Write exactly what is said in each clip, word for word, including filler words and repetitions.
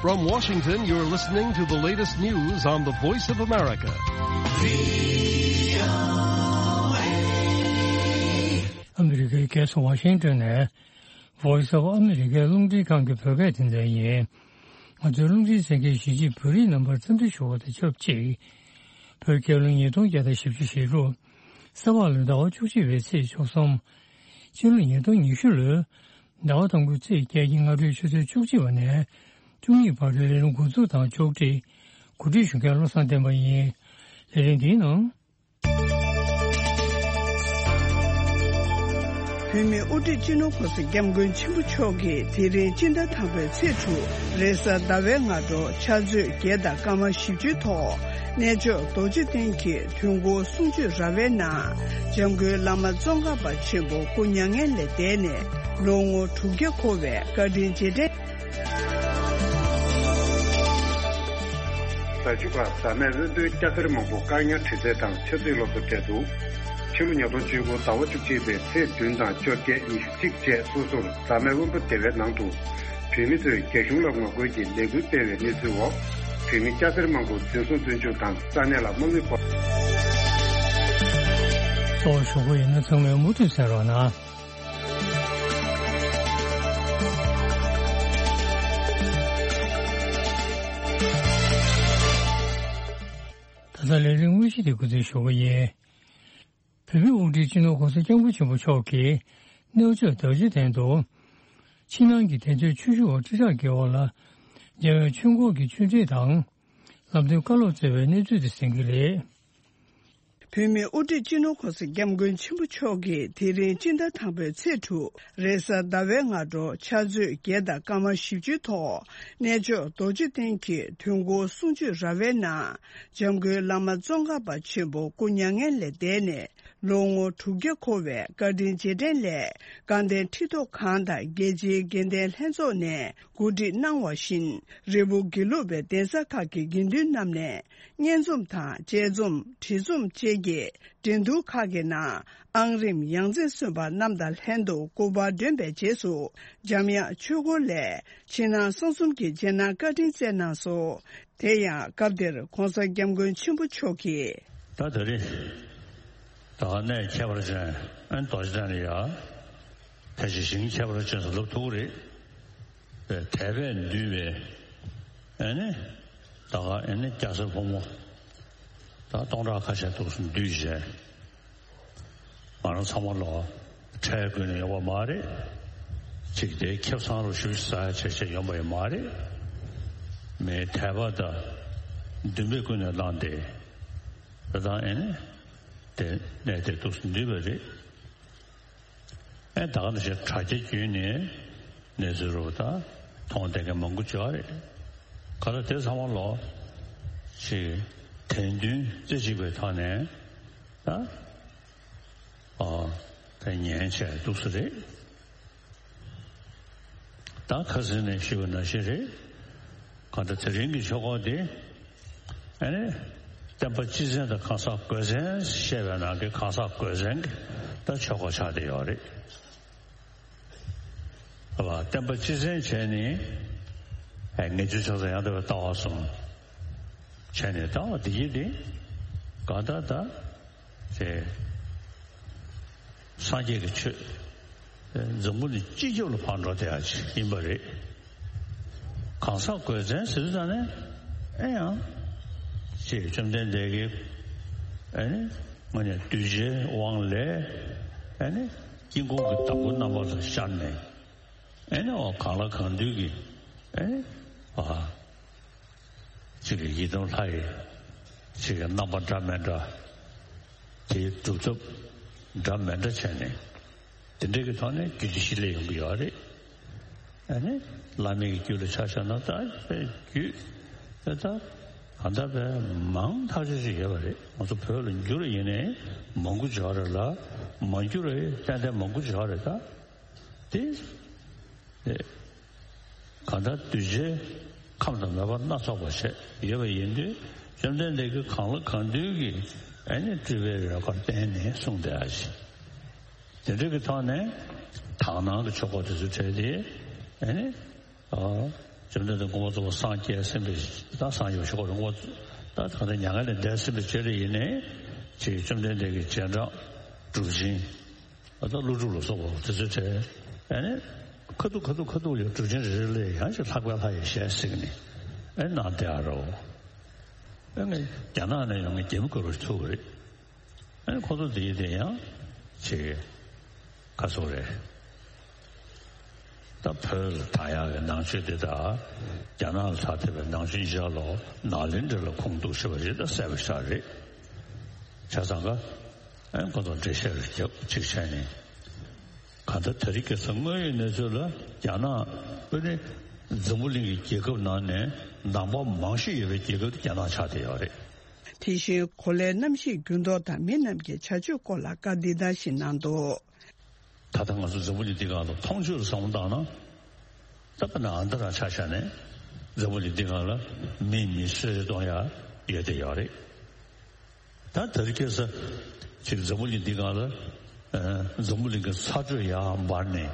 From Washington, you're listening to the latest news on the Voice of America. ཨ་མི་རི་ཀའི་རྒྱལ་ས་ཝ་ཤིང་ཏོན་ནས་Voice of America་རླུང་འཕྲིན་ཁང་གི་བོད་སྐད་སྡེ་ཚན་ཡིན། ང་ཚོའི་རླུང་འཕྲིན་གསན་མཁན་གཞིས་བྱེས་བོད་རིགས་རྣམ་པར་འཚམས་འདྲི་ཞུ་བ་དང་ཆབས་ཅིག་བོད་རྒྱལ་ལོ་ཉིས་སྟོང་བརྒྱ་དང་བཞི་བཅུ་ཞེ་དྲུག་ས་ཕག་ལོའི་ཟླ་བ་བཅུ་གཅིག་པའི་ཚེས་བཅུ་གསུམ། ཕྱི་ལོ་ཉིས་སྟོང་ཉི་ཤུ་ལོའི་ཟླ་བ་དང་པོའི་ཚེས་བརྒྱད་ཀྱི་སྔ་དྲོའི་ཆུ་ཚོད་བཅུ་གཅིག་པ་ནས་བཅུ་གཉིས་བར་དུ་ལས་རིམ་འགོ་འཛུགས་དང་ཕྱོགས་སྒྲིག་གོ་སྒྲིག་ཞུ་མཁན་བློ་བཟང་བསྟན་པ་ཡིན། ལས་རིམ་འདིའི་ནང་། བོད་མིའི་དབུ་ཁྲིད་སྤྱི་ནོར་༸གོང་ས་༸སྐྱབས་མགོན་ཆེན་པོ་མཆོག་གིས་དེ་རིང་སྤྱི་ཟླ་དང་པོའི་ཚེས་དྲུག་རེས་གཟའ་ཟླ་བའི་སྔ་དྲོ་ཕྱག་ཚོད་བརྒྱད་དང་སྐར་མ་བཞི་བཅུའི་ཐོག་གནས་མཆོག་རྡོ་རྗེ་གདན་གྱི་དུས་འཁོར་གསུང་ཆོས་ར་བའི་ནང་འཇམ་མགོན་བླ་མ་ཙོང་ཁ་པ་ཆེན་པོ་སྐུ་མྱ་ངན་ལས་འདས་ནས་ལོ་ངོ་དྲུག་བརྒྱ་འཁོར་བའི་བཀའ་དྲིན་རྗེས་དྲན། རྫ་ཆུ་ཁ་རྫ་སྨད་དབོན་པོའི་སྐྱ་སེར་མང་པོ་བཀག་ཉར་དྲི་རྩད་དང་ཆབ་སྲིད་སློབ་གསོ་སྤྲད་འདུག་ཕྱི་ལོ་ཉིས་སྟོང་བཅུ་དགུ་ཟླ་བ་བཅུ་གཅིག་པའི་ཚེས་བདུན་དང་བཅོ་བརྒྱད་ཉི་ཤུ་གཅིག་བཅས་སོ་སོར་རྫ་སྨད་དབོན་པོ་སྡེ་བའི་ནང་དུ་བོད་མི་ཚོས་རྒྱ་གཞུང་ལ་ངོ་རྒོལ་གྱི་ལས་འགུལ་སྤེལ་བའི་གནས་ཚུལ་འོག་བོད་མི་སྐྱ་སེར་མང་པོ་འཛིན་བཟུང་བཙོན་འཇུག་དང་ས་གནས་ལ་དམག་མི་སྤོ། གཙོ་བོ་ཞུ་སྒོ་ཡིན་ན་ཚང་མས་མུ་མཐུད་གསན་རོགས་གནང་། ད་ལྟ་ལས་རིམ་དངོས་གཞི་དེ་འགོ་འཛུགས་ཞུ་གི་ཡིན། བོད་མིའི་དབུ་ཁྲིད་སྤྱི་ནོར་༸གོང་ས་༸སྐྱབས་མགོན་ཆེན་པོ་མཆོག་གིས་གནས་མཆོག་རྡོ་རྗེ་གདན་དུ་ཕྱི་ནང་གི་གདན་ཚོགས་ཆོས་ཞུ་བ་ཁྲི་ཕྲག་བརྒལ་བ་ལ་རྒྱལ་བའི་ཆོས་འཁོར་གྱི་ཆོས་ཁྲིད་དང་ལམ་སྟོན་བཀའ་སློབ་སྩལ་བའི་གནས་ཚུལ་དེ་གསན་གྱི་རེད། བོད་མིའི་དབུ་ཁྲིད་སྤྱི་ནོར་༸གོང་ས་༸སྐྱབས་མགོན་ཆེན་པོ་མཆོག་གིས་དེ་རིང་སྤྱི་ཟླ་དང་པོའི་ཚེས་དྲུག་རེས་གཟའ་ཟླ་བའི་སྔ་དྲོ་ཕྱག་ཚོད་བརྒྱད་དང་སྐར་མ་བཞི་བཅུའི་ཐོག་གནས་མཆོག་རྡོ་རྗེ་གདན་གྱི་དུས་འཁོར་གསུང་ཆོས་ར་བའི་ནང་འཇམ་མགོན་བླ་མ་ཙོང་ཁ་པ་ཆེན་པོ་སྐུ་མྱ་ངན་ལས་འདས་ནས་ལོ་ངོ་དྲུག་བརྒྱ་འཁོར་བའི་བཀའ་དྲིན་རྗེས་དྲན་སླད་དགའ་ལྡན་ཁྲི་ཐོག་ཁང་དང་རྒྱལ་སྤྱིའི་དགེ་ལྡན་ལྷན་ཚོགས་ནས་གོ་སྒྲིག་གནང་བ་བཞིན་རེ་སྦུག་དགེ་ལུགས་པའི་གདན་ས་ཁག་གི་དགེ་འདུན་རྣམས་ནས་སྙན་རྩོམ་དང་དཔྱད་རྩོམ་བྲིས་རྩོམ་བཅས་ཀྱི་འགྲན་བསྡུར་ཁག་གི་ནང་ཨང་རིམ་ཡང་རྩེར་སོན་པ་རྣམས་དང་ལྷན་དུ་སྐུ་པར་བསྒྲོན་པའི་རྗེས་སུ་འཇམ་དབྱངས་ཆོས་འཁོར་ལས་ཕྱི་ནང་གསང་གསུམ་གྱི་རྗེས་གནང་བཀའ་དྲིན་སྩལ་གནང་སོང་། དེ་ཡང་སྐབས་དེར་༸གོང་ས་༸སྐྱབས་མགོན་ཆེན་པོ་མཆོག་གིས། ད་དེ་རིང་ད་གནས་ཁྱད་པར་ཅན་ཨན་རྡོ་རྗེ་གདན་ལ་ཡ། ཕལ་ཆེར་ཞིང་ཁྱད་པར་ཅན་ཟེར་ལབ་ཐུབ་ཀྱི་རེད། དད་པས་འདུས་པའི་ཨ་ནི་ད་ག་ཨ་ནི་སྐྱ་སེར་ཕོ་མོ་ད་སྟོང་ཕྲག་ཁ་ཤས་འདུག་སེ་འདུས་བྱས། ང་རང་ཚང་མ་ལོ་ཁྲལ་དགོས་ནས་ཡོང་བ་མ་རེད། ཅིག་དེ་ཁེ་བཟང་རུ་ཞུ་ཟ་བྱས་བྱས་ཡོང་བ་ཡང་མ་རེད། མི་དད་པ་དང་འདུན་པའི་ཀུན་ནས་བསླངས་ཏེ་ད་ལྟ་ཨ་ནི་དེ་གནས་དེར་འདུག་སེ་འདུས་པ་རེད། ཨེ་ད་ག་ནང་བཞིན་དྲ་རྒྱ་བརྒྱུད་ནས་གནས་ཚུལ་རོབ་ད་མཐོང་བསྡད་མཁན་མང་པོ་ཅིག་ཡོད་རེད། ག་ལ་དེ་ཚང་མ་ལོ་ཅིག་དད་འདུན་རྩེ་གཅིག་པའི་ཐོག་ནས་ད་ཨ་ད་ཉན་བྱས་འདུག་སེ་རེད། ད་ཁ་སང་ནས་ཞུས་པ་ནང་བཞིན་རེད། གང་ལྟར་དེ་རིང་གི་ཆོ་ག་འདི་ཨ་ནི་བསྟན་པ་སྤྱི་མཚན་དང་གང་ཟག་སྒོས་མཚན་བཤད་པའི་ནང་གི་གང་ཟག་སྒོས་མཚན་གྱི་ད་ཆོ་ག་ཆགས་བསྡད་ཡོད་རེད། བསྟན་པ་སྤྱི་མཚན་བྱས་ནས་ངེས་འབྱུང་ཕྱག་འཚལ་ཡང་དག་པའི་ལྟ་བ་གསུམ་བྱས་ནས་ལྟ་བ་འདི་ཡིན་ཏེ། གང་ལྟར་ད་དེ་སངས་རྒྱས་ཀྱི་ཆོས་འཛམ་བུ་གླིང་སྤྱི་ཁྱབ་ལ་ཕར་འགྲོ་བསྡད་ཡ་ཅིག་ཡིན་པ་རེད། གང་ཟག་སྒོས་མཚན་ཟེར་དུས་ཙང་ནས་ཨེ་ཡང་ཅེས་བཅོམ་ལྡན་འདས་ཀྱིས་ཨེ་ནི་དངོས་གནས་གདུལ་བྱའི་དབང་ལས་ཨེ་ནི་དཀྱིལ་འཁོར་གྱི་བདག་པོ་རྣམ་པ་ལ་ཤར་ནས་ཨེ་ནི་འོ་གང་ལ་གང་འདུལ་གྱི་ཨེ་ནི་ཨ། གཅིག་གི་ཡི་དམ་ལྷ་ཡི་གཅིག་གི་རྣམ་པ་འདྲ་མི་འདྲ་དེའི་སྒྲུབ་ཐབས་འདྲ་མི་འདྲ་བྱས་ནས་དེ་འདྲ་གི་ཐོག་ནས་རྒྱུད་སྡེ་བཞི་སླེབས་ཡོང་གི་ཡོད་རེད། ཨ་ནི་བླ་མེད་ཀྱི་རྒྱུད་ལ་ཆ་བཞག་ན་ད་དཔེ་རྒྱུད་དེ་ད་ག་འདྲ་བས་མང་ཐག་ཆོད་ཅིག་ཡོད་པ་རེད། ང་ཚོ་བོད་ལ་འགྱུར་ཡིན་ནའི་མང་པོ་ཅིག་ཡོད་རེད་ལ་མ་འགྱུར་བའི་ཏན་ཏན་མང་པོ་ཅིག་ཡོད་རེད་ད། དེ། གང་ལྟར་གདུལ་བྱའི་ཁམས་དང་མོས་པ་སྣ་ཚོགས་པ་བྱས་ཡོད་པ་ཡིན་དུས་བཅོམ་ལྡན་འདས་ཀྱིས་གང་ལ་གང་འདུལ་གྱི་ཨ་ནི་སྤྲུལ་པའི་རོལ་གར་བསྟན་ནས་གསུངས་བསྡད་ཡ་ཞིག་དེ་འདྲ་གི་ཐོག་ནས་དག་སྣང་གི་ཆོ་ག་དེ་ཚོ་བྲལ་ཏེ་ཨ་ནི་ཨ་ བཅོམ་ལྡན་འདས་མགོན་པོ་རྫོགས་པ་སངས་རྒྱས་ཟིན་པའི་ད་སངས་རྒྱས་ཞུ་དགོས་རེད། མགོན་པོ་ད་གང་ལྟར་མྱ་ངན་ལས་འདས་ཟིན་པའི་རྗེས་ལ་ཡིན་ནའི་ཅིག་བཅོམ་ལྡན་འདས་ཀྱི་རྗེས་འབྲང་གྲུབ་ཆེན་ད་ཀླུ་སྒྲུབ་ལ་སོགས་པ་དེ་ཚོའི་གྲས་ཨ་ནི་ཁ་ཐུག་ཁ་ཐུག་ཁ་ཐུག་ལ་གྲུབ་ཆེན་རེ་རེ་ལ་ཡང་ཅིག་ལྷག་པའི་ལྷ་ཡི་ཞལ་གཟིགས་ནས་ཨ་ནི་གནང་བསྡད་ཡ་རོ། ཨ་ནི་རྒྱ་ནག་ནས་ཡོང་མཁན་རྒྱ་མི་དགའ་རབ་ཐུག་གི་རེད། ཨ་ནི་ཁོ་ཚོ་དེ་ཡི་དེ་ཡང་ཅིག་ག་སོགས་རེད། ད་བོད་ལ་དར་ཡག་གི་ནང་ཆོས་འདི་དང་རྒྱ་ནག་ལ་དར་བསྡད་པའི་ནང་ཆོས་གཉིས་ཆར་ལོ་ནག་ལན་འདྲ་ལ་ཁུངས་གཏུགས་ཤེས་པ་རེད། ད་གསལ་པོ་ཤར་རེད། བྱས་ཙང་ཀ་ཨ་ཁོ་ཚོ་འགྲེལ་བཤད་རེ་རྒྱབ་ཅིག་བྱས་ནས་གང་ལྟར་དེ་རིང་ཁ་སང་དངོས་ཡོད་གནས་ཚུལ་ལ་རྒྱ་ནག་ཨ་ནི་འཛམ་བུ་གླིང་གི་རྒྱལ་ཁབ་ནང་ནས་ནང་པ་མང་ཤོས་ཡོད་པའི་རྒྱལ་ཁབ་དེ་རྒྱ་ནག་ཆགས་བསྡད་ཡོད་རེད། དེ་བཞིན་གོ་ལའི་གནམ་གཤིས་འགྱུར་ལྡོག་དང་མི་རྣམས་ཀྱི་བྱ་སྤྱོད་སྐོར་ལ་བཀའ་འདི་ལྟར་ཞིག་གནང་འདུག་ད་ལྟ་ང་ཚོ་འཛམ་བུ་གླིང་འདི་སྒང་ལ་མཐོང་ཆོས་ལ་བསམ་བློ་བཏང་ན། ད་དཔེར་ན་ཨ་མདོ་རང་ཆ་བཞག་ནས་འཛམ་བུ་གླིང་འདི་སྒང་ལ་མི་མི་གསོད་རེས་གཏོང་ཡ་ཡོད་དེ་ཡོད་རེད། ད་དེ་རིང་ཁ་སང་ཅིག་འཛམ་བུ་གླིང་འདི་སྒང་ལ་ཨ་འཛམ་བུ་གླིང་གི་ཚ་དྲོད་ཡར་འབར་ནས།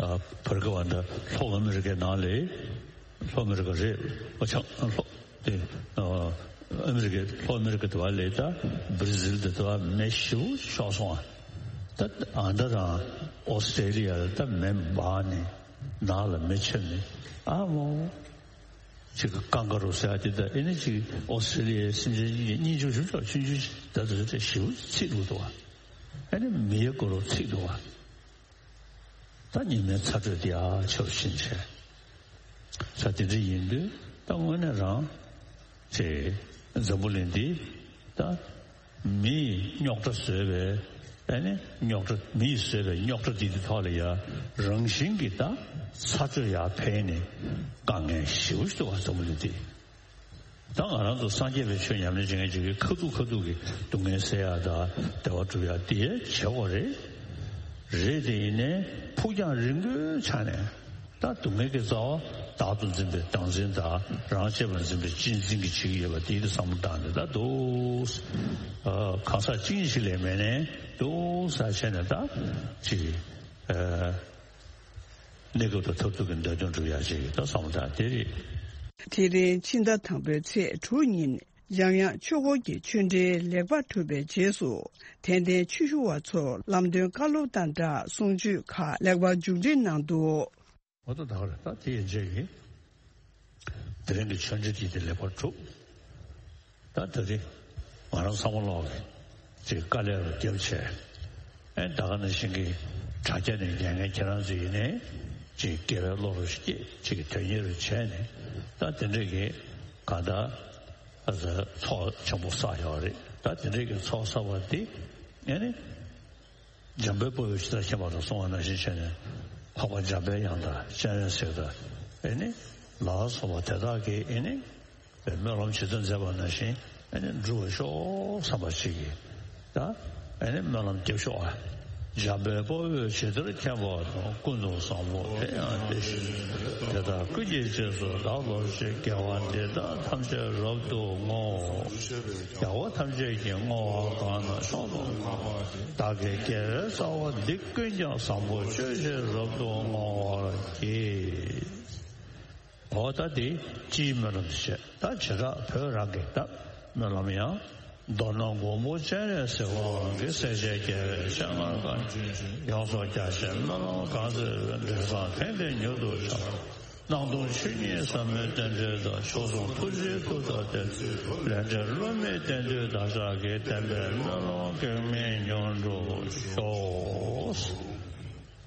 ཨ་བར་སྐབས་ཨ་ནི་ལྷོ་ཨ་མི་རི་ཀའི་ནང་ལ་ལྷོ་ཨ་མི་རི་ཀ་རེད། ཨ་ཆ་ལྷོ་དེ་ཨ་ཨ་མི་རི་ཀའི་ལྷོ་ཨ་མི་རི་ཀ་དེ་བ་ལ་ད་བྷི་ར་ཟིལ་དེ་དེ་བ་མེ་ཞེ་པོ་ཤོར་སོང་ཨ། ད་ཨ་མདོ་རང་ཨོ་སི་ཀྲེ་ལི་ཡ་ལ་ད་མེ་འབར་ནས་ནགས་ལ་མེ་མཆེད་ནས་ཨ་མོ་ཅིག་གི་ཀང་ག་རུ་ཟེར་ཡ་དེ་ད་ཨེ་ནི་ཅིག་ཨོ་སི་ཀྲེ་ལི་ཡའི་སེམས་ཅན་གཉིས་ཀྱི་སྙིང་རྗེ་ཞེ་པོ་ཅིག་ཆུང་ཆུང་ཞིག་ད་དེ་ཚོ་ཞེ་པོ་ཚིག་འདུག་ཨ། ཨེ་ནི་མི་ཡི་གུ་རུ་ཚིག་འདུག་ཨ། ད་ཉི་མའི་ཚ་དྲོད་དེ་ཡར་ཆེ་རུ་ཕྱིན་བྱས། ས་དེ་འདྲ་ཡིན་དུས་ད་དངོས་གནས་རང་ཅེ་འཛམ་བུ་གླིང་འདི་ད་མིས་རྙོག་དྲ་བཟོས་པའི་ཨ་ནི་རྙོག་དྲ་མིས་བཟོས་པའི་རྙོག་དྲ་འདི་དེ་ཐོག་ལ་ཡ་རང་བཞིན་གྱིས་ད་ཚ་དྲོད་ཡར་འཕེལ་ནས་དཀའ་ངལ་ཞེ་པོ་ཞིག་འདུག་བ། འཛམ་བུ་གླིང་འདི། ད་ང་རང་ཚོ་སངས་རྒྱས་པའི་ཆོས་ཉམས་ལེན་བྱེད་མཁན་ཅིག་གིས་ཁ་ཐུག་ཁ་ཐུག་གི་སྡུག་བསྔལ་སེལ་ཡག་དང་བདེ་བ་སྒྲུབ་ཡག་དེ་བྱེད་དགོས་རེད། རེད་དེ་ཡིན་ནའི་ཕུགས་རྒྱང་རིང་པོའི་ཆ་ནས་ད་སྡུག་བསྔལ་གྱི་རྩ་བ་བདག་ཏུ་འཛིན་པའི་བདག་འཛིན་དང་རང་གཅེས་པར་འཛིན་པའི་གཅེས་འཛིན་གྱིས་བྱེད་ཀྱི་ཡོད་པ་དེ་དེ་བསམ་བློ་བཏང་ནས་ད་འདུག་ཨ་གང་ཟག་གཅིག་གཉིས་ཤིག་ལས་མེད་ནས་འདུག་ས་བྱས་ནས་ད་ཅིག་ཨ། གནས་སྐབས་དང་མཐར་ཐུག་གི་འདོད་དོན་སྒྲུབ་ཡག་ཅིག་ད་བསམ་བློ་བཏང་དེ་རེད། དེ་རིང་ཕྱི་ཟླ་དང་པོའི་ཚེས་དྲུག་ཉིན་འཇམ་དབྱངས་ཆོས་འཁོར་གྱི་ཆོས་འབྲེལ་ལེགས་པར་གྲུབ་པའི་རྗེས་སུ་དད་ལྡན་ཆོས་ཞུ་བ་ཚོར་ལམ་སྟོན་བཀའ་སློབ་དང་སྦྲགས་གསུང་ཆོས་ཁག་ལེགས་པར་མཇུག་སྒྲིལ་གནང་འདུག་འོ་ད་ད་ག་རེད། ད་དེ་ཡན་ཆད་ཀྱིས་དེ་རིང་གི་ཆོས་འབྲེལ་དེ་དེ་ལེགས་པར་གྲུབ། ད་ད་རེས་ང་རང་བསམ་བློ་ལོག་གི་ཅིག་དཀའ་ལས་རུ་བརྒྱབ་བྱས། ཨེ་ད་ག་ནང་བཞིན་གྱི་དྲ་རྒྱ་ནས་ཉན་མཁན་ཁྱེད་རང་ཚོ་ཡིན་ནའི་ཅིག་དགེ་བའི་བློ་རུ་སྐྱེས་ཅིག་དོན་གཉེར་རུ་བྱས་ནས་ད་དེ་འདྲས་ཀྱི་གང་ལྟར་ཚོགས་ཆེན་པོ་བསགས་ཡོད་རེད། ད་དེ་འདྲས་ཀྱི་ཚོགས་བསགས་པ་འདི་ཨེ་ནི། འཇམ་དཔལ་དཔའ་བོས་ཇི་ལྟར་མཁྱེན་པ་དང་གསུངས་པ་ནང་བཞིན་བྱས་ནས་འཕགས་པ་འཇམ་དཔལ་དབྱངས་དང་སྤྱན་རས་གཟིགས་དང་ཨེ་ནི་ལ་སོགས་པ་དེ་དག་གིས་ཨེ་ནི་སྨོན་ལམ་ཇི་ལྟར་མཛད་པ་ནང་བཞིན་ཨེ་ནི་འགྲུབ་པར་ཤོག་བསམ་པ་ཞིག་གིས་ད་ཨེ་ནི་སྨོན་ལམ་རྒྱབ་ཤོག་ཨ། འཇམ་དཔལ་དཔའ་བོས་ཇི་ལྟར་མཁྱེན་པ་དང་། ཀུན་ཏུ་བཟང་པོ་དེ་ཡང་དེ་བཞིན་ཏེ། དེ་ལྟར་ཀུན་གྱི་རྗེས་སུ་བདག་སློབ་ཅིང་། དགེ་བ་འདི་དག་ཐམས་ཅད་རབ་ཏུ་བསྔོ། རྒྱལ་བ་ཐམས་ཅད་ཀྱིས་བསྔོ་བ་གང་རྣམས་ཤོག་ལོ་ཀ་པ་བདག་གི་དགེ་བའི་རྩ་བ་འདི་ཀུན་ཀྱང་བཟང་པོ་སྤྱོད་ཕྱིར་རབ་ཏུ་བསྔོ་བར་བགྱི། འོ་ད་དེ་སྤྱིའི་སྨོན་ལམ་བྱས། ད་བྱེ་བྲག་བོད་རང་གི་ད་སྨོན་ལམ་ཡང་། མདོར་ན་མགོན་པོ་སྤྱན་རས་གཟིགས་དབང་གིས། སྲས་བཅས་རྒྱལ་བའི་སྤྱན་སྔར་བཀའ་དྲིན་ཅན། ཡོངས་སུ་རྒྱ་ཆེའི་སྨོན་ལམ་གང་བརྩམས་པའི། འབྲས་བཟང་ཕན་བདེ་མྱུར་དུ་ཤར། སྣང་སྟོང་ཆོས་ཉིད་ཟབ་མོའི་རྟེན་འབྲེལ་དང་། མཆོག་ཟུང་ཐུགས་རྗེའི་མཐུ་དང་ལྡན། ལས་འབྲས་བསླུ་མེད་བདེན་མཐུས་བདག་ཅག་གི། བདེན་པའི་སྨོན་ལམ་གེགས་མེད་མྱུར་འགྲུབ་ཤོག་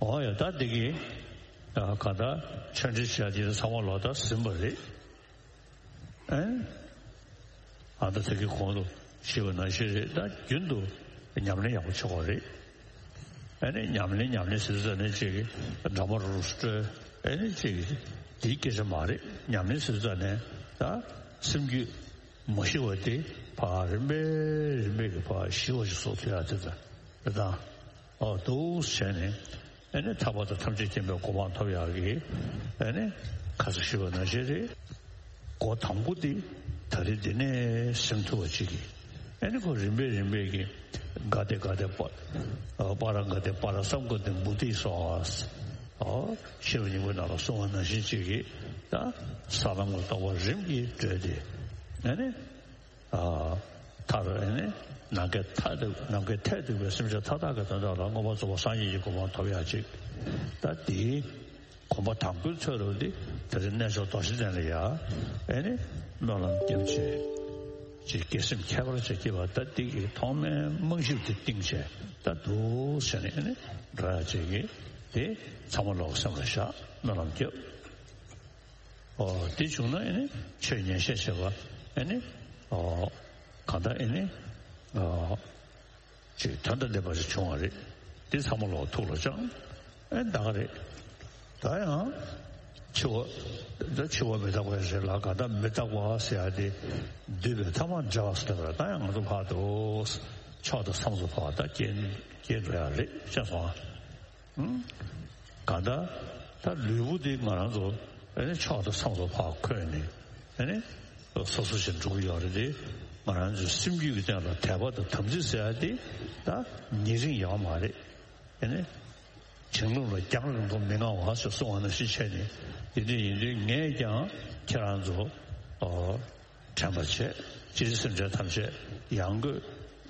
འོ་ཡ་ད་འདི་གི་ག་ད་ཆོས་འབྲེལ་བྱ་དེ་ཚང་མ་ལོ་ད་ཟིན་པ་རེད། ཨེ། ཨ་ད་ཚིག་གི་གོང་དུ་ཞུས་པ་ནང་བཞིན་རེད། ད་རྒྱུན་དུ་ཉམས་ལེན་ཡག་པོ་བྱེད་དགོས་རེད། ཨེ་ནི་ཉམས་ལེན་ཉམས་ལེན་ཟེར་ཙ་ནས་ཅིག་འདྲ་མོ་རུ་སྤྲོད། ཨེ་ནི་ཅིག་དེའི་སྐད་ཆ་མ་རེད། ཉམས་ལེན་ཟེར་ཙ་ནས་ད་སེམས་རྒྱུད་མ་ཞི་བ་དེ་ཕར་རིམ་པས་རིམ་པས་ཀྱི་ཕར་ཞི་བ་ཞིག་བཟོ་ཐུབ་ཡག་དེ་ད་རེད་ད། ཨོ་འདུག་བྱས་ནས་ཨེ་ནི་ཐར་པ་དང་ཐམས་ཅད་མཁྱེན་པའི་གོ་འཕང་ཐོབ་ཡག་གི་ཨེ་ནི་ཁ་ས་ཞུས་པ་ནང་བཞིན་རེད། འགོ་དང་པོ་དེ་ད་རེས་འདི་ནས་ཟིན་ཐུབ་པ་ཅིག་གི་ཨེ་ནི་ཁོ་རིམ་པས་རིམ་པས་ཀྱི་ག་དེ་ག་དེ་པ་པ་ར་ག་དེ་པ་ར་སམ་ག་དེ་བུ་དེ་སོ་ཨ། ཨོ། ཤེས་རབ་སྙིང་པོའི་ནང་ལ་གསུངས་པ་ནང་བཞིན་ཅིག་གིས་ད་ས་ལམ་གྱི་རྟོགས་པ་རིམ་གྱིས་བགྲོད་དེ། ཨ་ནི། ཨ། མཐར་ཨ་ནི་ནམ་མཁའི་མཐས་གཏུགས་ནམ་མཁའི་མཐས་གཏུགས་པའི་སེམས་ཅན་མཐའ་དག་གི་དོན་དག་ལ་མངོན་པར་རྫོགས་པ་སངས་རྒྱས་ཀྱི་གོ་འཕང་ཐོབ་ཡག་ཅིག་ད་དེའི་གོམ་པ་དང་པོའི་ཚོད་རུ་དེ་དེ་རིང་རྣལ་འབྱོར་རྡོ་རྗེ་གདན་ལ་ཡ་ཨེ་ནི་སྨོན་ལམ་བརྒྱབ་བྱས་ཅིག་དགེ་སེམས་ཁྱད་པར་ཅིག་སྐྱེས་པ་ད་དེ་གི་ཐོག་མའི་རྨང་གཞི་དེ་བཏིང་བྱས་ད་འདུག་བྱས་ནས་ཨེ་ནི་འགྲོ་ཡག་ཅིག་གི་དེ་ཚང་མ་ལོག་སེམས་ལ་བཞག་སྨོན་ལམ་བརྒྱབ། ཨོ། དེ་བྱུང་ན་ཨེ་ནི་ཆོས་ཉན་བཤད་བྱེད་པ་ཨེ་ནི་ཨོ་གང་ལྟར་ཨེ་ནི་ཨོ་ཅིག་དོན་དང་ལྡན་པ་ཞིག་བྱུང་བ་རེད། དེ་ཚང་མ་ལོག་ཐུགས་ལ་བཅངས། ཨེ་ད་ག་རེད། ད་ཡང་འཆི་བ་ད་འཆི་བ་མི་རྟག་པ་རེད་ལ་གང་ལྟར་མི་རྟག་པ་ཟེར་ཡ་དེ་འདུས་པའི་ཐ་མ་འབྲལ་བ་ཟེར་བ་ད་ཡང་ང་ཚོ་ཕར་དུ་མཆོག་ཏུ་སངས་སུ་འཕགས་པ་ད་སྐྱེ་སྐྱེ་འགྲོ་ཡ་རེད་ཤེས་སོང་ཨ། གང་ལྟར་ད་ལུས་པོ་འདི་ང་རང་ཚོ་ཨེ་ནི་མཆོག་ཏུ་སངས་སུ་འཕགས་འཁོད་ནས་ཨེ་ནི་སོ་སོ་ཞིག་འགྲོ་གི་ཡོད་རེད་དེ། ང་རང་ཚོའི་སེམས་རྒྱུད་ཀྱི་སྟེང་ལ་དད་པ་དང་དམ་ཚིག་ཟེར་ཡ་དེ་ད་ཉེ་རིང་ཡོད་མ་རེད། ཨེ་ནི་བྱིང་རླུང་ལ་རྒྱང་རིང་པོ་མི་མངའ་བ་ཞེས་གསུངས་པ་ནང་བཞིན་བྱས་ནས་དེ་འདྲ་ཡིན་དུས་ངས་ཀྱང་ཁྱེད་རང་ཚོ་ཨོ། དྲན་པ་བྱས། སྤྱིར་སེམས་ཅན་ཐམས་ཅད་ཡང་སྒོས་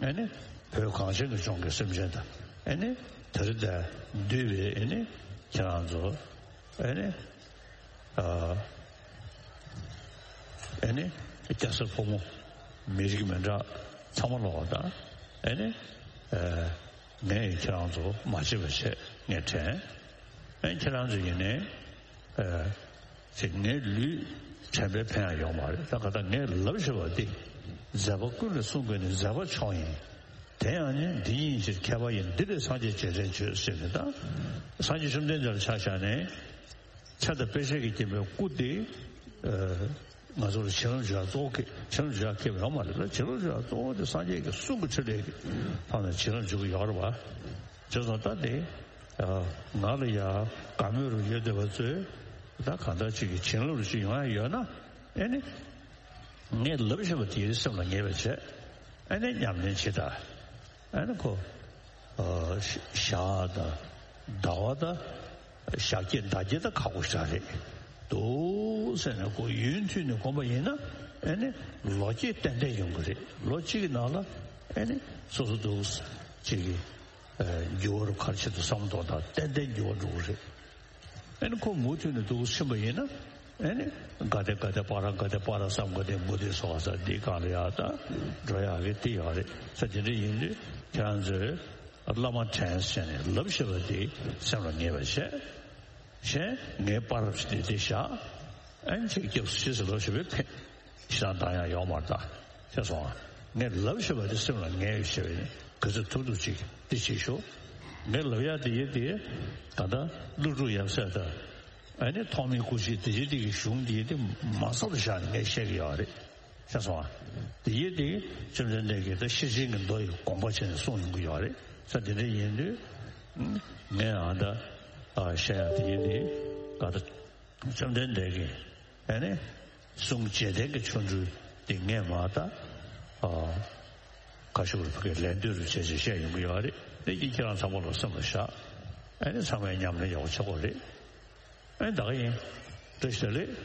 ཨེ་ནི་བོད་གངས་ཅན་གྱི་ལྗོངས་ཀྱི་སེམས་ཅན་དང་ཨེ་ནི་དེ་རིང་འདིར་འདུས་པའི་ཨེ་ནི་ཁྱེད་རང་ཚོ་ཨེ་ནི་ཨ་ཨེ་ནི་སྐྱ་སེར་ཕོ་མོ་མི་རིགས་མི་འདྲ་ཚང་མ་ལོག་དང་ཨེ་ནི་ཨ་ངས་ཁྱེད་རང་ཚོ་མ་བརྗེད་པ་བྱས་ངས་དྲན། ཨེ་ཁྱེད་རང་ཚོ་ཡིན་ནའི་ཨ། ཅེས་ངའི་ལུས་དྲན་པའི་ཕན་ཡང་ཡོད་མ་རེད། ད་ག་ད་ངས་ལབ་བཞིན་པ་འདི་མཛད་པ་ཀུན་ལས་གསུང་དགོས་ནི་མཛད་པ་མཆོག་ཡིན། དེ་ཡང་ནི་འདི་ཉིད་ཕྱིར་མཁས་པ་ཡིན། འདི་ལས་སངས་རྒྱས་རྗེས་དྲན་བྱོས་ཟེར་ནས་ད་སངས་རྒྱས་བཅོམ་ལྡན་འདས་ལ་ཆ་བཞག་ནས་ཚེ་དང་དཔེ་བྱད་ཀྱིས་བརྒྱན་པའི་སྐུ་དེ་ང་ཚོ་ལ་བྱིན་རླབས་འཇུག་ཡ་གཙོ་བོ་གི་བྱིན་རླབས་འཇུག་ཡ་མཁས་པ་ཡོད་མ་རེད་ལ། བྱིན་རླབས་འཇུག་ཡ་གཙོ་བོ་དེ་སངས་རྒྱས་ཀྱི་གསུང་གི་ཕྲིན་ལས་ཀྱི་ཐོག་ནས་བྱིན་རླབས་འཇུག་གི་ཡོད་རེད་བ། བྱས་ཙང་ད་དེ། ང་ལ་ཡ་དགའ་མོས་རུ་ཡོད་བསྡད་པ་ཚོས་ད་གང་ལྟར་ཅིག་གི་བྱིན་རླབས་རུ་ཅིག་ཡོང་ཡ་ཡོད་ན་ཨེ་ནི་ངས་ལབ་བཞིན་པ་དེའི་སེམས་ལ་ངེས་པ་བྱས་ཨེ་ནི་ཉམས་ལེན་བྱེད་ད་ཨེ་ནི་ཁོ་ཞག་དང་ཟླ་བ་དང་ཞག་བརྒྱད་ཟླ་བརྒྱད་ད་ཁག་པོ་ཞིག་རེད་འདུག་ཟེར་ནས་ཁོ་ཡུན་མཐུད་ནས་སྒོམ་པ་ཡིན་ན་ཨེ་ནི་ལོ་བརྒྱད་ཏན་ཏན་ཡོང་གི་རེད། ལོ་གཅིག་གི་ནང་ལ་ཨེ་ནི་སོ་སོ་འདུག་ཅིག་གི་འགྱུར་བ་རུ་ཁར་ཆེད་དུ་བསམ་བློ་གཏོང་དང་ཏན་ཏན་འགྱུར་བ་འགྲོ་གི་རེད། ཨེ་ནི་ཁོ་མུ་མཐུད་ནས་འདུག་ཕྱིན་པ་ཡིན་ན་ཨེ་ནི་ག་དེ་ག་དེ་པ་ར་ག་དེ་པ་ར་བསམ་ག་དེ་མུ་དེ་སོགས་ས་འདི་གང་ལ་ཡག་ད་འགྲོ་ཡག་གི་དེ་ཡག་རེད་ས། དེ་འདྲ་ཡིན་དུས་ཁྱེད་རང་ཚོས་བླ་མ་དྲན་བྱས་ནས་ལབ་ཤེས་པ་དེ་སེམས་ལ་ངེས་པ་བྱས། གཞན་ངའི་པར་རབ་ཞིག་དེ་དེ་བཞག་ཨེ་ནི་ཅིག་སྐྱབས་སུ་མཆི་ཟེར་ལབ་ཤེས་པའི་ཕན། ཞེ་དྲག་བཏང་ཡག་ཡོག་མ་རེད་ད། ཤེས་སོང་ཨ། ངས་ལབ་ཤེས་པ་དེ་སེམས་ལ་ངེས་ཡོད་ཤེས་པས་ནི་ག་ཚོད་ཐུབ་ཐུབ་ཅིག་དེ་བྱེད་ཤོག་ངས་ལབ་ཡག་དེ་ཡིན་དེ་ད་ལྟ་ཀླུ་སྒྲུབ་ཡབ་སྲས་དང་ཨ་ནི་ཐོགས་མེད་སྐུ་མཆེད་དེ་བཞིན་དེ་གི་གཞུང་དེ་ཡིན་དེ་མ་ཚར་བཞག་ནས་ངས་བཤད་གི་ཡོད་རེད། ཤེས་སོང་ཨ། དེ་ཡིན་དེ་བཅོམ་ལྡན་འདས་ཀྱིས་ད་ཤེར་ཕྱིན་གྱི་མདོ་ཡི་དགོངས་པ་བྱས་ནས་གསུངས་ཡོང་གི་ཡོད་རེད་ས། དེ་འདྲ་ཡིན་དུས་ངས་ཨ་ད་བཤད་ཡག་དེ་ཡིན་དེ་ད་ལྟ་བཅོམ་ལྡན་འདས་ཀྱིས། ཨ་ནི། གསུང་རྗེས་དྲན་གྱི་ཆོ་འཕྲུལ་འདི་ངས་མ་ད། ཨ། ཁ་ཤུགས་རུ་ཕ་གིར་ལན་ལྟོས་རུ་བྱས་བྱས་བཤད་ཡོང་གི་ཡོད་རེད། དེ་གྱིས་ཁྱེད་རང་ཚང་མ་ལ་སེམས་ལ་བཞག་ཨ་ནི་ཚང་མས་ཉམས་ལེན་ཡག་པོ་བྱེད་དགོས་རེད། ཨ་ནི་ད་ག་ཡིན། བཀྲ་ཤིས་བདེ་ལེགས།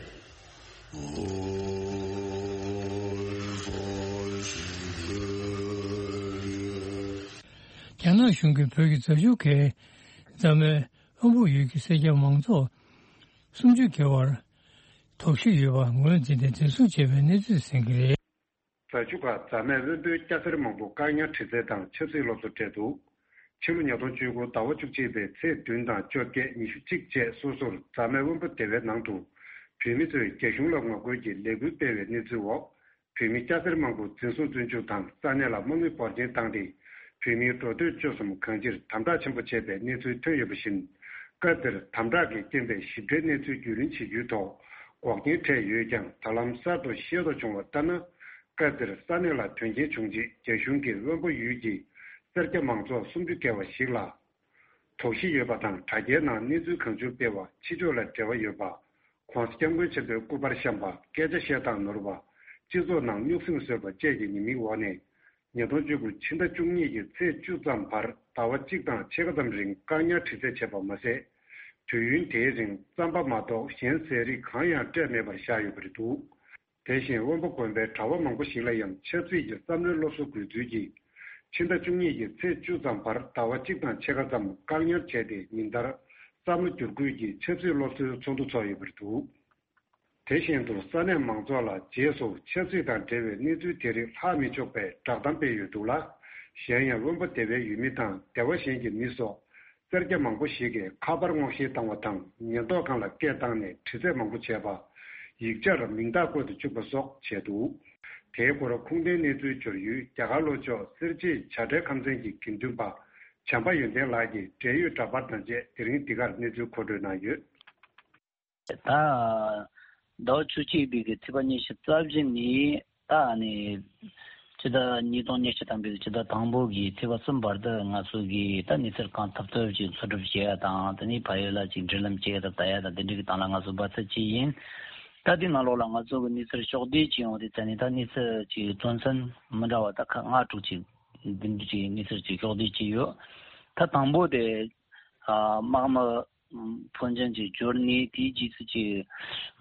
རྒྱ་ནག་གཞུང་གིས་བོད་ཀྱི་རྫ་ཆུ་ཁའི་རྫ་སྨན་དབོན་པོ་ཡུལ་གྱི་སེར་སྐྱ་མང་ཚོགས་སུམ་ཅུ་བརྒལ་བར། དོགས་གཞི་ཡོད་པ་ངོས་འཛིན་ཏེ་འཛིན་བཟུང་བྱས་པའི་གནས་ཚུལ་གསན་གྱི་རེད། རྫ་ཆུ་ཁ་རྫ་སྨན་དབོན་པོའི་སྐྱ་སེར་མང་པོ་བཀག་ཉར་དྲི་རྩད་དང་ཆབ་སྲིད་སློབ་གསོ་སྤྲད་འདུག་ཕྱི་ལོ་ཉིས་སྟོང་བཅུ་དགུ་ཟླ་བ་བཅུ་གཅིག་པའི་ཚེས་བདུན་དང་བཅོ་བརྒྱད་ཉི་ཤུ་གཅིག་བཅས་སོ་སོར་རྫ་སྨན་དབོན་པོ་སྡེ་བའི་ནང་དུ་བོད་མི་ཚོས་རྒྱ་གཞུང་ལ་ངོ་རྒོལ་གྱི་ལས་འགུལ་སྤེལ་བའི་གནས་ཚུལ་འོག་བོད་མི་སྐྱ་སེར་མང་པོ་འཛིན་བཟུང་བཙོན་འཇུག་དང་ས་གནས་ལ་དམག་མི་འབོར་ཆེན་བཏང་སྟེ། བོད་མིའི་འགྲོ་སྡོད་སྤྱོད་གསུམ་གང་ཅིར་དམ་དྲག་ཆེན་པོ་བྱས་པའི་གནས་ཚུལ་ཐོན་ཡོད་པ་བཞིན། སྐབས་དེར་དམ་དྲག་གི་རྐྱེན་པས་ཞིབ་ཕྲའི་གནས་ཚུལ་རྒྱུས་ལོན་བྱེད་རྒྱུའི་ཐོག་འགོག་རྐྱེན་འཕྲད་ཡོད་ཀྱང་། ད་ལམ་གསར་དུ་ཤེས་རྟོགས་བྱུང་བ་ལྟར་ན། སྐབས་དེར་ས་གནས་ལ་དོན་རྐྱེན་བྱུང་རྗེས་རྒྱ་གཞུང་གིས་དབོན་པོ་ཡུལ་གྱི་སེར་སྐྱ་མང་ཚོགས་སུམ་ཅུ་བརྒལ་བ་ཞིག་ལ། དོགས་གཞི་ཡོད་པ་དང་། དྲ་རྒྱའི་ནང་གནས་ཚུལ་གང་བྱུང་སྤེལ་བ། ཕྱི་ཕྱོགས་ལ་འབྲེལ་བ་ཡོད་པ། ྋགོང་ས་ྋསྐྱབས་མགོན་ཆེན་པོའི་སྐུ་པར་བཤམས་པ། སྐད་ཆ་བཤད་སྟངས་ནོར་བ། སྤྱི་ཚོགས་ནང་རྙོག་ཟིང་བཟོས་པ་བཅས་ཀྱི་ཉེས་མིང་འོག་ནས། ཉིས་སྟོང་བཅུ་དགུ་ཕྱི་ཟླ་བཅུ་གཉིས་ཀྱི་ཚེས་བཅུ་ཙམ་བར་ཟླ་བ་གཅིག་དང་ཕྱེད་ཀ་ཙམ་རིང་བཀག་ཉར་དྲི་རྩད་བྱས་པ་མ་ཟད། དུས་ཡུན་དེའི་རིང་རྩམ་པ་མ་གཏོགས་གཞན་ཟས་རིགས་གང་ཡང་སྤྲད་མེད་པར་བཞག་ཡོད་པ་རེད་འདུག་དེ་བཞིན་དབོན་པོ་དགོན་པའི་གྲྭ་བ་མང་པོ་ཞིག་ལ་ཡང་ཆབ་སྲིད་ཀྱི་བསམ་བློའི་སློབ་གསོ་དགོས་ཚུལ་གྱིས། ཕྱི་ཟླ་བཅུ་གཉིས་ཀྱི་ཚེས་བཅུ་ཙམ་བར་ཟླ་བ་གཅིག་དང་ཕྱེད་ཀ་ཙམ་བཀག་ཉར་བྱས་ཏེ་ཉིན་ལྟར་བསམ་བློ་བསྒྱུར་བཀོད་ཀྱི་ཆབ་སྲིད་སློབ་གསོའི་ཚོགས་འདུ་ཚོགས་ཡོད་པ་རེད་འདུག་དེ་བཞིན་དུ་ས་གནས་མང་ཚོགས་ལ་རྗེས་སུ་ཆབ་སྲིད་དང་འབྲེལ་བའི་གནས་ཚུལ་དེ་རིགས་ལྷག་མི་ཆོག་པའི་བསྒྲགས་གཏམ་སྤེལ་ཡོད་འདུག་ལ། གཞན་ཡང་དབོན་པོ་སྡེ་བའི་ཡུལ་མི་དང་སྡེ་བ་གཞན་གྱི་མི་སོགས་སེར་སྐྱ་མང་པོ་ཞིག་གིས་ཁ་པར་སྔོག་བཤེར་བཏང་བ་དང་ཉེན་རྟོག་ཁང་ལ་སྐད་བཏང་ནས་དྲི་རྩད་མང་པོ་བྱས་པ། ཡིག་ཆར་མིང་རྟགས་བཀོད་དུ་བཅུག་པ་སོགས་བྱས་འདུག་དེའི་སྐོར་ཁུངས་ལྡན་གནས་ཚུལ་འབྱོར་ཡུལ་རྒྱ་གར་ལྷོ་ཕྱོགས་སེར་བྱེས་བྱ་བྲལ་ཁམས་ཚན་གྱི་དགེ་འདུན་པ་བྱམས་པ་ཡོན་ཏན་ལགས་ཀྱིས་འབྲེལ་ཡོད་འདྲ་པར་དང་བཅས་དེ་རིང་འདི་གར་གནས་ཚུལ་མཁོ་སྤྲོད་གནང་ཡོད། ད། ཟླ་བ་བཅུ་གཅིག་པའི་གི་ཚེས་པ་ཉི་ཤུ་རྩ་བཞི་ནས་ད་ནི་ཕྱི་ཟླ་ཉིས་སྟོང་ཉི་ཤུ་ཐམ་པའི་ཕྱི་ཟླ་དང་པོ་གི་ཚེས་པ་གསུམ་བར་དུ་ང་ཚོ་གིས་ད་གནས་ཚུལ་གང་ཐུབ་ཐུབ་ཅིག་འཚོལ་སྒྲུབ་བྱེད་ཡ་དང་དེ་ནས་ཕ་ཡུལ་ལ་ཅིག་འབྲེལ་ལམ་བྱེད་ཡ་དང་ལྟ་ཡ་དང་དེ་འདྲའི་གི་སྟེང་ལ་ང་ཚོ་འབད་བརྩོན་བྱས་ཡིན། ད་དེ་ནང་ལོགས་ལ་ང་ཚོ་གི་གནས་ཚུལ་ཕྱོགས་བསྡུས་ཅིག་ཡོང་དུས་ད་ནི་ད་གནས་ཚུལ་ཅིག་དོན་ཚན་མི་འདྲ་བ་ད་ཁག་ལྔ་དྲུག་ཅིག་འདི་འདྲ་ཅིག་གནས་ཚུལ་ཅིག་ཕྱོགས་བསྡུས་བྱས་ཡོད། ད་དང་པོ་དེ། དམག་མི་ཕོན་ཆེན་གྱི་འབྱོར་ནས་དེའི་རྗེས་སུ་ཀྱི་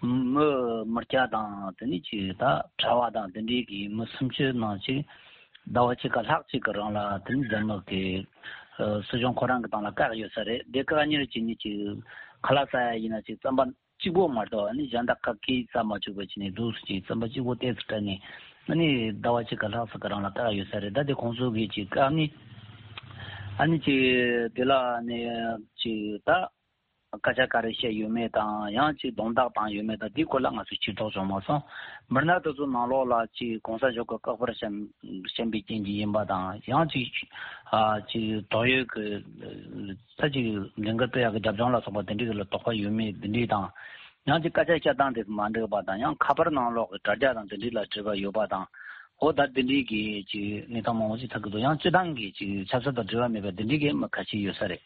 མི་མི་སྐྱ་དང་དེ་ནས་ཀྱི་ད་གྲྭ་བ་དང་དེ་འདྲའི་གི་མི་སུམ་ཅུ་ནང་ཅིག་ཟླ་བ་གཅིག་ག་ལྷག་ཅིག་གི་རིང་ལ་དེ་ནས་རྒྱ་ནག་གི་སྲིད་གཞུང་ཁོ་རང་གི་སྟེང་ལ་བཀག་ཡོད་ས་རེད། དེ་བཀག་ཉར་བྱས་ནས་ཀྱི་ཁ་ལག་ཟ་ཡ་ཡིན་ན་ཅིག་རྩམ་པ་གཅིག་པོ་མ་གཏོགས་ཨ་ནི་གཞན་དག་ག་གིས་ཟ་མ་བཅུག་པ་བྱས་ནས་འདུག་སེ་ཅིག་རྩམ་པ་གཅིག་པོ་ཏོག་ཙམ་སྤྲད་ནས་ཨ་ནི་ཟླ་བ་གཅིག་ག་ལྷག་ཙམ་གི་རིང་ལ་བཀག་ཡོད་ས་རེད། ད་དེ་ཁོང་ཚོ་གིས་ཅིག་ཨ་ནི་ཨ་ནི་ཅིག་དེ་ལ་ནི་ཅིག་ད་སྐད་ཆ་ག་རེ་བཤད་ཡོད་མེད་དང་ཡང་ཅིག་རྡུང་རྡེག་བཏང་ཡོད་མེད་དང་དེའི་སྐོར་ལ་ང་ཚོས་ཕྱིར་རྟོག་བྱུང་མ་སོང་། མི་སྣ་དེ་ཚོ་ནང་ལོགས་ལ་ཅིག་གོང་ས་མཆོག་གི་བཀའ་དཔར་བཤམས་བཤམས་པའི་རྐྱེན་གྱིས་ཡིན་པ་དང་ཡང་ཅིག་ཨ་ཅིག་དོགས་ཡོད་ཀྱི་ད་ཅིག་ལས་འགུལ་སྤེལ་ཡག་གི་རྒྱབ་ལྗོངས་ལ་སོགས་པ་དེ་འདྲའི་ལ་དོགས་པ་ཡོད་མེད་འདི་འདྲའི་དང་། ཡང་ཅིག་སྐད་ཆ་བཤད་སྟངས་དེ་མ་འགྲིག་པ་དང་ཡང་ཁ་པར་ནང་ལོགས་ཀྱི་དྲ་རྒྱ་དང་དེ་འདྲའི་ལ་དྲི་བ་ཡོད་པ་དང་། འོ་ད་དེ་འདྲའི་གི་ཅིག་གནས་སྟངས་མང་པོ་ཞིག་ཐོན་གྱི་འདུག་ཡང་སྤྱི་བཏང་གི་ཅིག་ཆབ་སྲིད་དང་འབྲེལ་བ་མེད་པ་དེ་འདྲའི་གི་མི་ཁ་ཤས་ཡོད་ས་རེད།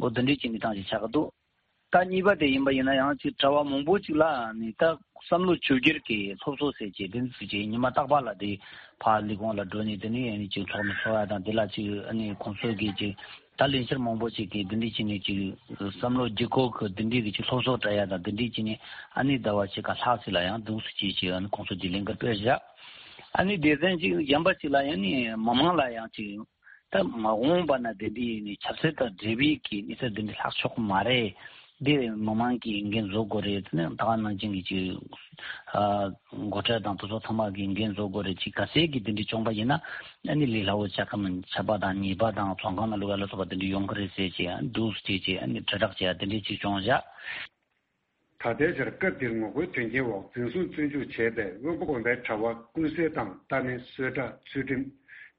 འོ་དེ་འདྲའི་ཅིག་གནས་སྟངས་ཅིག་ཆགས་ཀྱི་འདུག་ད་གཉིས་པ་དེ་ཡིན་པ་ཡིན་ན་ཡང་ཅིག་གྲྭ་བ་མང་པོ་ཅིག་ལ་ནི་ད་བསམ་བློ་བཅོས་བསྒྱུར་གྱི་སློབ་གསོ་ཟེར་གྱི་དེ་ཚོ་ཅིག་ཉི་མ་རྟག་པར་ལ་དེ་ཕར་ལས་ཁུངས་ལ་འགྲོ་ནས་དེ་ནས་ཨ་ནི་ཅིག་ཚོགས་མི་ཚོགས་ཡ་དང་དེ་ལ་ཅིག་ཨ་ནི་ཁོང་ཚོ་གིས་ཅིག་ད་ལས་འཆར་མང་པོ་ཅིག་གིས་དེ་འདྲ་བྱས་ནས་ཅིག་བསམ་བློ་བསྒྱུར་བཀོད་ཀྱི་དེ་འདྲའི་གི་ཅིག་སློབ་གསོ་སྤྲད་ཡ་དང་དེ་འདྲ་བྱས་ནས་ཨ་ནི་ཟླ་བ་ཕྱེད་ཀ་ལྷག་ཙམ་ལ་ཡང་འདུག་སེ་ཅིག་ཅིག་ཨ་ནི་ཁོང་ཚོ་གིས་ལས་འགུལ་སྤེལ་བཞག་ཨ་ནི་སྡེ་ཚན་ཅིག་གཞན་པ་ཅིག་ལ་ཡང་ནི་མི་མང་ལ་ཡང་ཅིག་ད་མ་འོངས་པ་ན་དེ་འདྲའི་ནི་ཆབ་སྲིད་དང་འབྲེལ་བའི་གི་གནས་ཚུལ་འདི་འདྲ་ལྷག་ཆོག་གི་མ་རེད། འདི་མི་མང་གིས་འགན་བཟོ་དགོས་རེད་ཟེར་ནས་ད་ག་ནང་བཞིན་གྱི་ཅིག་ཨ་འགོ་ཁྲིད་དང་དེ་ཚོ་ཚང་མ་གིས་འགན་བཟོ་དགོས་རེད། ཅིག་གལ་སྲིད་ཀྱི་དེ་འདྲ་བྱུང་པ་ཡིན་ན་ཨ་ནི་ལས་སླ་བོ་ཆགས་ཀྱི་མིན། ཆད་པ་དང་ཉེས་པ་དང་ཚོང་ཁང་ནང་ལུག་ལ་སོགས་པ་དེ་འདྲ་ཡོང་གི་རེད་ཟེར་ཅིག་ཨ་ནི་འདུག་སེ་བྱས་ཅིག་ཨ་ནི་དྲིལ་བསྒྲགས་བྱས་དེ་འདྲ་ཅིག་བྱུང་བཞག་ད་ལྟའི་ཆར་སྐབས་འདིར་ངོ་རྒོལ་དོན་རྐྱེན་འོག་འཛིན་བཟུང་བཙོན་འཇུག་བྱས་པའི་དབོན་པོ་དགོན་པའི་གྲྭ་བ་ཀུན་གསལ་དང་རྟ་མེན་བསོད་གྲགས་ཚུལ་ཁྲིམས་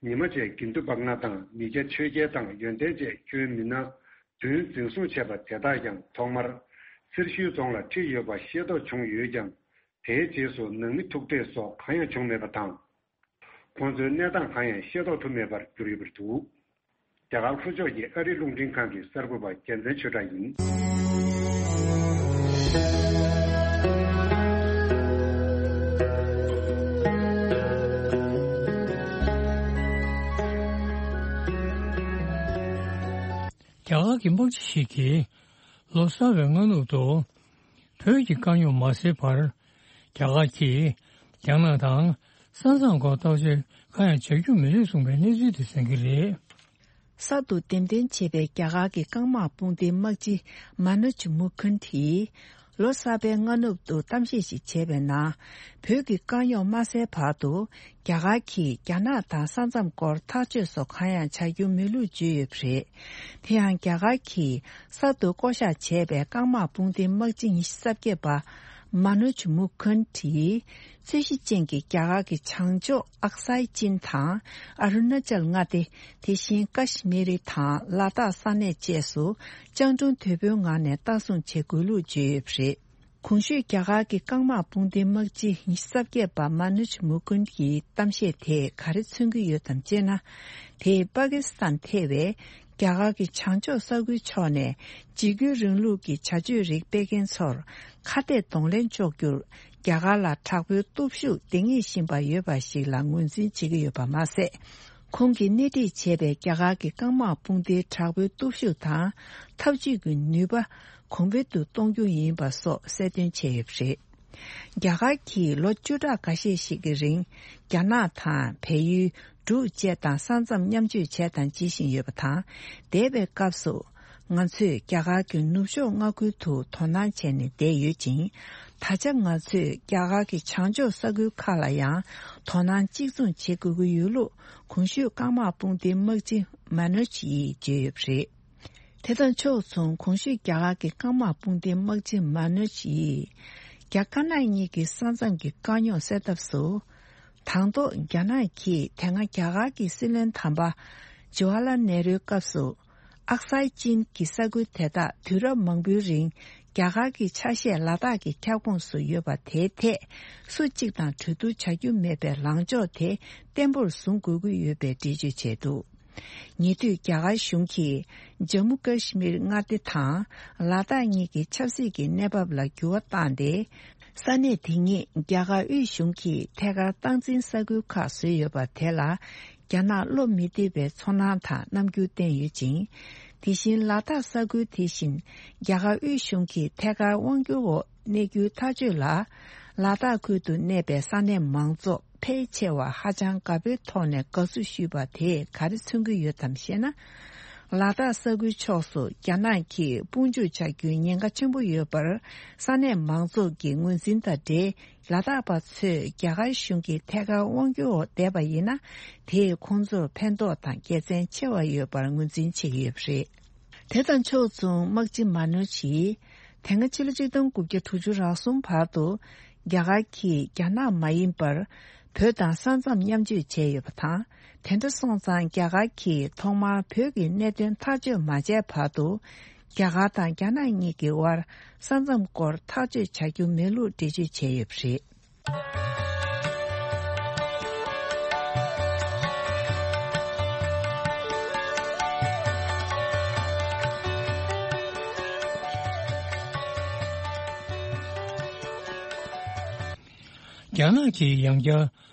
ཉི་མ་བཅས་དགེ་འདུན་པ་ལྔ་དང་མི་སྐྱ་ཆོས་རྒྱལ་དང་ཡོན་ཏན་བཅས་ཁྱོན་མི་སྣ་བདུན་འཛིན་བཟུང་བྱས་པ་དེ་དག་ཀྱང་ཐོག་མར་སེར་ཤུལ་རྫོང་ལ་ཁྲིད་ཡོད་པ་ཤེས་རྟོགས་བྱུང་ཡོད་ཀྱང་། དེའི་རྗེས་སུ་ནང་མི་ཐུག་འཕྲད་སོགས་གང་ཡང་བྱུང་མེད་པ་དང་། ཁོང་ཚོའི་གནས་སྟངས་གང་ཡང་ཤེས་རྟོགས་ཐུབ་མེད་པར་གྱུར་ཡོད་པ་རེད་འདུག་རྒྱ་གར་ལྷོ་ཕྱོགས་ཀྱི་ཨ་རིའི་རླུང་འཕྲིན་ཁང་གི་གསར་འགོད་པ་རྒྱལ་མཚན་ཆོས་གྲགས་ཡིན། རྒྱ་གར་གྱི་དམག་སྤྱི་ཞིག་གིས་ལོ་གསར་བའི་སྔ་ནུབ་ཏུ་བོད་ཀྱི་དཀའ་རྙོག་མ་སེལ་བར། རྒྱ་གར་གྱིས་རྒྱ་ནག་དང་ས་མཚམས་སྐོར་བརྟག་དཔྱད་གང་ཡང་བྱ་རྒྱུ་མི་འདུག་གསུངས་པའི་གནས་ཚུལ་དེ་གསན་གྱི་རེད། གསར་དུ་འདེམས་ཐོན་བྱས་པའི་རྒྱ་གར་གྱི་རྐང་དམག་དཔུང་སྡེའི་དམག་སྤྱི་མ་ནུ་ཇི་མུ་ཁུན་ཐིས་ལོ་གསར་པའི་སྔ་ནུབ་ཏུ་གཏམ་བཤད་ཞིག་བྱས་པའི་ནང་། བོད་ཀྱི་དཀའ་རྙོག་མ་སེལ་བར་དུ་རྒྱ་གར་གྱིས་རྒྱ་ནག་དང་ས་མཚམས་སྐོར་ཐག་གཅོད་སོགས་གང་ཡང་བྱ་རྒྱུ་མེད་ལུགས་བརྗོད་ཡོད་པ་རེད། དེ་ཡང་རྒྱ་གར་གྱིས་གསར་དུ་བསྐོ་གཞག་བྱས་པའི་རྐང་དམག་དཔུང་སྡེའི་དམག་སྤྱི་ཉི་ཤུ་རྩ་བརྒྱད་པ་མ་ནུ་ཇི་མུ་ཁུན་ཐིས། རྩོད་གཞི་ཅན་གྱི་རྒྱ་གར་གྱི་བྱང་ཕྱོགས་ཨག་སའི་ཅིན་དང་ཨ་རུ་ན་ཅལ་མངའ་སྡེ། དེ་བཞིན་ཀ་ཤི་མི་རི་དང་ལ་དྭགས་ས་གནས་བཅས་སུ་སྤྱང་གྲུང་དོད་པོའི་ངང་ནས་བདག་བཟུང་བྱེད་དགོས་ལུགས་བརྗོད་ཡོད་པ་རེད། གོང་ཞུས་རྒྱ་གར་གྱི་རྐང་དམག་དཔུང་སྡེའི་དམག་སྤྱི་ཉི་ཤུ་རྩ་བརྒྱད་པ་མ་ནུ་ཇི་མུ་ཀུན་གྱི་གཏམ་བཤད་དེས་ག་རེ་མཚོན་གྱི་ཡོད་དམ་ཅེ་ན། དེས་པ་ཀི་སི་ཐན་ཐེ་བའི་རྒྱ་གར་གྱི་བྱང་ཕྱོགས་ས་ཁུལ་ཕྱོགས་ནས་འཇིགས་སྐུལ་རིང་ལུགས་ཀྱི་བྱ་སྤྱོད་རིགས་སྤེལ་མཁན་ཚོར་ཁ་གཏད་གདོང་ལེན་གཅོག་རྒྱུར་རྒྱ་གར་ལ་དྲག་པོའི་སྟོབས་ཤུགས་ལྡན་ངེས་བཞིན་པ་ཡོད་པ་ཞིག་ལ་ངོས་འཛིན་བྱེད་ཀྱི་ཡོད་པ་མ་ཟད། ཁོང་གིས་སྣེ་ཁྲིད་བྱས་པའི་རྒྱ་གར་གྱི་རྐང་དམག་དཔུང་སྡེའི་དྲག་པོའི་སྟོབས་ཤུགས་དང་འཐབ་ཇུས་ཀྱི་ནུས་པ་གོང་འཕེལ་དུ་གཏོང་རྒྱུ་ཡིན་པ་སོགས་གསལ་སྟོན་བྱས་ཡོད་པ་རེད། རྒྱ་གར་གྱིས་ལོ་བཅུ་ཕྲག་འགའ་ཤས་ཤིག་གི་རིང་རྒྱ་ནག་དང་བལ་ཡུལ། འབྲུག་བཅས་དང་ས་མཚམས་མཉམ་སྤྱོད་བྱས་དང་བྱེད་བཞིན་ཡོད་པ་དང་། འདས་པའི་སྐབས་སུ། ང་ཚོས་རྒྱ་གར་གྱི་ནུབ་ཕྱོགས་མངའ་ཁུལ་དུ་དོ་སྣང་བྱས་ནས་བསྡད་ཡོད་ཅིང་། ད་ཆ་ང་ཚོས་རྒྱ་གར་གྱི་བྱང་ཕྱོགས་ས་ཁུལ་ཁག་ལ་ཡང་དོ་སྣང་གཅིག་མཚུངས་བྱེད་དགོས་ཀྱི་ཡོད་ལུགས་གོང་ཞུས་རྐང་དམག་དཔུང་སྡེའི་དམག་སྤྱི་མ་ནོ་ཇི་ཡིས་བརྗོད་ཡོད་པ་རེད། དེ་དང་ཕྱོགས་མཚུངས་གོང་ཞུས་རྒྱ་གར་གྱི་རྐང་དམག་དཔུང་སྡེའི་དམག་སྤྱི་མ་ནོ་ཇི་ཡིས། རྒྱ་དཀར་ནག་གཉིས་ཀྱི་ས་མཚམས་ཀྱི་དཀའ་རྙོག་སེལ་ཐབས་སུ། དང་ཐོག་རྒྱ་ནག་གིས་དེ་སྔ་རྒྱ་གར་གྱི་སྲིད་བློན་དམ་པ་ཇུ་ཝ་ལ་ནེ་རུའི་སྐབས་སུ། ཨག་སའི་ཅིན་གྱི་ས་ཁུལ་དེ་དག་དུས་རབས་མང་པོའི་རིང་རྒྱ་གར་གྱི་ཆ་ཤས་ལ་དྭགས་ཀྱི་ཁྱབ་ཁོངས་སུ་ཡོད་པ་དེའི་ཐད་སུ་གཅིག་དང་གྲོས་བསྡུར་བྱ་རྒྱུ་མེད་པའི་ལངས་ཕྱོགས་དེ་བརྟན་པོར་བཟུང་དགོས་ཀྱི་ཡོད་པའི་འགྲེལ་བརྗོད་བྱས་འདུག་ཉེ་དུས་རྒྱ་གར་གཞུང་གིས་ཇམ་མུ་ཀ་ཤི་མིར་མངའ་སྡེ་དང་ལ་དྭགས་གཉིས་ཀྱི་ཆབ་སྲིད་ཀྱི་གནས་བབ་ལ་འགྱུར་བ་བཏང་སྟེ། ས་གནས་དེ་ཉིད་རྒྱ་གར་དབུས་གཞུང་གིས་ཐད་ཀར་སྟངས་འཛིན་ས་ཁུལ་ཁག་བཟོས་ཡོད་པ་དེ་ལ་རྒྱ་ནག་བློ་མི་བདེ་བའི་ཚོར་སྣང་དང་རྣམ་འགྱུར་བསྟན་ཡོད་ཅིང་། དེ་བཞིན་ལ་དྭགས་ས་ཁུལ་དེ་བཞིན་རྒྱ་གར་དབུས་གཞུང་གིས་ཐད་ཀར་དབང་སྒྱུར་འོག་གནས་རྒྱུའི་ཐག་གཅོད་ལ། ལ་དྭགས་ཁུལ་དུ་གནས་པའི་ས་གནས་མང་ཚོགས་ཕལ་ཆེ་བ་ཧ་ཅང་དགའ་པོའི་ཐོག་ནས་དགའ་བསུ་ཞུས་པ་དེས་ག་རེ་མཚོན་གྱི་ཡོད་དམ་ཞེ་ན། ལ་དྭགས་ས་ཁུལ་ཕྱོགས་སུ་རྒྱ་ནག་གིས་དཔུང་འཇུག་བྱ་རྒྱུའི་ཉེན་ཁ་ཆེན་པོ་ཡོད་པར་ས་གནས་མང་ཚོགས་ཀྱི་ངོས་འཛིན་དང་འབྲེལ། ལ་དྭགས་པ་ཚོས་རྒྱ་གར་གཞུང་གི་ཐད་ཀར་དབང་སྒྱུར་འོག་བསྡད་པ་ཡིན་ན། དེས་ཁོང་ཚོར་ཕན་ཐོགས་དང་དགེ་མཚན་ཆེ་བ་ཡོད་པར་ངོས་འཛིན་བྱེད་ཀྱི་ཡོད་པ་རེད། དེ་དང་ཕྱོགས་མཚུངས་དམག་སྤྱི་མ་ནོ་ཇི་ཡིས། དེ་སྔ་ཕྱི་ལོ་ཆིག་སྟོང་དགུ་བརྒྱ་དྲུག་ཅུ་རེ་གསུམ་བར་དུ། རྒྱ་གར་གྱིས་རྒྱ་ནག་མ་ཡིན་པར། བོད་དང་ས་མཚམས་མཉམ་སྤྱོད་བྱས་ཡོད་པ་དང་། དེ་འདྲ་སོང་ཙང་རྒྱ་གར་གྱིས་ཐོག་མར་བོད་ཀྱི་གནད་དོན་ཐག་གཅོད་མ་བྱས་བར་དུ། རྒྱ་གར་དང་རྒྱ་ནག་གཉིས་ཀྱི་དབར་ས་མཚམས་སྐོར་ཐག་གཅོད་བྱ་རྒྱུ་མེད་ལུགས་འགྲེལ་བརྗོད་བྱས་ཡོད་པ་རེད། རྒྱ་ནག་གིས་ཡང་བསྐྱར་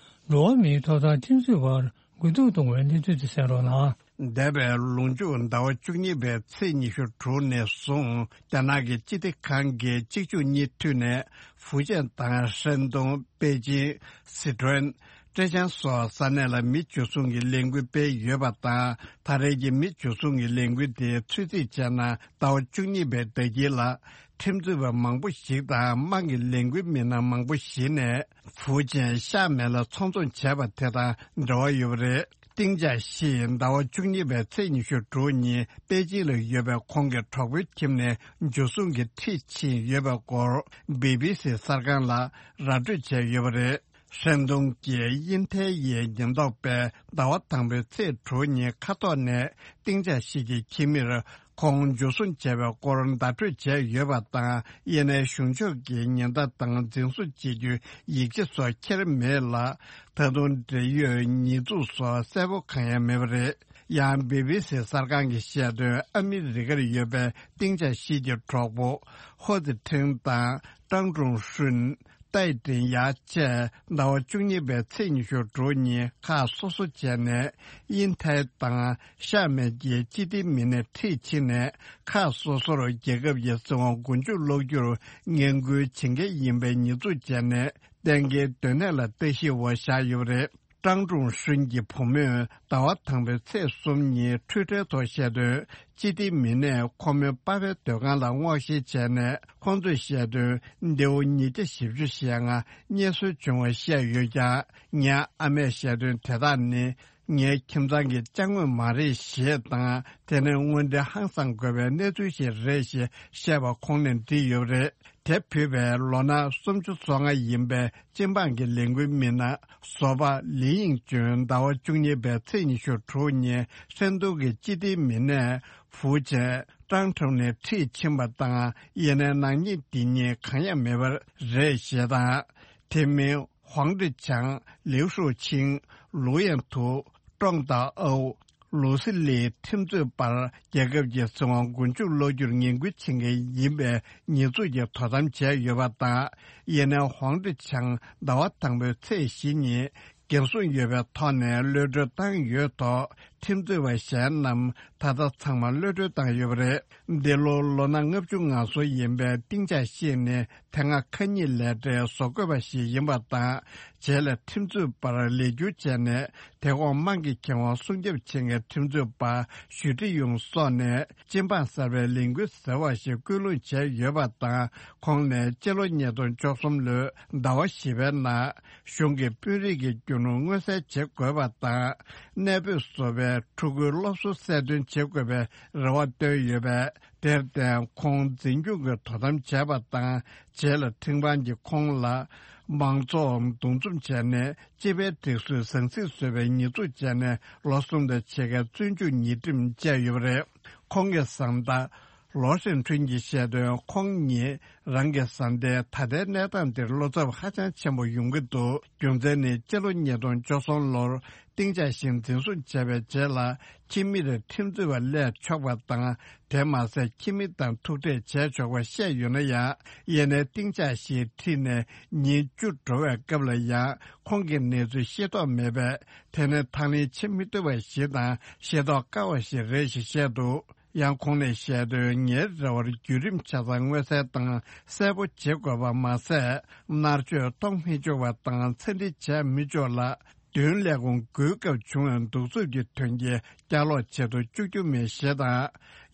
འགྲོ་བ་མིའི་ཐོབ་ཐང་ཁྲིམས་རྩོད་པར་རྒུད་འཐུག་གཏོང་བའི་གནས་ཚུལ་དེ་གསན་རོགས་གནང་། འདས་པའི་ལོ་མཇུག་ཟླ་བ་བཅུ་གཉིས་པའི་ཚེས་ཉི་ཤུ་དྲུག་ནས་བཟུང་རྒྱ་ནག་གི་སྤྱི་བདེ་ཁང་གིས་གཅིག་མཇུག་གཉིས་མཐུད་ནས་ཧྥུ་ཅན་དང་ཧྲན་ཏུང་། པེ་ཅིང་། སི་ཁྲོན། ཀྲེ་ཅང་སོགས་ས་གནས་ལ་མི་འཇུ་བཟུང་གི་ལས་འགུལ་སྤེལ་ཡོད་པ་དང་། ད་རེས་ཀྱི་མི་འཇུ་བཟུང་གི་ལས་འགུལ་དེ་ཚོད་རྩིས་བྱས་ན་ཟླ་བ་བཅུ་གཉིས་པའི་ཟླ་དཀྱིལ་ལ་ཁྲིམས་རྩོད་པ་མང་པོ་ཞིག་དང་དམག་གི་ལས་འགུལ་མི་སྣ་མང་པོ་ཞིག་ནས་ཧྥུ་ཅན་ཤར་མེད་ལ་ཚོང་བཙོང་བྱས་པ་དེ་དང་འབྲེལ་བ་ཡོད་པ་རེད། ཏིང་ཅ་ཤི་ཟླ་བ་བཅུ་གཉིས་པའི་ཚེས་ཉི་ཤུ་དྲུག་ཉིན་པེ་ཅིང་ལ་ཡོད་པའི་ཁོང་གི་གྲོགས་པོའི་ཁྱིམ་ནས་འཇུ་བཟུང་གི་ཁྲིད་ཕྱིན་ཡོད་པའི་སྐོར་བི་བི་སི་གསར་ཁང་ལ་ར་སྤྲོད་བྱས་ཡོད་པ་རེད། ཧྲན་ཏུང་གིས་དབྱིན་ཐའེ་ཡི་ཉེན་རྟོག་པས་ཟླ་བ་དང་པོའི་ཚེས་དྲུག་ཉིན་མཁའ་ཐོག་ནས་ཏིང་ཅ་ཤི་གི་ཁྱིམ་མིར་ཁོང་འཇུ་བཟུང་བྱས་པའི་སྐོར་བརྡ་སྤྲོད་བྱས་ཡོད་པ་དང་། དབྱིན་ནའི་གཞུང་ཕྱོགས་ཀྱི་ཉེན་བརྡ་དང་འཛིན་བཟུང་བྱེད་རྒྱུའི་ཡིག་ཆ་སོགས་འཁྱེར་མེད་ལ། ད་དུང་འབྲེལ་ཡོད་ཉེས་འཛུགས་སོགས་གསལ་པོ་གང་ཡང་མེད་པ་རེད། ཡང་བི་བི་སི་གསར་ཁང་གིས་བཤད་དོན། ཨ་མི་རི་ཀར་ཡོད་པའི་ཏིང་ཅ་ཤི་གྱི་གྲོགས་པོ་ཧོ་ཙི་ཁྲེང་དང་ཀྲང་ཀྲུང་ཧྲུན། ཏའེ་ཀྲིན་ཡ་བཅས་ཟླ་བ་བཅུ་གཉིས་པའི་ཚེས་ཉི་ཤུ་དྲུག་ཉིན་ཁག་སོ་སོ་བྱས་ནས་དབྱིན་ཐའེ་དང་ཤར་མེད་ཀྱི་སྤྱི་བདེ་མི་སྣས་ཁྲིད་ཕྱིན་ནས་ཁག་སོ་སོར་རྒྱལ་ཁབ་ཀྱི་སྲིད་དབང་མགོ་མཇུག་སློག་རྒྱུར་ངན་སྐུལ་བྱེད་མཁན་ཡིན་པའི་ཉེས་འཛུགས་བྱས་ནས་གཏན་འཁེལ་སྡོད་གནས་ལ་ལྟ་ཞིབ་འོག་བཞག་ཡོད་པ་རེད། ཀྲང་ཀྲུང་ཧྲུན་གྱི་བུ་མོས་ཟླ་བ་དང་པོའི་ཚེས་གསུམ་ཉིན་ཊུའི་ཊར་ཐོག་བཤད་དོན། སྤྱི་བདེ་མི་སྣས་ཁོ་མོའི་པ་ཕའི་སྡོད་ཁང་ལ་སྔོག་བཤེར་བྱས་ནས་ཁོང་ཚོས་བཤད་དོན། མདེའུ་ཉིས་བརྒྱ་བཞི་བཅུ་ཞེ་ལྔ་རྙེད་སོན་བྱུང་བ་བཤད་ཡོད་ཀྱང་། ངའི་ཨ་མས་བཤད་དོན་དེ་དག་ནི་ངའི་ཁྱིམ་ཚང་གི་ཅ་དངོས་མ་རེད་ཞེས་དང་། དེ་ནི་དངོས་འབྲེལ་ཧང་སང་དགོས་པའི་གནས་ཚུལ་ཞིག་རེད་ཞེས་བཤད་པ་ཁོང་ནས་བྲིས་ཡོད་པ་རེད། དེ་ཕུད་པའི་ལོ་ན་སུམ་ཅུ་སོ་ལྔ་ཡིན་པའི་སྤྱི་འབངས་ཀྱི་ལས་འགུལ་མི་སྣ་བཟོ་པ་ལི་དབྱིང་ཅུན་ཟླ་བ་བཅུ་གཉིས་པའི་ཚེས་ཉི་ཤུ་དྲུག་ཉིན་ཧྲན་ཏུང་གི་སྤྱི་བདེ་མི་སྣས་ཧྥུའུ་ཅན་ཀྲང་ཁྲོང་ནས་ཁྲིད་ཕྱིན་པ་དང་། དབྱིན་ནའི་ནག་ཉེས་འདི་གཉིས་གང་ཡང་མེད་པ་རེད་ཞེས་དང་། དེ་མིན་ཧུང་ཀྲི་ཆང་། ལིའུ་ཧྲུའུ་ཆིང་། ལུའུ་ཡན་ཐུའུ། ཀྲོང་ཏ་ཨའུ། ལུའུ་སི་ལིས་ཁྲིམས་རྩོད་པར་རྒྱལ་ཁབ་ཀྱི་སྲིད་དབང་མགོ་མཇུག་སློག་རྒྱུར་ངན་སྐུལ་བྱེད་མཁན་ཡིན་པའི་ཉེས་འཛུགས་ཀྱི་དོ་དམ་བྱས་ཡོད་པ་དང་། དབྱིན་ནའི་ཧུང་ཀྲི་ཆང་ཟླ་བ་དང་པོའི་ཚེས་བཞི་ཉིན་ འགན་སྲུང་ཡོད་པའི་ཐོག་ནས་གློད་གྲོལ་བཏང་ཡོད་ཐོག་ཁྲིམས་རྩོད་པ་གཞན་རྣམས་ད་ལྟ་ཚང་མ་གློད་གྲོལ་བཏང་ཡོད་པ་རེད། འདི་ལོ་ལོ་ན་ལྔ་བཅུ་ང་གསུམ་ཡིན་པའི་ཏིང་ཅ་ཤིས་ནི་དེ་སྔ་ཁ་ཉིན་ལས་གྲྭའི་བཟོ་བཀོད་པ་ཞིག་ཡིན་པ་དང་། རྗེས་ལ་ཁྲིམས་རྩོད་པར་ལས་བསྒྱུར་བྱས་ནས། དེ་གོང་དམངས་ཀྱི་ཁེ་དབང་སྲུང་སྐྱོབ་བྱེད་མཁན་ཁྲིམས་རྩོད་པ་ཞུ་ཀྲི་ཡུང་སོགས་ནས་སྤྱི་འབངས་གསར་པའི་ལས་འགུལ་ཟེར་བ་ཞིག་སྐུལ་སློང་བྱས་ཡོད་པ་དང་། ཁོང་ནས་སྤྱི་ལོ་ཉིས་སྟོང་བཅུ་གསུམ་ལོའི་ཟླ་བ་བཞི་པའི་ནང་གཞུང་གི་དཔོན་རིགས་ཀྱི་རྒྱུ་ནོར་མངོན་གསལ་བྱེད་དགོས་པ་དང་། གནས་སྤོས་བཟོ་བའི་ཕྲུ་གུའི་སློབ་གསོ་གསལ་སྟོན་བྱེད་དགོས་པའི་རེ་བ་བཏོན་ཡོད་པས། དེར་བརྟེན་ཁོང་འཛིན་སྐྱོང་གི་དོ་དམ་བྱས་པ་དང་། རྗེས་ལ་ཁྲིམས་ཁང་གིས་ཁོང་ལ་མང་ཚོགས་འདུ་འཛོམས་བྱས་ནས་སྤྱི་པའི་སྒྲིག་སྲོལ་ཟང་ཟིང་བཟོས་པའི་ཉེས་འཛུགས་བྱས་ནས་ལོ་གསུམ་དང་ཕྱེད་ཀའི་བཙོན་འཇུག་ཉེས་ཁྲིམས་བཅད་ཡོད་པ་རེད། ཁོང་གི་བཟའ་ཟླ་ལོ་ཧྲེང་ཁྲུན་གྱིས་བཤད་དོན། ཁོང་ཉིད་རང་གི་བཟའ་ཟླའི་ད་ལྟའི་གནས་སྟངས་འདིར་བློ་འཚབ་ཧ་ཅང་ཆེན་པོ་ཡོང་གི་འདུག་རྒྱུ་མཚན་ནི་སྤྱི་ལོ་ཉིས་སྟོང་བཅུ་གསུམ་ལོར་ཏིང་ཅ་ཤིས་འཛིན་བཟུང་བྱས་པའི་རྗེས་ལ་ཁྱིམ་མིར་ཁྲིམས་རྩོད་པ་སླེབས་ཆོག་པ་དང་། དེ་མ་ཟད་ཁྱིམ་མི་དང་ཐུག་འཕྲད་བྱས་ཆོག་པ་བཤད་ཡོད་ན་ཡང་། ཡིན་ནའི་ཏིང་ཅ་ཤིས་ཁྲིད་ནས་ཉིན་བཅུ་འགྲོ་བའི་སྐབས་ལ་ཡང་ཁོང་གི་གནས་ཚུལ་ཤེས་རྟོགས་མེད་པས། དེ་ནི་ཐག་ལེན་བྱེད་མི་ཐུབ་པ་ཞིག་དང་ཤེས་རྟོགས་དཀའ་བ་ཞིག་རེད་ཞེས་བཤད་འདུག་ཡང་ཁོང་ནས་བཤད་དོན། ངའི་རེ་བར་བརྒྱུད་རིམ་ཆ་ཚང་མངོན་གསལ་དང་གསལ་པོ་བྱེད་དགོས་པ་མ་ཟད། མནར་གཅོད་གཏོང་མི་ཆོག་པ་དང་། འཚེ་འདྲི་བྱས་མི་ཆོག་ལ། བདུན་ལས་ཁུངས་བགོས་སྐབས་བྱུང་བའི་གདུག་རྩུབ་ཀྱི་དོན་རྐྱེན་བསྐྱར་ལོག་བྱེད་དུ་བཅུག་རྒྱུ་མེད་ཞེས་དང་།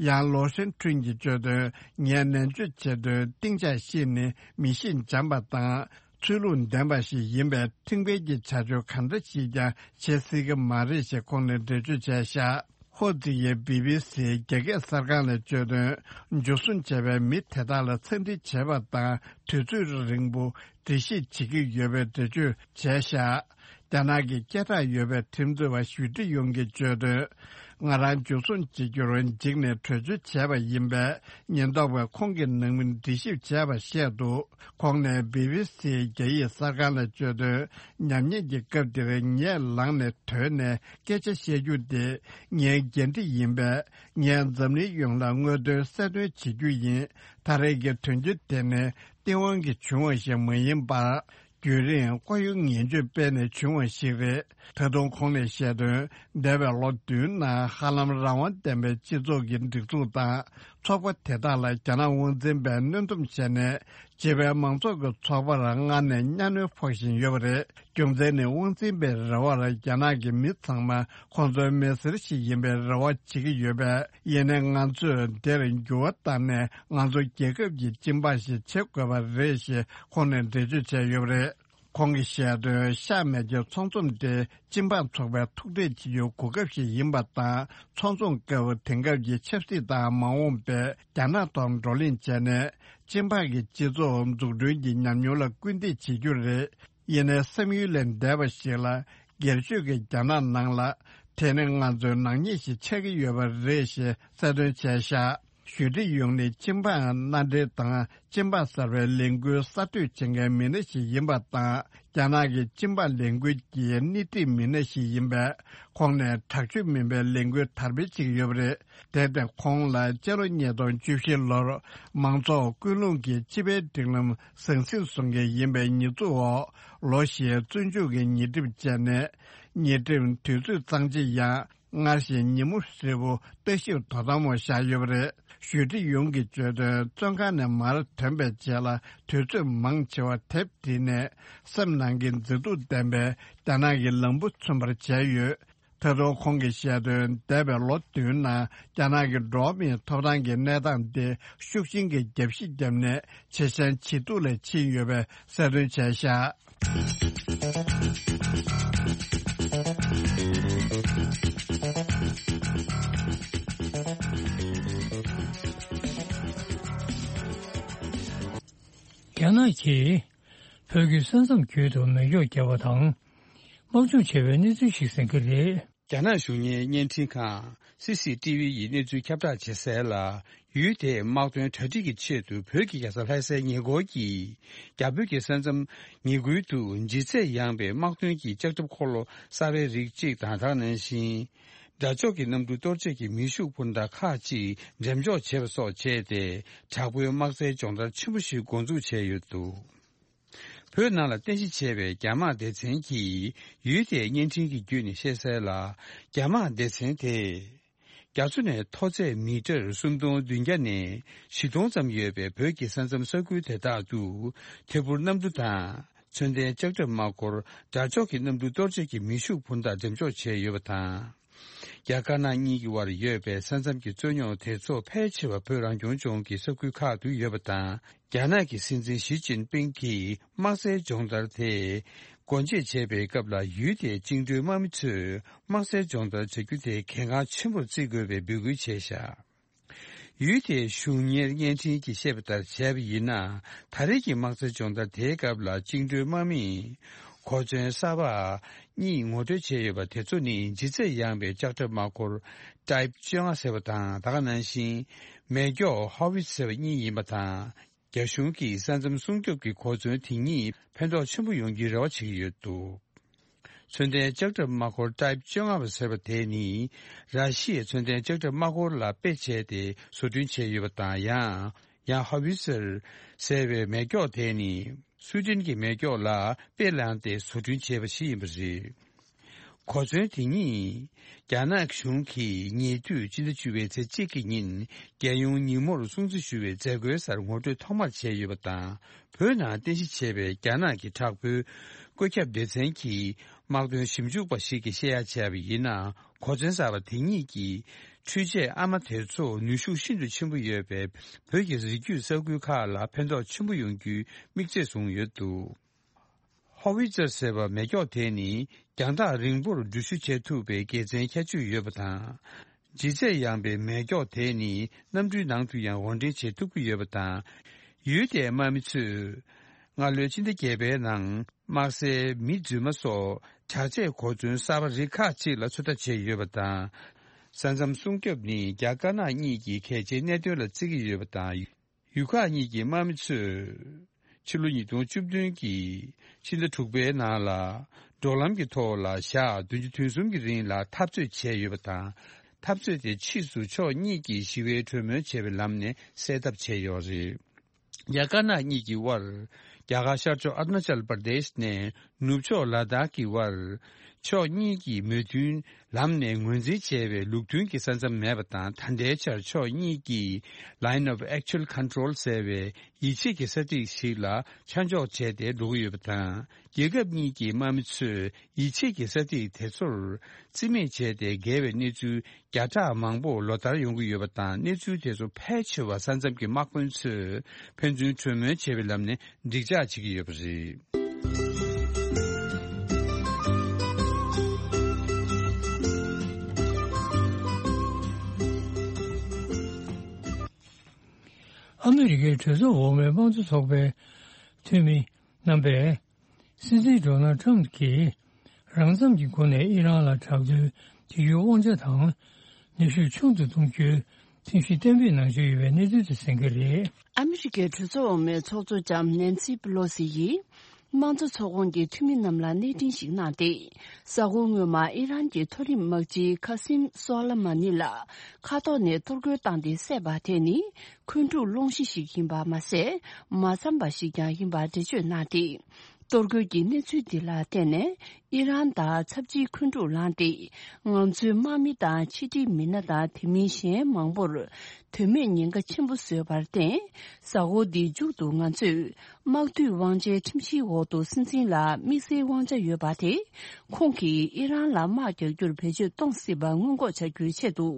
ཡང་ལོ་ཧྲེང་ཁྲུན་གྱིས་བརྗོད་དོན། ངས་ནན་བརྗོད་བྱེད་དོན། ཏིང་ཅ་ཤིས་ནི་མི་གཤིས་འཇམ་པ་དང་ཚུལ་ལུགས་ལྡན་པ་ཞིག་ཡིན་པས། ཁྲིམས་འགལ་གྱི་བྱ་སྤྱོད་གང་འདྲ་ཞིག་ཀྱང་བྱེད་སྲིད་ཀྱི་མ་རེད་ཞེས་ཁོང་ནས་འགྲེལ་བརྗོད་བྱས་བཞག་ཧོ་ཙི་ཡིས་བི་བི་སིའི་རྒྱ་སྐད་གསར་ཁང་ལ་བརྗོད་དོན། འཇུ་བཟུང་བྱས་པའི་མི་དེ་དག་ལ་འཚེ་འདྲི་བྱས་པ་དང་། དུས་ཚོད་རིང་པོ་འདྲི་ཞིབ་བྱེད་ཀྱི་ཡོད་པའི་འགྲེལ་བརྗོད་བྱས་བཞག་རྒྱ་ནག་གི་སྐད་གྲགས་ཡོད་པའི་ཁྲིམས་རྩོད་པ་ཞུས་ཀྲི་ཡུང་གིས་བརྗོད་དོན། ང་རང་འཇུ་བཟུང་བྱེད་རྒྱུར་འཇིགས་ནས་བྲོས་བྱོལ་བྱས་པ་ཡིན་པས། ཉེན་རྟོག་པས་ཁོང་གི་ནང་མི་འདྲི་ཞིབ་བྱས་པ་བཤད་འདུག་ཁོང་ནས་བི་བི་སིའི་རྒྱ་ཡིག་གསར་ཁང་ལ་བརྗོད་དོན། ཉམས་ཉེས་ཀྱི་སྐབས་འདིར་ངས་ལངས་ནས་ཐོན་ནས་སྐད་ཆ་བཤད་རྒྱུ་དེ་ངའི་འགན་འཁྲི་ཡིན་པས། ངས་འཛམ་གླིང་ཡོངས་ལ་དངོས་དོན་གསལ་སྟོན་བྱེད་རྒྱུ་ཡིན། ད་རེས་ཀྱི་དོན་རྐྱེན་དེ་ནི་སྟེས་དབང་གིས་བྱུང་བ་ཞིག་མ་ཡིན་པར། རྒྱུན་རིང་བཀའ་ཡོན་ངན་སྤྱོད་སྤེལ་ནས་བྱུང་བ་ཞིག་རེད། ད་དུང་ཁོང་ནས་བཤད་དོན། འདས་པའི་ལོ་བདུན་ནང་ཧ་ལམ་རང་དབང་ལྡན་པའི་སྤྱི་ཚོགས་ཀྱི་སྒྲིག་འཛུགས་དང་ཚོགས་པ་དེ་དག་ལ་རྒྱ་ནག་དབང་འཛིན་པས་གནོན་སྡོམ་བྱས་ནས། སྤྱི་པའི་མང་ཚོགས་ཀྱི་ཚོགས་པར་སྔར་ནས་གཉའ་གནོན་ཕོག་བཞིན་ཡོད་པ་རེད། རྒྱུ་མཚན་ནི་དབང་འཛིན་པའི་རེ་བར་རྒྱ་ནག་གི་མི་ཚང་མ་ཁོང་ཚོའི་མི་སེར་ཞིག་ཡིན་པའི་རེ་བ་བྱེད་ཀྱི་ཡོད་པས། ཡིན་ནའི་ང་ཚོས་དེར་འགྱུར་བ་བཏང་ནས་ང་ཚོ་རྒྱལ་ཁབ་ཀྱི་སྤྱི་འབངས་ཤིག་བྱེད་དགོས་པ་རེད་ཞེས་ཁོང་ནས་འགྲེལ་བརྗོད་བྱས་ཡོད་པ་རེད། ཁོང་གིས་བཤད་དོན། ཤ་མེད་ཀྱི་ཚོང་ཚོམས་དེ་སྤྱི་འབངས་ཚོགས་པས་ཐུག་འཕྲད་བྱེད་རྒྱུའི་གོ་སྐབས་ཤིག་ཡིན་པ་དང་། ཚོང་ཚོམས་སྐབས་དེང་སྐབས་ཀྱི་ཆབ་སྲིད་དང་མ་འོངས་པའི་རྒྱ་ནག་ཐོག་བགྲོ་གླེང་བྱས་ནས་སྤྱི་འབངས་ཀྱི་སྤྱི་ཚོགས་འཛུགས་སྐྲུན་གྱི་ཉམས་མྱོང་ལ་སྐུལ་འདེད་བྱེད་རྒྱུ་རེད། ཡིན་ནའི་བསམ་ཡུལ་ལས་འདས་པ་ཞིག་ལ་སྒེར་གཅོད་ཀྱིས་རྒྱ་ནག་ནང་ལ་དེ་ནི་ང་ཚོའི་ནག་ཉེས་ཤིག་ཆགས་ཀྱི་ཡོད་པ་རེད་ཞེས་གསལ་སྟོན་བྱས་བཞག་ཞུ་ཀྲི་ཡུང་ནི་སྤྱི་འབངས་མནའ་འབྲེལ་དང་སྤྱི་འབངས་གསར་པའི་ལས་འགུལ་གསར་གཏོད་བྱེད་མཁན་མི་སྣ་ཞིག་ཡིན་པ་དང་། རྒྱ་ནག་གི་སྤྱི་འབངས་ལས་འགུལ་གྱི་སྣེ་ཁྲིད་མི་སྣ་ཞིག་ཡིན་པས། ཁོང་ནས་དྲག་སྤྱོད་མིན་པའི་ལས་འགུལ་དར་སྤེལ་བྱེད་ཀྱི་ཡོད་པ་རེད། དེར་བརྟེན་ཁོང་ལ་སྤྱི་ལོ་ཉིས་སྟོང་བཅུ་བཞི་ལོར་མང་ཚོགས་ཀུན་སློང་གིས་སྤྱི་པའི་སྒྲིག་ལམ་ཟང་ཟིང་བཟོ་མཁན་ཡིན་པའི་ཉེས་འཛུགས་འོག་ལོ་བཞིའི་བཙོན་འཇུག་གི་ཉེས་ཁྲིམས་བཅད་ནས། ཉེས་ཁྲིམས་དུས་ཚོད་གཙང་ཆེ་ཡང་སྔར་བཞིན་ཉིན་མོ་ཧྲིལ་པོ་ལྟ་ཞིབ་དོ་དམ་འོག་བཞག་ཡོད་པ་རེད། ཞུ་ཀྲི་ཡུང་གིས་བརྗོད་དོན། བཙོན་ཁང་ནས་མར་ཐོན་པའི་རྗེས་ལ་དུས་ཚོད་མང་ཆེ་བ་དེབ་བྲིས་ནས་སེམས་ནང་གི་མཛེས་སྡུག་ལྡན་པའི་རྒྱ་ནག་གི་ལམ་བུ་མཚོན་པར་བྱས་ཡོད། ད་དུང་ཁོང་གིས་བཤད་དོན། འདས་པའི་ལོ་བདུན་ནང་རྒྱ་ནག་གི་འགྲོ་བ་མིའི་ཐོབ་ཐང་གི་གནས་སྟངས་དེ་ཤུགས་ཆེན་གྱིས་རྒྱབ་བཤིག་བརྒྱབ་ནས་ཇེ་ཞན་ཇེ་སྡུག་ལ་ཕྱིན་ཡོད་པའི་གསལ་སྟོན་བྱས་བཞག་རྒྱ་ནག་གིས་བོད་ཀྱི་ས་མཚམས་བརྒྱུད་དུ་མེ་སྒྱོགས་བརྒྱབ་པ་དང་། དམག་སྦྱོང་བྱས་པའི་གནས་ཚུལ་ཞིག་གསན་གྱི་རེད། རྒྱ་ནག་གཞུང་གཉེར་བརྙན་འཕྲིན་ཁང་སི་སི་ཏི་ཝི་ཡིས་གནས་ཚུལ་ཁྱབ་བསྒྲགས་བྱེད་གསལ་ལ། ཡུལ་དེའི་དམག་དོན་གྲ་སྒྲིག་གི་ཆེད་དུ་བོད་ཀྱི་རྒྱལ་ས་ལྷ་སའི་ཉེ་འཁོར་གྱི་རྒྱ་བོད་ཀྱི་ས་མཚམས་ཉེ་ཁུལ་དུ་ལྗིད་ཚད་ཡངས་པའི་དམག་དོན་གྱི་ལྕགས་ཁྲབ་འཁོར་ལོ་གསར་པའི་རིགས་གཅིག་དང་། ད་ག་ནང་བཞིན་དགྲ་ཕྱོགས་ཀྱི་གནམ་གྲུ་གཏོར་བྱེད་ཀྱི་མེ་ཤུགས་འཕུར་མདའ་ཁག་ཅིག་འགྲེམས་འཇོག་བྱས་པ་སོགས་བྱས་ཏེ། དྲག་པོའི་དམག་རྩལ་སྦྱོང་བརྡར་ཆེན་པོ་ཞིག་འགོ་འཛུགས་བྱས་ཡོད་འདུག་བོད་ནང་ལ་རྟེན་གཞི་བྱས་པའི་རྒྱ་དམག་སྡེ་ཚན་གྱིས་ཡུལ་དེའི་བརྙན་འཕྲིན་གྱི་བརྒྱུད་ནས་བཤད་གསལ་ལ། རྒྱ་དམག་སྡེ་ཚན་དེས་རྒྱ་མཚོ་ནས་མཐོ་ཚད་མི་ཊར་སུམ་སྟོང་བདུན་བརྒྱ་ནས་བཞི་སྟོང་ཙམ་ཡོད་པའི་བོད་ཀྱི་ས་མཚམས་ས་ཁུལ་དེ་དག་ཏུ་ཐད་འཕུར་གནམ་གྲུ་དང་མཚོན་ལྡན་ལྕགས་ཁྲབ་དམག་འཁོར་དགྲ་ཕྱོགས་ཀྱི་གནམ་གྲུ་གཏོར་བྱེད་ཀྱི་མེ་ཤུགས་འཕུར་མདའ་འགྲེམས་འཇོག་བྱས་ཡོད་པ་དང་། རྒྱ་དཀར་ནག་གཉིས་ཀྱི་དབར་ཡོད་པའི་ས་མཚམས་ཀྱི་རྩོད་རྙོག་དེ་ཚོ་ཕལ་ཆེ་བ་བོད་རང་སྐྱོང་ལྗོངས་ཀྱི་ས་ཁུལ་ཁག་ཏུ་ཡོད་པ་དང་། རྒྱ་ནག་གི་སྲིད་འཛིན་ཞི་ཅིན་ཕིང་གིས་དམག་སའི་སྦྱོང་བརྡར་དེ་སྒོ་འབྱེད་བྱས་པའི་སྐབས་ལ། ཡུལ་དེའི་བཅིངས་འགྲོལ་དམག་མི་ཚོས་དམག་སའི་སྦྱོང་བརྡར་བྱ་རྒྱུ་དེ་གལ་འགངས་ཆེན་པོར་བརྩི་དགོས་པའི་འབོད་སྐུལ་བྱས་བཞག་ཡུལ་དེའི་གཞུང་གཉེར་བརྙན་འཕྲིན་གྱིས་བཤད་པ་ལྟར་བྱས་པ་ཡིན་ན། ད་རེས་ཀྱི་དམག་སའི་སྦྱོང་བརྡར་དེའི་སྐབས་ལ་བཅིངས་འགྲོལ་དམག་མིས་གོ་མཚོན་གསར་པ་གཉིས་ངོ་སྤྲོད་བྱས་ཡོད་པ་དེ་ཚོ་ནི་ལྗིད་ཚད་ཡངས་པའི་ལྕགས་ཁྲབ་དམག་འཁོར་Type བཅོ་ལྔ་ཟེར་བ་དང་། ད་ག་ནང་བཞིན་མེ་སྒྱོགས་Howitzer་ཟེར་བ་གཉིས་ཡིན་པ་དང་། རྒྱ་གཞུང་གིས་ས་མཚམས་སྲུང་སྐྱོབ་ཀྱི་གོ་མཚོན་དེ་གཉིས་ཕན་ཐོགས་ཆེན་པོ་ཡོང་རྒྱུའི་རེ་བ་བྱེད་ཀྱི་ཡོད་འདུག་མཚོན་ལྡན་ལྕགས་ཁྲབ་དམག་འཁོར་Type བཅོ་ལྔ་པ་ཟེར་བ་དེ་ནི་ར་ཤི་ཡའི་མཚོན་ལྡན་ལྕགས་ཁྲབ་དམག་འཁོར་ལ་དཔེ་བྱས་ཏེ་བཟོ་སྐྲུན་བྱས་ཡོད་པ་དང་། ཡང་ཡང་Howitzer་ཟེར་བའི་མེ་སྒྱོགས་དེ་ནི་སུའེ་ཏེན་གྱི་མེ་སྒྱོགས་ལ་དཔེ་བླངས་ཏེ་བཟོ་སྐྲུན་བྱས་པ་ཞིག་ཡིན་པ་རེད། གོ་མཚོན་དེ་ཉིད་རྒྱ་ནག་གཞུང་གིས་ཉེ་དུས་སྤྱི་ཟླ་བཅུ་པའི་ཚེས་གཅིག་གི་ཉིན་རྒྱལ་ཡོངས་ཉིན་མོར་སྲུང་བརྩི་ཞུ་བའི་མཛད་སྒོའི་སར་ངོ་སྤྲོད་ཐོག་མར་བྱས་ཡོད་པ་དང་། བོད་ནང་རྟེན་གཞི་བྱས་པའི་རྒྱ་ནག་གི་དྲག་པོའི་བཀོད་ཁྱབ་སྡེ་ཚན་གྱི་དམག་དོན་ཞིབ་འཇུག་པ་ཞིག་གིས་བཤད་ཡ་བྱས་པ་ཡིན་ན། གོ་མཚོན་གསར་པ་དེ་ཉིད་ཀྱིས་འཕྲུལ་ཆས་ཨ་མ་དེ་ཚོ་ནུས་ཤུགས་ཤིན་ཏུ་ཆེན་པོ་ཡོད་པའི་བོད་ཀྱི་རི་རྒྱུད་ས་ཁུལ་ཁག་ལ་ཕན་ཐོགས་ཆེན་པོ་ཡོང་རྒྱུའི་དམིགས་ཚད་བཟུང་ཡོད་འདུག Howitzer་ཟེར་བ་མེ་སྒྱོགས་དེ་ནི་རྒྱང་ཐག་རིང་པོར་འགྲུལ་བཞུད་བྱེད་ཐུབ་པའི་དགེ་མཚན་ཁྱད་ཆོས་ཡོད་པ་དང་། ལྗིད་ཚད་ཡངས་པའི་མེ་སྒྱོགས་དེ་ནི་གནམ་གྲུའི་ནང་དུ་ཡང་དབོར་འདྲེན་བྱེད་ཐུབ་ཀྱི་ཡོད་པ་དང་། ཡུལ་དེའི་དམག་མི་ཚོས་སྔ་ལོའི་ཕྱི་ཟླ་བརྒྱད་པའི་ནང་དམག་སའི་མི་རྫུན་མ་སོགས་དྲག་ཆས་གོ་མཚོན་གསར་པ་རིགས་ཁག་ཅིག་ལ་ཚོད་ལྟ་བྱས་ཡོད་པ་དང་། ས་མཚམས་སྲུང་སྐྱོབ་ནི་རྒྱ་དཀར་ནག་གཉིས་ཀྱི་གལ་ཆེའི་གནད་དོན་ལ་བརྩི་གི་ཡོད་པ་དང་། ཡུལ་ཁག་གཉིས་ཀྱི་དམག་མི་ཚོས་ཕྱི་ལོ་ཉིས་སྟོང་བཅུ་བདུན་གྱི་ཕྱི་ཟླ་དྲུག་པའི་ནང་ལ་འབྲོག་ལམ་གྱི་ཐོག་ལ་ཞག་བདུན་ཅུ་དོན་གསུམ་གྱི་རིང་ལ་འཐབ་རྩོད་བྱས་ཡོད་པ་དང་། འཐབ་རྩོད་དེ་ཕྱིས་སུ་ཕྱོགས་གཉིས་ཀྱིས་ཞི་བའི་གྲོས་མོལ་བྱས་པའི་ལམ་ནས་སེལ་ཐབས་བྱས་ཡོད་རེད། རྒྱ་དཀར་ནག་གཉིས་ཀྱི་དབར་རྒྱ་གར་ཤར་ཕྱོགས་ཨ་རུ་ན་ཅལ་པར་དེཤ་ནས་ནུབ་ཕྱོགས་ལ་དྭགས་ཀྱི་དབར་ཕྱོགས་གཉིས་ཀྱི་མོས་མཐུན་ལམ་ནས་ངོས་འཛིན་བྱས་པའི་ལུགས་མཐུན་གྱི་ས་མཚམས་མེད་པ་དང་། ད་ལྟའི་ཆར་ཕྱོགས་གཉིས་ཀྱིས་Line of Actual Control ཟེར་བའི་ཡིད་ཆེས་ཀྱི་ས་ཐིག་ཞིག་ལ་ཆ་འཇོག་བྱས་ཏེ་འགྲོ་གི་ཡོད་པ་དང་། རྒྱལ་ཁབ་གཉིས་ཀྱི་དམག་མི་ཚོས་ཡིད་ཆེས་ཀྱི་ས་ཐིག་དེ་ཚོར་རྩིས་མེད་བྱས་ཏེ་འགལ་བའི་གནས་ཚུལ་བརྒྱ་ཕྲག་མང་པོ་ལོ་ལྟར་ཡོང་གི་ཡོད་པ་དང་། གནས་ཚུལ་དེ་ཚོ་ཕལ་ཆེ་བ་ས་མཚམས་ཀྱི་དམག་དཔོན་ཚོས་ཕན་ཚུན་གྲོས་མོལ་བྱས་པའི་ལམ་ནས་འགྲིག་འཇགས་བྱེད་ཀྱི་ཡོད་པ་རེད། ཨ་མི་རི་ཀའི་གྲོས་ཚོགས་འོག་མའི་དམངས་གཙོ་ཚོགས་པའི་འཐུས་མི་རྣམ་པས། སྲིད་འཛིན་ཌོ་ནལ་ཁྲམ་གྱིས་རང་འཚམ་གྱི་སྒོ་ནས་ཨི་རན་ལ་དྲག་རྡུལ་སྤྱི་རྒྱུའི་དབང་ཆ་དང་ནུས་ཤུགས་ཆུང་དུ་གཏོང་རྒྱུའི་ཐེངས་ཤིག་གཏན་འབེབས་གནང་འཆར་ཡོད་པའི་གནས་ཚུལ་དེ་གསན་གྱི་རེད། ཨ་མི་རི་ཀའི་གྲོས་ཚོགས་འོག་མའི་ཚོགས་གཙོ་ལྕམ་ནན་སི་པི་ལོ་སི་ཡིས་དམངས་གཙོ་ཚོགས་ཁོངས་ཀྱི་འཐུས་མི་རྣམས་ལ་གནས་འཕྲིན་ཞིག་གནང་སྟེ། གཟའ་འཁོར་སྔོན་མ་ཨི་རན་གྱི་མཐོ་རིམ་དམག་སྤྱི་ཁ་སིམ་སོ་ལ་མ་ནི་ལ་མཁའ་ཐོག་ནས་གཏོར་རྒོལ་བཏང་སྟེ་བསད་པ་དེ་ནི་འཁོན་འཁྲུག་སློང་གཞི་ཞིག་ཡིན་པ་མ་ཟད། མ་འཚམས་པ་ཞིག་ཀྱང་ཡིན་པ་འགྲེལ་བརྗོད་གནང་སྟེ། གཏོར་རྒོལ་གྱི་གནས་ཚུལ་འདི་ལ་བརྟེན་ནས་ཨི་རན་དང་ཚབས་ཆེའི་འཁོན་འཁྲུག་ལངས་ཏེ། ང་ཚོའི་དམག་མི་དང་ཕྱི་འབྲེལ་མི་སྣ་དང་དེ་མིན་གཞན་མང་པོར་དོན་མེད་ཉེན་ཁ་ཆེན་པོ་བཟོས་པར་བརྟེན། གཟའ་འཁོར་འདིའི་མཇུག་ཏུ་ང་ཚོས་དམག་འཐུས་དབང་ཆའི་ཁྲིམས་གཞིའི་འོག་ཏུ་སྲིད་འཛིན་ལ་དམིགས་བསལ་དབང་ཆ་ཡོད་པ་དེ། ཁོང་གིས་ཨི་རན་ལ་དམག་རྒྱག་རྒྱུར་བེད་སྤྱོད་གཏོང་སྲིད་པ་སྔོན་འགོག་བྱ་རྒྱུའི་ཆེད་དུ།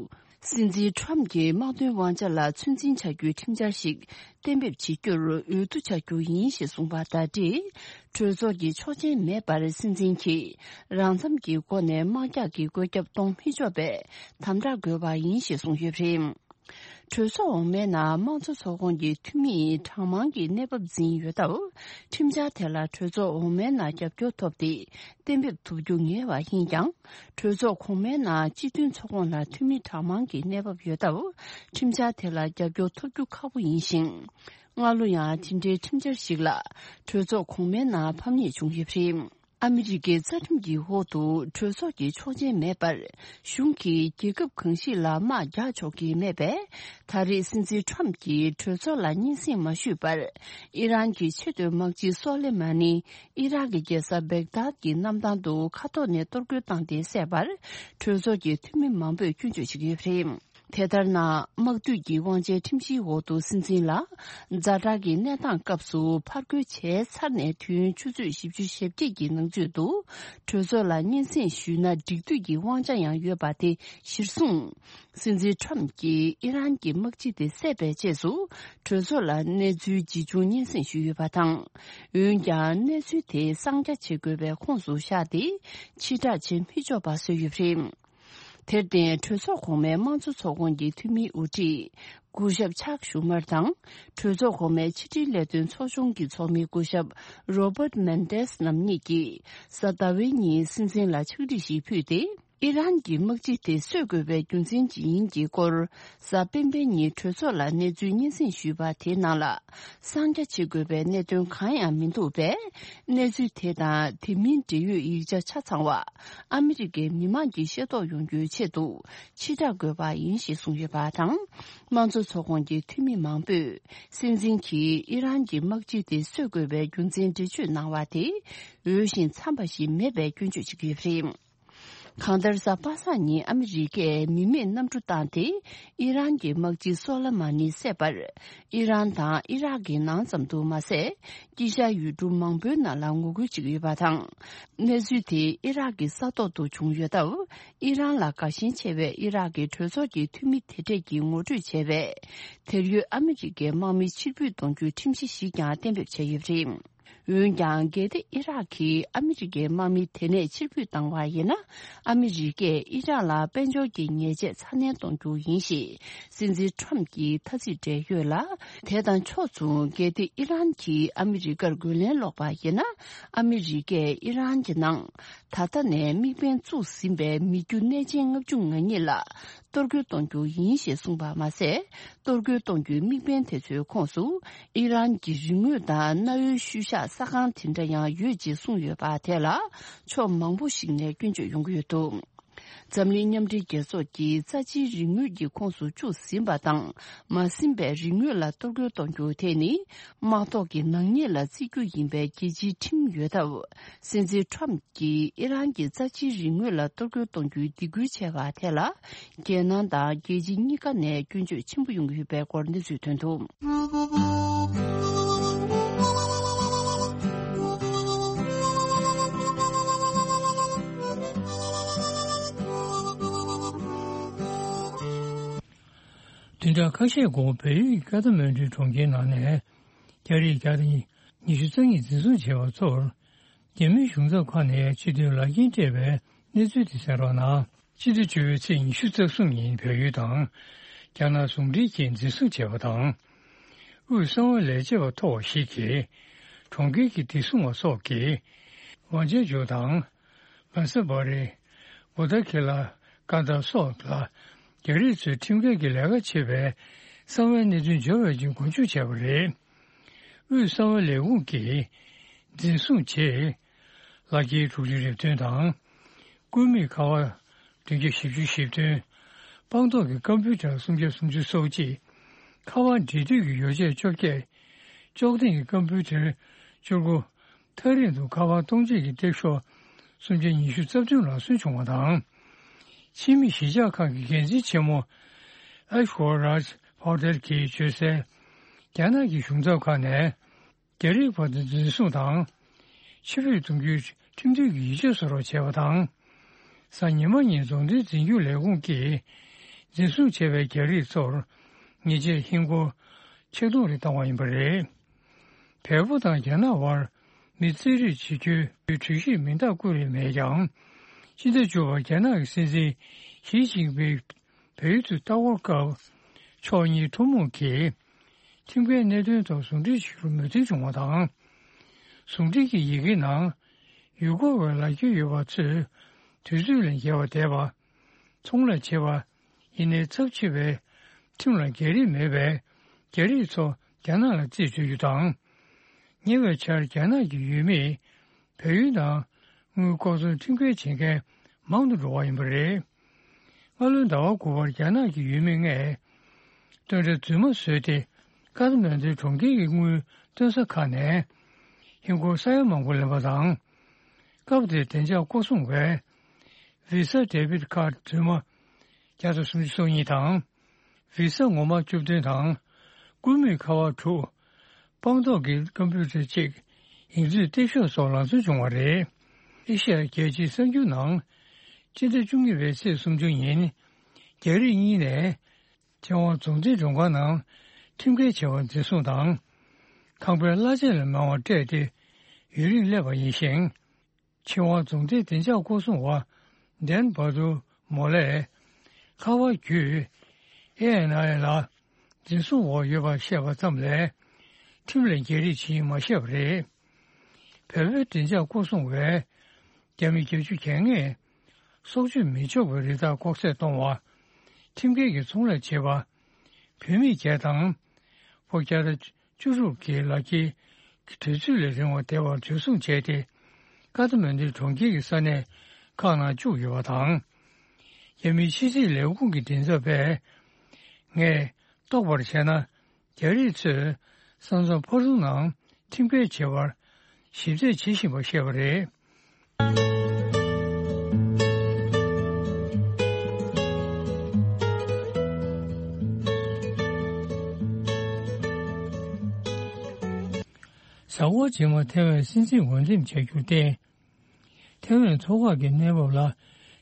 སྲིད་འཛིན་ཁྲམ་གྱི་དམག་དོན་དབང་ཆ་ལ་ཚོད་འཛིན་བྱ་རྒྱུའི་ཁྲིམས་འཆར་ཞིག་གཏན་འབེབས་བྱེད་རྒྱུར་འོས་བསྡུ་བྱ་རྒྱུ་ཡིན་ཞེས་གསུངས་པ་དང་འབྲེལ། གྲོས་ཚོགས་ཀྱི་ཆོག་མཆན་མེད་པར་སྲིད་འཛིན་གྱིས་རང་འཚམ་གྱི་སྒོ་ནས་དམག་རྒྱག་གི་བཀོད་ཁྱབ་གཏོང་མི་ཆོག་པའི་དམ་དྲག་དགོས་པ་ཡིན་ཞེས་གསུངས་ཡོད་པ་རེད། གྲོས་ཚོགས་འོག་མའི་ནང་དམངས་གཙོ་ཚོགས་ཁོངས་ཀྱི་འཐུས་མིས་གྲངས་མང་གི་གནས་བབ་འཛིན་ཡོད་སྟབས། ཁྲིམས་འཆར་དེ་ལ་གྲོས་ཚོགས་འོག་མའི་ནང་རྒྱབ་སྐྱོར་ཐོབ་སྟེ་གཏན་འབེབས་ཐུབ་རྒྱུ་ངེས་པ་ཡིན་ཀྱང་། གྲོས་ཚོགས་གོང་མའི་ནང་སྤྱི་མཐུན་ཚོགས་ཁོངས་ལ་འཐུས་མི་གྲངས་མང་གི་གནས་བབ་ཡོད་སྟབས། ཁྲིམས་འཆར་དེ་ལ་རྒྱབ་སྐྱོར་ཐོབ་རྒྱུ་ཁག་པོ་ཡིན་ཞིང་། སྔ་ལོ་ཡང་དེ་འབྲེལ་ཁྲིམས་འཆར་ཞིག་ལ་གྲོས་ཚོགས་གོང་མའི་ནང་ཕམ་ཉེས་བྱུང་ཡོད་པ་རེད། ཨ་མི་རི་ཀའི་རྩ་ཁྲིམས་ཀྱི་འོག་ཏུ་གྲོས་ཚོགས་ཀྱི་ཆོག་མཆན་མེད་པར། གཞུང་གིས་རྒྱལ་ཁབ་གང་ཞིག་ལ་དམག་རྒྱག་ཆོག་གི་མེད་པས། ད་རེས་སྲིད་འཛིན་ཁྲོམ་གྱིས་གྲོས་ཚོགས་ལ་སྙན་སེང་མ་ཞུས་པར། ཨི་རན་གྱི་ཆེས་མཐོའི་དམག་སྤྱི་སོ་ལེ་མ་ནི་ཨི་རག་གི་རྒྱལ་ས་བེག་དཱད་ཀྱི་གནམ་ཐང་དུ་མཁའ་ཐོག་ནས་གཏོར་རྒོལ་བཏང་སྟེ་བསད་པར། གྲོས་ཚོགས་ཀྱི་འཐུས་མི་མང་པོས་སྐྱོན་བརྗོད་བྱེད་ཀྱི་ཡོད་པ་རེད། དེ་ལྟར་ན། དམག་འཐུས་ཀྱི་དབང་ཆའི་ཁྲིམས་གཞིའི་འོག་ཏུ་སྲིད་འཛིན་ལ། ཛ་དྲག་གི་གནས་སྟངས་སྐབས་སུ་ཕར་རྒོལ་བྱས་ཚར་ནས་དུས་ཡུན་ཆུ་ཚོད་བཞི་བཅུ་ཞེ་བརྒྱད་ཀྱི་ནང་ཚུད་དུ། གྲོས་ཚོགས་ལ་སྙན་སེང་ཞུས་ན་འགྲིག་འདོད་ཀྱི་དབང་ཆ་ཡང་ཡོད་པ་དེ་གཞིར་བཟུང་། སྲིད་འཛིན་ཁྲོམ་གྱིས་ཨི་རན་གྱི་དམག་སྤྱི་དེ་བསད་པའི་རྗེས་སུ། གྲོས་ཚོགས་ལ་གནས་ཚུལ་ཇི་བྱུང་སྙན་སེང་ཞུས་ཡོད་པ་དང་། འོན་ཀྱང་གནས་ཚུལ་དེ་གསང་རྒྱ་བྱེད་དགོས་པའི་ཁོངས་སུ་བཞག་སྟེ། ཕྱིར་བསྒྲགས་བྱེད་མི་ཆོག་པ་བཟོས་ཡོད་པ་རེད། དེར་བརྟེན། གྲོས་ཚོགས་གོང་མའི་དམངས་གཙོ་ཚོགས་ཁོངས་ཀྱི་འཐུས་མིའི་དབུ་ཁྲིད། སྐུ་ཞབས་ཆག་ཞུ་མར་དང་། གྲོས་ཚོགས་གོང་མའི་ཕྱི་དྲིལ་ལས་དོན་ཚོགས་ཆུང་གི་ཚོགས་མི་སྐུ་ཞབས་རོ་བརྟ་མན་ཏེས་རྣམ་གཉིས་ཀྱིས། གཟའ་ཟླ་བའི་ཉིན་སྲིད་འཛིན་ལ་ཕྱག་བྲིས་ཤིག་ཕུལ་ཏེ། ཨི་རན་གྱི་དམག་སྤྱི་དེ་གསོད་དགོས་པའི་རྒྱུ་མཚན་ཇི་ཡིན་གྱི་སྐོར། གཟའ་སྤེན་པའི་ཉིན་གྲོས་ཚོགས་ལ་གནས་ཚུལ་སྙན་སེང་ཞུས་པ་དེའི་ནང་ལ། གསང་རྒྱ་བྱེད་དགོས་པའི་གནད་དོན་གང་ཡང་མི་འདུག་པས། གནས་ཚུལ་དེ་དང་དེ་མིན་འབྲེལ་ཡོད་ཡིག་ཆ་ཆ་ཚང་བ། ཨ་མི་རི་ཀའི་མི་མང་གིས་ཤེས་རྟོགས་ཡོང་རྒྱུའི་ཆེད་དུ། ཕྱིར་བསྒྲགས་དགོས་པ་ཡིན་ཞེས་གསུངས་ཡོད་པ་དང་། དམངས་གཙོ་ཚོགས་ཁོངས་ཀྱི་འཐུས་མི་མང་པོས། སྲིད་འཛིན་གྱིས་ཨི་རན་གྱི་དམག་སྤྱི་དེ་གསོད་དགོས་པའི་རྒྱུ་མཚན་འགྲེལ་བརྗོད་གནང་བ་དེ། འོས་ཤིང་འཚམས་པ་ཞིག་མེད་པའི་སྐྱོན་བརྗོད་བྱེད་ཀྱི་ཡོད་པ་རེད། གང་ལྟར། གཟའ་པ་སངས་ཉིན་ཨ་མི་རི་ཀས་མི་མེད་གནམ་གྲུ་བཏང་སྟེ། ཨི་རན་གྱི་དམག་སྤྱི་སོ་ལེ་མ་ནི་བསད་པར། ཨི་རན་དང་ཨི་རག་གི་ནང་ཙམ་དུ་མ་ཟད། དཀྱིལ་ཤར་ཡུལ་གྲུ་མང་པོའི་ནང་ལ་ངོ་རྒོལ་བྱེད་ཀྱི་ཡོད་པ་དང་། གནས་ཚུལ་དེ་ཨི་རག་གི་ས་ཐོག་ཏུ་བྱུང་ཡོད་སྟབས། ཨི་རན་ལ་དགའ་ཞེན་ཆེ་བའི་ཨི་རག་གི་གྲོས་ཚོགས་ཀྱི་འཐུས་མི་དེ་གྲས་ཀྱིས་ངོ་སྤྲོད་བྱས་པའི། དེར་ཡོད་ཨ་མི་རི་ཀའི་དམག་མི་ཕྱིར་འབུད་གཏོང་རྒྱུའི་ཁྲིམས་གཞི་ཞིག་ཀྱང་གཏན་འབེབས་བྱས་ཡོད་པ་རེད། འོན་ཀྱང་། གལ་ཏེ་ཨི་རག་གིས་ཨ་མི་རི་ཀའི་དམག་མི་དེ་ནས་ཕྱིར་འབུད་བཏང་བ་ཡིན་ན། ཨ་མི་རི་ཀས་ཨི་རག་ལ་དཔལ་འབྱོར་གྱི་ཉེས་ཆད་ཚ་ནན་གཏོང་རྒྱུ་ཡིན་ཞེས། སྲིད་འཛིན་ཁྲོམ་གྱིས་ཐ་ཚིག་སྤྲད་ཡོད་ལ། དེ་དང་ཕྱོགས་མཚུངས། གལ་ཏེ་ཨི་རན་གྱིས་ཨ་མི་རི་ཀར་རྒོལ་ལན་སློག་པ་ཡིན་ན། ཨ་མི་རི་ཀས་ཨི་རན་གྱི་ནང་། ད་ལྟ་ནས་དམིགས་འབེན་བཙུགས་ཟིན་པའི་མི་རྒྱུ་གནས་ཆེན་ལྔ་བཅུ་ང་གཉིས་ལ། གཏོར་རྒོལ་གཏོང་རྒྱུ་ཡིན་ཞེས་གསུངས་པ་མ་ཟད། གཏོར་རྒོལ་གཏོང་རྒྱུའི་དམིགས་འབེན་དེ་ཚོའི་ཁོངས་སུ། ཨི་རན་གྱི་རིག་དངོས་དང་གནའ་བོའི་ཤུལ་བཞག་ས་ཁང་དེ་འདྲ་ཡང་ཡོད་ཅེས་གསུངས་ཡོད་པ་དེ་ལ། ཕྱོགས་མང་པོ་ཞིག་ནས་སྐྱོན་བརྗོད་ཡོང་གི་ཡོད་འདུག་འཛམ་གླིང་མཉམ་འབྲེལ་རྒྱལ་ཚོགས་ཀྱིས་རྩ་ཆེའི་རིག་དངོས་ཀྱི་ཁོངས་སུ་བཅུག་ཟིན་པ་དང་། མ་ཟིན་པའི་རིག་དངོས་ལ་གཏོར་རྒོལ་གཏོང་རྒྱུ་དེ་ནི། དམག་ཐོག་གི་ནག་ཉེས་ལ་བརྩི་རྒྱུ་ཡིན་པའི་རྒྱལ་སྤྱིའི་ཁྲིམས་ཡོད་སྟབས། སྲིད་འཛིན་ཁྲོམ་གྱིས་ཨི་རན་གྱི་རྩ་ཆེའི་རིག་དངོས་ལ་གཏོར་རྒོལ་གཏོང་རྒྱུའི་སྡིགས་སྐུལ་བྱས་པ་དེ་ལ། རྒྱལ་ནང་དང་རྒྱལ་སྤྱི་གཉིས་ཀ་ནས་སྐྱོན་བརྗོད་ཆེན་པོ་ཡོང་གི་ཡོད་པའི་སྐོར་གནས་ཚུལ་ཐོན་འདུག་བདུན་ཕྲག་ཁ་ཤས་གོང་བལ་ཡུལ་གྱི་ཀ་ཐ་མན་གྲུའི་གྲོང་ཁྱེར་ནང་ནས། རྒྱ་རིགས་བརྒྱ་དང་ཉི་ཤུ་རྩ་གཉིས་འཛིན་བཟུང་བྱས་པ་ཚོར། རྒྱ་མིའི་གཞུང་ཚབ་ཁང་ནས་སྤྱི་འཐུས་ལག་འཁྱེར་སྤྲད་པའི་གནས་ཚུལ་དེ་གསན་རོགས་གནང་། སྤྱི་ཟླ་བཅུ་པའི་ཚེས་ཉི་ཤུ་རྩ་གསུམ་ཉིན་བལ་ཡུལ་དང་། རྒྱ་ནག་ཟུང་འབྲེལ་གྱིས་འཛིན་བཟུང་བྱས་པ་དང་། དབུས་གསང་བའི་ལས་བྱེད་པ་མཐོ་བ་ཞིག་གིས། གྲོང་ཁྱེར་གྱི་བདེ་སྲུང་བ་སོགས་ཀྱིས། ཝང་ཅན་ཇོ་དང་། མ་ས་བ་རི། བོ་ད་ཁི་ལ། ཀ་ད་སོགས་ལ། རྒྱ་རིགས་ཚོས་ཁྲིམས་འགལ་གྱི་ལས་ཀ་བྱེད་པའི་གསང་བའི་གནད་དོན་འབྱོར་བའི་རྐྱེན་མགོ་འཛུགས་བྱས་པ་རེད། དབུས་གསང་བའི་ལས་ཁུངས་ཀྱིས་འཛིན་བཟུང་རྗེས། ལག་འཁྱེར་དྲུག་ཅུ་རེ་བདུན་དང་། སྐུད་མེད་ཁ་པར་བདུན་བརྒྱ་བཞི་བཅུ་ཞེ་བདུན། སྤངས་རྟོགས་ཀྱི་ཀམ་པུ་ཊར་སུམ་བརྒྱ་སུམ་ཅུ་སོ་གཅིག། ཁ་པར་འབྲེལ་མཐུད་ཀྱི་ཡོ་བྱད་བཅོ་བརྒྱད། ཅོག་ལྡན་གྱི་ཀམ་པུ་ཊར་བཅུ་དགུ། ཐག་རིང་དུ་ཁ་པར་གཏོང་བྱེད་ཀྱི་སྟེགས་ཤོག་སུམ་བརྒྱ་ཉི་ཤུ་རྩ་བདུན་ལ་སོན་བྱུང་བ་དང་། ཕྱི་མི་གཞིས་ཆགས་ཁང་གི་འགན་འཛིན་ཆེན་མོ་ཨེཤ་ཝར་རཱཇ་ཕའོ་ཏེལ་གྱིས་བརྗོད་གསལ། རྒྱ་ནག་གི་གཞུང་ཚབ་ཁང་ནས་རྒྱ་རིགས་བར་དུ་འཛིན་བཟུང་དང་། ཕྱིར་འབུད་གཏོང་རྒྱུའི་ཁྲིམས་མཐུན་གྱི་ཡིག་ཆ་བཟོ་རོགས་བྱས་པ་དང་། གཟའ་ཉི་མ་ཉིན་རྫོང་དོན་འཛིན་སྐྱོང་ལས་ཁུངས་ཀྱིས་འཛིན་བཟུང་བྱས་པའི་རྒྱ་རིགས་ཚོར་ཉེས་ཆད་ཧིན་སྒོར་ཆིག་སྟོང་རེ་བཏང་བ་ཡིན་པ་རེད། བལ་པོ་དང་རྒྱ་ནག་དབར་མི་རྩིས་རིག་བྱེད་རྒྱུའི་གྲོས་གཞིར་མིང་རྟགས་བཀོད་རེས་མེད་ཀྱང་། སྤྱི་ཟླ་བཅུ་པར་རྒྱ་ནག་གི་སྲིད་འཛིན་ཞི་ཅིན་ཕིང་བལ་ཡུལ་དུ་ལྟ་སྐོར་སྐབས། ཕྱོགས་གཉིས་ཐུན་མོང་གིས་ཁྲིམས་འགལ་གནད་དོན་ཐོག་ཟུང་འབྲེལ་བྱེད་རྒྱུར་མོས་མཐུན་བྱུང་བ་དང་། ཟུང་འབྲེལ་གྱི་ཡི་གེའི་ནང་། ཡུལ་སྐོར་བའི་ལག་འཁྱེར་ཡོད་པ་ཚོས་དུས་ཚོད་ལས་བརྒལ་བ་བསྡད་པ། ཚོང་ལས་བྱེད་པ། ཡིན་ནའི་ཚབས་ཆེ་བའི་ཁྲིམས་ལ་འགལ་རིགས་མེད་པའི་རྒྱ་རིགས་ཚོ་རྒྱ་ནག་ལ་རྩིས་སྤྲོད་རྒྱུ་དང་། ཉེ་བའི་ཆར་རྒྱ་ནག་གི་ཡུལ་མིས་བལ་ཡུལ་ནང་ དངུལ་ལྐོག་འཛུལ་ཁྲིམས་འགལ་བྱེད་མཁན་མང་དུ་འགྲོ་བ་ཡིན་པ་རེད། སྔ་ལོའི་ཟླ་བ་དགུ་པར་རྒྱ་ནག་གི་ཡུལ་མི་ལྔས་སྟོན་ཁྲ་རྫུན་མ་བཟོས་ཏེ། ཀ་ཐ་མན་ཌུའི་གྲོང་ཁྱེར་གྱི་དངུལ་སྟོན་ས་ཁག་ནས་ཧིན་སྒོར་ས་ཡ་མང་པོ་ལེན་པ་དང་། སྐབས་དེར་བདེ་འཇགས་སྐོར་སྲུང་བས་Visa debit card་རྫུན་མ་བརྒྱ་དང་སུམ་ཅུ་སོ་གཉིས་དང་། Visa་ངོ་མ་བཅུ་བདུན་དང་། སྐུད་མེད་ཁ་པར་དྲུག་སྤངས་རྟོགས་ཀྱི་ཀམ་པུ་ཊར་གཅིག་ཡིག་མཛོད་སྟེགས་ཤོག་སོགས་ལག་འཛོལ་བྱུང་བ་རེད། ཨེ་ཤ་ཡ་རྒྱལ་སྤྱིའི་གསར་འགྱུར་ནང་། སྤྱི་ཟླ་བཅུ་གཉིས་པའི་ཚེས་སུམ་ཅུ་ཉིན། རྒྱ་རིགས་གཉིས་ནས་ཆོས་དབང་རྫོང་སྡེའི་མགྲོན་ཁང་ནང་ཁྲིམས་འགལ་བྱ་བ་འཛིན་བཟུང་དང་། ཁང་པའི་གླ་ཆ་ལས་མང་བ་སྤྲད་དེ་ཡུན་རིང་སླེབས་པ་ཡིན་ཞིང་། ཆོས་དབང་རྫོང་སྡེའི་བདེ་འཇགས་སྐོར་སྲུང་བ་ཌན་བྷ་དུ་མོ་ལས། ཁ་པར་བརྒྱུད་ཨེ་ཨེན་ཨའི་ལ་འཛིན་བཟུང་འོག་ཡོད་པ་བཤད་པ་ཙམ་ལས། ཁྲིམས་ལ་འགལ་རིགས་ཇི་ཡིན་མ་བཤད་པ་རེད། བལ་པོའི་བདེ་འཇགས་སྐོར་སྲུང་བས། རྒྱ་མི་བརྒྱད་ཅུ་གྱ་ལྔས་སྲོག་གཅོད་མི་ཆོག་པའི་རི་དྭགས་ལྐོག་ཟ་གཏོང་བ། ཁྲིམས་འགལ་གྱི་ཚོང་ལས་བྱེད་པ། བུད་མེད་བརྒྱད་དང་། ཕོ་རྒྱ་དར་བཅུ་དྲུག་གི་ལག་འཁྱེར་གྱི་དུས་ཚོད་ལས་རིང་བ་བསྡད་པར་འཛིན་བཟུང་བྱས་ཏེ། ཀ་ཐ་མན་ཌུའི་གྲོང་ཁྱེར་གྱི་ས་གནས་ཁག་ནང་བཅུག་ཡོད་པ་དང་། རྒྱ་མིའི་ཕྱི་སྲིད་ལས་ཁུངས་ཀྱི་མགྲིན་ཚབ་པས། ངས་རྟོགས་པར་བྱས་ན། རྒྱ་རིགས་ཚོས་ས་མཚམས་ཕར་ཚུར་ནང་ཁྲིམས་འགལ་བྱེད་པར་ཞིབ་རྩད་བྱེད་བཞིན་པ་བཤད་པ་རེད། གཟའ་འཁོར་རྗེས་མ་ཐའེ་ཝན་སྲིད་འཛིན་འོས་འདེམས་བྱ་རྒྱུར་བརྟེན། ཐའེ་ཝན་མཐོ་སྒང་གི་གནས་བབ་ལ་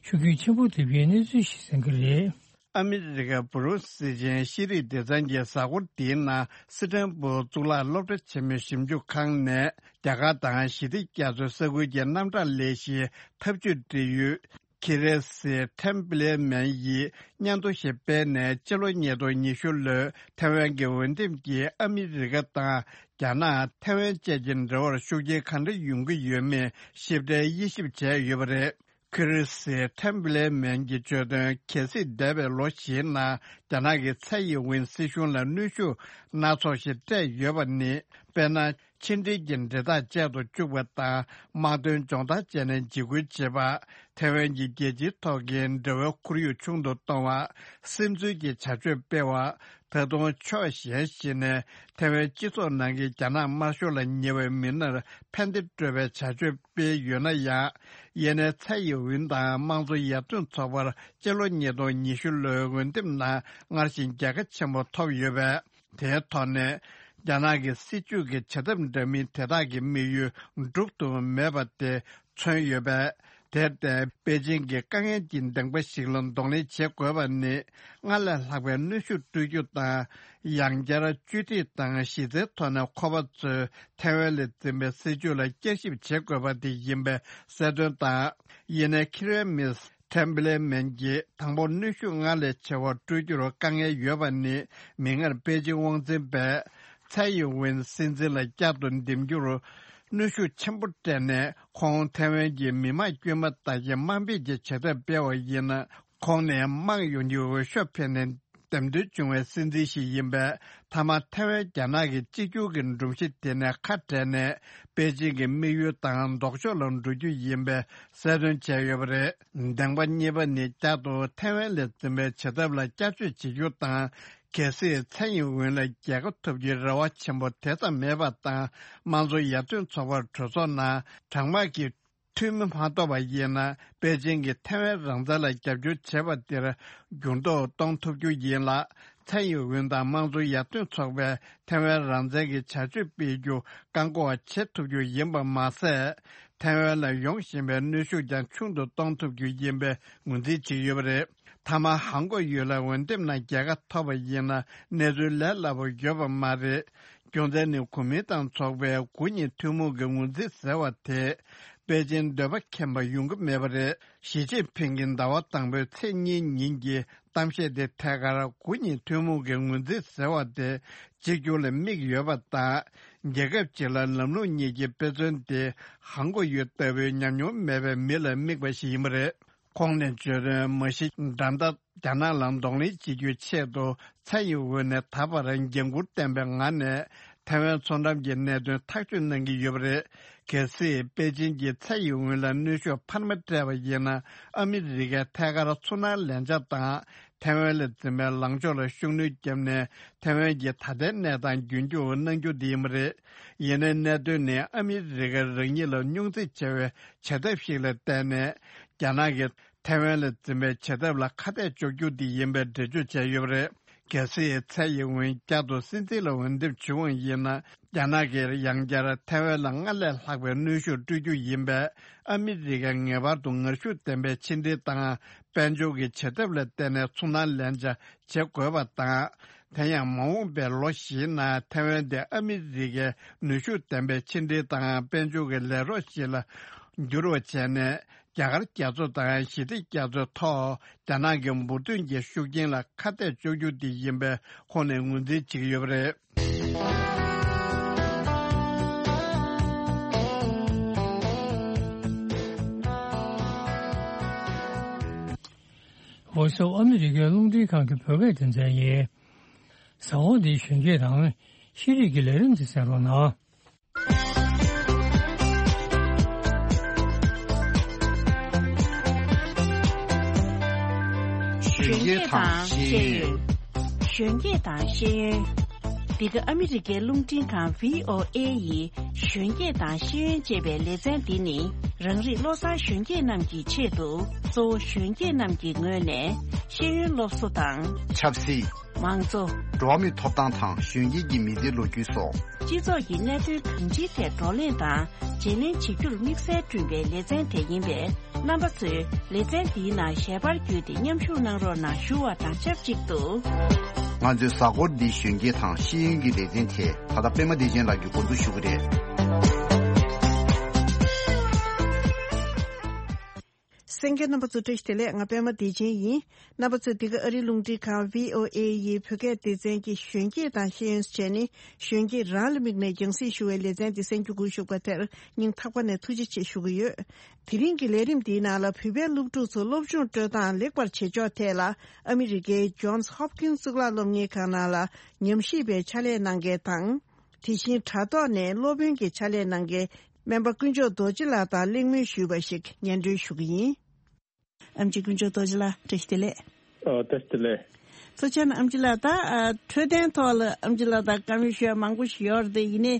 ཤུགས་རྐྱེན་ཆེན་པོ་ཐེབས་ཀྱི་གནས་ཚུལ་ཞིག་གསན་གྱི་རེད། ཨ་མི་རི་ཀ་བུ་རུ་སི་ཅན་ཤེས་རིག་སྡེ་ཚན་གྱིས་གཟའ་འཁོར་འདིའི་ནང་སི་ཁྲོན་སྦུག་གཙུག་ལག་སློབ་གྲྭ་ཆེན་མོའི་ཞིབ་འཇུག་ཁང་ནས། རྒྱ་གར་དང་ཞི་བདེ་རྒྱ་མཚོའི་ས་ཁུལ་གྱི་རྣམ་གྲངས་ལས་གཞིའི་འཐབ་ཇུས་འབྲེལ་ཡོད་ཁི་རེ་སི་ཐེམ་བི་ལེ་མན་ཡིས་སྙན་ཐོ་ཞིག་སྤེལ་ནས། སྤྱི་ལོ་ཉིས་སྟོང་ཉི་ཤུ་ལོའི་ཐའེ་ཝན་གྱི་འོས་འདེམས་ཀྱིས་ཨ་མི་རི་ཀ་དང་རྒྱ་ནག་ཐའེ་ཝན་བཅས་ཀྱི་འབྲེལ་བར་ཤུགས་རྐྱེན་གང་འདྲ་ཡོང་གི་ཡོད་མེད་ཞིབ་ཕྲའི་དབྱེ་ཞིབ་བྱས་ཡོད་པ་རེད། ཁི་རི་སི་ཐེམ་བི་ལེ་མན་གྱིས་བརྗོད་དོན། གལ་སྲིད་འདས་པའི་ལོ་བཞིའི་ནང་རྒྱ་ནག་གིས་ཚའེ་ཡིན་ཝིན་སྲིད་གཞུང་ལ་གནོན་ཤུགས་སྣ་ཚོགས་ཤིག་སྤྲད་ཡོད་པ་ནི། དཔེར་ན། ཕྱི་འབྲེལ་གྱི་འབྲེལ་ཐག་བཅད་དུ་བཅུག་པ་དང་། དམག་དོན་སྦྱོང་བརྡར་བྱས་ནས་འཇིགས་སྐུལ་བྱེད་པ། ཐའེ་ཝན་གྱི་རྒྱལ་སྤྱིའི་ཐོག་གི་འབྲེལ་བའི་ཁོར་ཡུག་ཆུང་དུ་གཏོང་བ། སིམ་འཛུལ་གྱི་བྱ་སྤྱོད་སྤེལ་བ། ད་དུང་ཕྱོགས་གཞན་ཞིག་ནས་ཐའེ་ཝན་སྤྱི་ཚོགས་ནང་གི་རྒྱ་ནག་དམར་ཤོག་ལ་ཉེ་བའི་མི་སྣར་ཕན་བདེ་སྤྲོད་པའི་བྱ་སྤྱོད་སྤེལ་ཡོད་ན་ཡང་། ཡེ་ནས་ཚའེ་ཡིན་ཝིན་དང་དམངས་གཙོ་ཡར་ཐོན་ཚོགས་པར་སྤྱི་ལོ་ཉིས་སྟོང་ཉི་ཤུ་ལོའི་འོས་འདེམས་ནང་སྔར་བཞིན་རྒྱལ་ཁ་ཆེན་པོ་ཐོབ་ཡོད་པས། དེའི་ཐོག་ནས། རྒྱ་ནག་གི་སྲིད་བྱུས་ཀྱི་བྱ་ཐབས་འདྲ་མིན་དེ་དག་གི་དམིགས་ཡུལ་འགྲུབ་ཐུབ་མེད་པ་དེ་མཚོན་ཡོད་པས། དེར་བརྟེན། པེ་ཅིང་གིས་དཀའ་ངལ་གྱི་གདེང་པ་ཞིག་ལ་གདོང་ལེན་བྱེད་དགོས་པ་ནི། སྔར་ལས་ལྷག་པའི་གནོན་ཤུགས་སྤྲོད་རྒྱུ་དང་། ཡང་བསྐྱར་བཅོས་སྒྲིག་དང་གཞི་རྩའི་ཐོག་ནས་ཁོ་པ་ཚོས་ཐའེ་ཝན་ལ་འཛིན་པའི་སྲིད་བྱུས་ལ་བསྐྱར་ཞིབ་བྱེད་དགོས་པ་དེ་ཡིན་པའི་གསལ་སྟོན་དང་། ཡིན་ནའི་ཁེ་རེ་མིས། ཐེམ་བི་ལེ་མན་གྱིས་དང་པོ་གནོན་ཤུགས་སྔར་ལས་ཆེ་བ་སྤྲོད་རྒྱུར་དཀའ་ངལ་ཡོད་པ་ནི། མིག་སྔར་པེ་ཅིང་དབང་འཛིན་པས་ཚའེ་ཡིན་ཝིན་སྲིད་འཛིན་ལ་བསྐྱར་དུ་འདེམས་རྒྱུར་གནོན་ཤུགས་ཆེན་པོ་སྤྲད་ནས། ཁོང་ཐེ་ཝན་གྱི་མི་དམངས་དཀྱུས་མ་དག་གི་དམའ་འབེབས་ཀྱི་བྱེད་ཐབས་སྤེལ་བ་ཡིན་ན། ཁོང་ནི་དམངས་ཡོངས་ཀྱི་འོས་ཤོག་འཕེན་ནས་འདེམས་ཐོན་བྱུང་བའི་སྲིད་འཛིན་ཞིག་ཡིན་པས། མཐའ་མ་ཐེ་ཝན་རྒྱ་ནག་གི་གཅིག་གྱུར་གྱི་སྒྲོམ་གཞི་དེ་ནས་ཁ་བྲལ་ནས། པེ་ཅིང་གི་དམིགས་ཡུལ་དང་ལྡོག་ཕྱོགས་ལ་འགྲོ་རྒྱུ་ཡིན་པའི་གསལ་སྟོན་བྱས་ཡོད་པ་རེད། འདེམས་པ་གཉིས་པ་ནི་བསྐྱར་དུ་ཐེ་ཝན་ལ་འཛིན་པའི་བྱ་ཐབས་ལ་བསྐྱར་བཅོས་བྱེད་རྒྱུ་དང་། གལ་སྲིད་ཚའེ་ཡིན་ཝིན་ལ་རྒྱལ་ཁ་ཐོབ་རྒྱུའི་རེ་བ་ཆེན་པོ་དེ་ཙམ་མེད་པ་དང་། དམངས་གཙོ་ཡར་ཐོན་ཚོགས་པར་གྲོས་ཚོགས་ནང་གྲངས་མང་གི་འཐུས་མི་མ་ཐོབ་པ་ཡིན་ན། པེ་ཅིང་གིས་ཐེ་ཝན་རང་བཙན་ལ་རྒྱབ་སྐྱོར་བྱས་པ་དེར་འགྱུར་ལྡོག་གཏོང་ཐུབ་རྒྱུ་ཡིན་ལ། ཚའེ་ཡིན་ཝིན་དང་དམངས་གཙོ་ཡར་ཐོན་ཚོགས་པས་ཐེ་ཝན་རང་བཙན་གྱི་བྱ་སྤྱོད་སྤེལ་རྒྱུ་བཀག་འགོག་བྱེད་ཐུབ་རྒྱུ་ཡིན་པ་མ་ཟད། ཐེ་ཝན་ལ་ཡོང་བཞིན་པའི་གནོན་ཤུགས་ཀྱང་ཆུང་དུ་གཏོང་ཐུབ་རྒྱུ་ཡིན་པའི་ངོས་འཛིན་བྱེད་ཀྱི་ཡོད་པ་རེད། མཐའ་མ་ཧང་གོ་ཡུལ་ལ་འོས་འདེམས་ནང་རྒྱལ་ཁ་ཐོབ་པ་ཡིན་ན། གནས་ཚུལ་ལས་སླ་པོ་ཡོད་པ་མ་རེད། རྒྱུ་མཚན་ནི། གོ་མིན་ཏང་ཚོགས་པའི་དགུ་ཉིས་ཐུན་མོང་གི་ངོས་འཛིན་ཟེར་བ་དེ། པེ་ཅིང་འདོད་པ་ཁེངས་པ་ཡོང་གི་མེད་པ་རེད། ཞི་ཅིན་ཕིང་གིས་ཟླ་བ་དང་པོའི་ཚེས་གཉིས་ཉིན་གྱི་གཏམ་བཤད་དེ་ཐད་ཀར། དགུ་ཉིས་ཐུན་མོང་གི་ངོས་འཛིན་ཟེར་བ་དེ་གཅིག་གྱུར་ལ་དམིགས་ཡོད་པ་དང་། རྒྱལ་ཁབ་གཅིག་ལ་ལམ་ལུགས་གཉིས་ཀྱི་དཔེ་མཚོན་དེ། ཧང་གོ་ཡུལ་ལྟ་བུའི་ཉམས་མྱོང་མེད་པའི་མི་ལ་དམིགས་པ་ཞིག་ཡིན་པ་རེད། ཁོང་ནས་བརྗོད་དོན། མ་གཞི་འགྲན་ཟླ་རྒྱ་ནག་ལ་གདོང་ལེན་བྱེད་རྒྱུའི་ཆེད་དུ། ཚའེ་ཡིན་ཝེན་ནས་ད་བར་འགན་འཁུར་ལྡན་པའི་ངང་ནས། ཐའེ་ཝན་མཚོ་འགྲམ་གྱི་གནད་དོན་ཐག་གཅོད་གནང་གི་ཡོད་པ་རེད། གལ་སྲིད་པེ་ཅིན་གྱིས་ཚེ་ཡི་དབང་ལ་གནོན་ཤུགས་འཕར་མ་སྤྲད་པ་ཡིན་ན། ཨ་མི་རི་ཀས་ཐད་ཀར་ཚུར་སྣང་ལན་ཆགས་དང་། ཐའེ་ཝན་ལ་འཛིན་པའི་ལངས་ཕྱོགས་ལ་ཤུགས་སྣོན་བརྒྱབ་ནས། ཐའེ་ཝན་གྱི་ད་ལྟའི་གནས་སྟངས་རྒྱུན་འཁྱོངས་གནང་རྒྱུ་དེ་ཡིན་པ་རེད། ཡིན་ནའི་གནད་དོན་ནི་ཨ་མི་རི་ཀ་རང་ཉིད་ལ་སྙུང་འཛིང་ཆེ་བའི་བྱེད་ཐབས་ཤིག་ལ་བརྟེན་ནས། རྒྱ་ནག་གིས་ཐའེ་ཝན་ལ་འཛིན་པའི་བྱེད་ཐབས་ལ་ཁ་གཏད་གཅོག་རྒྱུ་དེ་ཡིན་པའི་འགྲེལ་བརྗོད་བྱས་ཡོད་པ་རེད། གལ་སྲིད་ཚེ་ཡི་དབང་བསྐྱར་དུ་སྲིད་འཛིན་ལ་འོས་འདེམས་བྱུང་བ་ཡིན་ན། རྒྱ་ནག་གིས་ཡང་བསྐྱར་ཐའེ་ཝན་ལ་སྔར་ལས་ལྷག་པའི་གནོན་ཤུགས་སྤྲོད་རྒྱུ་ཡིན་པས། ཨ་མི་རི་ཀས་ངེས་པར་དུ་ངར་ཤུགས་ལྡན་པའི་ཕྱི་འབྲེལ་དང་། དཔལ་འབྱོར་གྱི་བྱེད་ཐབས་ལ་བརྟེན་ནས་ཚུར་སྣང་ལན་ཆགས་བྱེད་དགོས་པ་དང་། དེ་ཡང་མ་འོངས་པའི་ལོ་བཞིའི་ནང་ཐའེ་ཝན་དེ་ཨ་མི་རི་ཀའི་ནུས་ཤུགས་ལྡན་པའི་ཕྱི་འབྲེལ་དང་དཔལ་འབྱོར་གྱི་ལས་རོགས་ཤིག་ལ་འགྱུར་བ་བྱས་ནས། རྒྱ་གར་རྒྱ་མཚོ་དང་ཞི་བདེ་རྒྱ་མཚོའི་ཐོག་རྒྱ་ནག་གི་འབུར་ཐོན་གྱི་ཤུགས་རྐྱེན་ལ་ཁ་གཏད་གཅོག་རྒྱུ་དེ་ཡིན་པའི་ཁོངས་ནས་ངོས་འཛིན་བྱེད་ཀྱི་ཡོད་པ་རེད། Voice of America རླུང་འཕྲིན་ཁང་གི་བོད་སྐད་སྡེ་ཚན་ཡིན། ཟ་འོག་འདིའི་གཞོན་སྐྱེས་དང་ཤེས་རིག་གི་ལས་རིམ་དེ་གསན་རོགས་གནང་། གཞོན་སྐྱེས་དང་ཤེས་ཡོན། གཞོན་སྐྱེས་དང་ཤེས་ཡོན། འདི་ག་ཨ་མི་རི་ཀའི་རླུང་འཕྲིན་ཁང་V O A ཡི་གཞོན་སྐྱེས་དང་ཤེས་ཡོན་ཅེས་པའི་ལེ་ཚན་འདི་ནི། རང་རིགས་བློ་བཟང་གཞོན་སྐྱེས་རྣམས་ཀྱི་ཆེད་དུ། གཙོ་བོ་གཞོན་སྐྱེས་རྣམས་ཀྱི་ངོས་ནས་ཤེས་ཡོན་སློབ་གསོ་དང་། ཆབ་སྲིད། མང་གཙོ། འགྲོ་བ་མིའི་ཐོབ་ཐང་དང་གཞོན་སྐྱེས་ཀྱི་མི་ཚེའི་ལོ་རྒྱུས་སོགས། སྤྱི་ཚོགས་ཀྱི་གནད་དོན་གང་ཅིའི་ཐད་བགྲོ་གླེང་དང་བརྗེ་ལེན་བྱེད་རྒྱུར་དམིགས་བསལ་བསྐྲུན་པའི་ལེ་ཚན་དེ་ཡིན་པས། རྣམ་པ་ཚོས་ལེ་ཚན་འདིའི་ནང་ཞལ་པར་བརྒྱུད་དེ་མཉམ་ཞུགས་གནང་རོགས་གནང་ཞུ་བ་དང་ཆབས་ཅིག་ཏུ། ང་ཚོའི་གཟའ་འཁོར་འདིའི་གཞོན་སྐྱེས་དང་ཤེས་ཡོན་གྱི་ལེ་ཚན་དེ་ད་ལྟ་པད་མ་བདེ་ཆེན་ལགས་ཀྱིས་འགོ་འཛུགས་ཞུ་གི་རེད། གསན་མཁན་རྣམ་པ་ཚོ་བཀྲ་ཤིས་བདེ་ལེགས། ང་པད་མ་བདེ་ཆེན་ཡིན། རྣམ་པ་ཚོས་འདི་ག་ཨ་རིའི་རླུང་འཕྲིན་ཁང་V O A ཡི་བོད་སྐད་སྡེ་ཚན་གྱི་གཞོན་སྐྱེས་དང་ཤེས་ཡོན་བྱས་ནས་གཞོན་སྐྱེས་རང་ལ་དམིགས་ནས་རྒྱང་སྲིང་ཞུ་བའི་ལེ་ཚན་འདི་གསན་རྒྱུ་སྒུག་བཞུགས་པ་དེར་སྙིང་ཐག་པ་ནས་ཐུགས་རྗེ་ཆེ་ཞུ་གི་ཡོད། དེ་རིང་གི་ལས་རིམ་འདིའི་ནང་ལ་བོད་པའི་སློབ་ཕྲུག་ཚོ་སློབ་སྦྱོང་སྤྲོད་སྟངས་ལེགས་པར་བྱེད་ཕྱོགས་ཐད་ལ་ཨ་མི་རི་ཀའི་Johns Hopkins གཙུག་ལག་སློབ་གཉེར་ཁང་ནང་ལ་ཉམས་ཞིབ་པའི་ཕྱག་ལས་གནང་མཁན་དང་། དེ་བཞིན་དྲ་ཐོག་ནས་སློབ་དཔོན་གྱི་ཕྱག་ལས་གནང་མཁན་སྨན་པ་དཀོན་མཆོག་རྡོ་རྗེ་ལགས་དང་གླེང་མོལ་ཞུས་པ་ཞིག་སྙན་སྒྲོན་ཞུ་གི་ཡིན། ཨེམ་ཆི་དཀོན་མཆོག་རྡོ་རྗེ་ལགས་བཀྲ་ཤིས་བདེ་ལེགས། ཨ་བཀྲ་ཤིས་བདེ་ལེགས། ཐུགས་རྗེ་ཆེ་ན་ཨེམ་ཆི་ལགས། ད་ཨ་འཕྲོད་བསྟེན་ཐོག་ལ་ཨེམ་ཆི་ལགས་དང་བཀའ་མོལ་ཞུ་ཡ་མང་པོ་ཞིག་ཡོད་རེད་དེ། ཡིན་ནའི་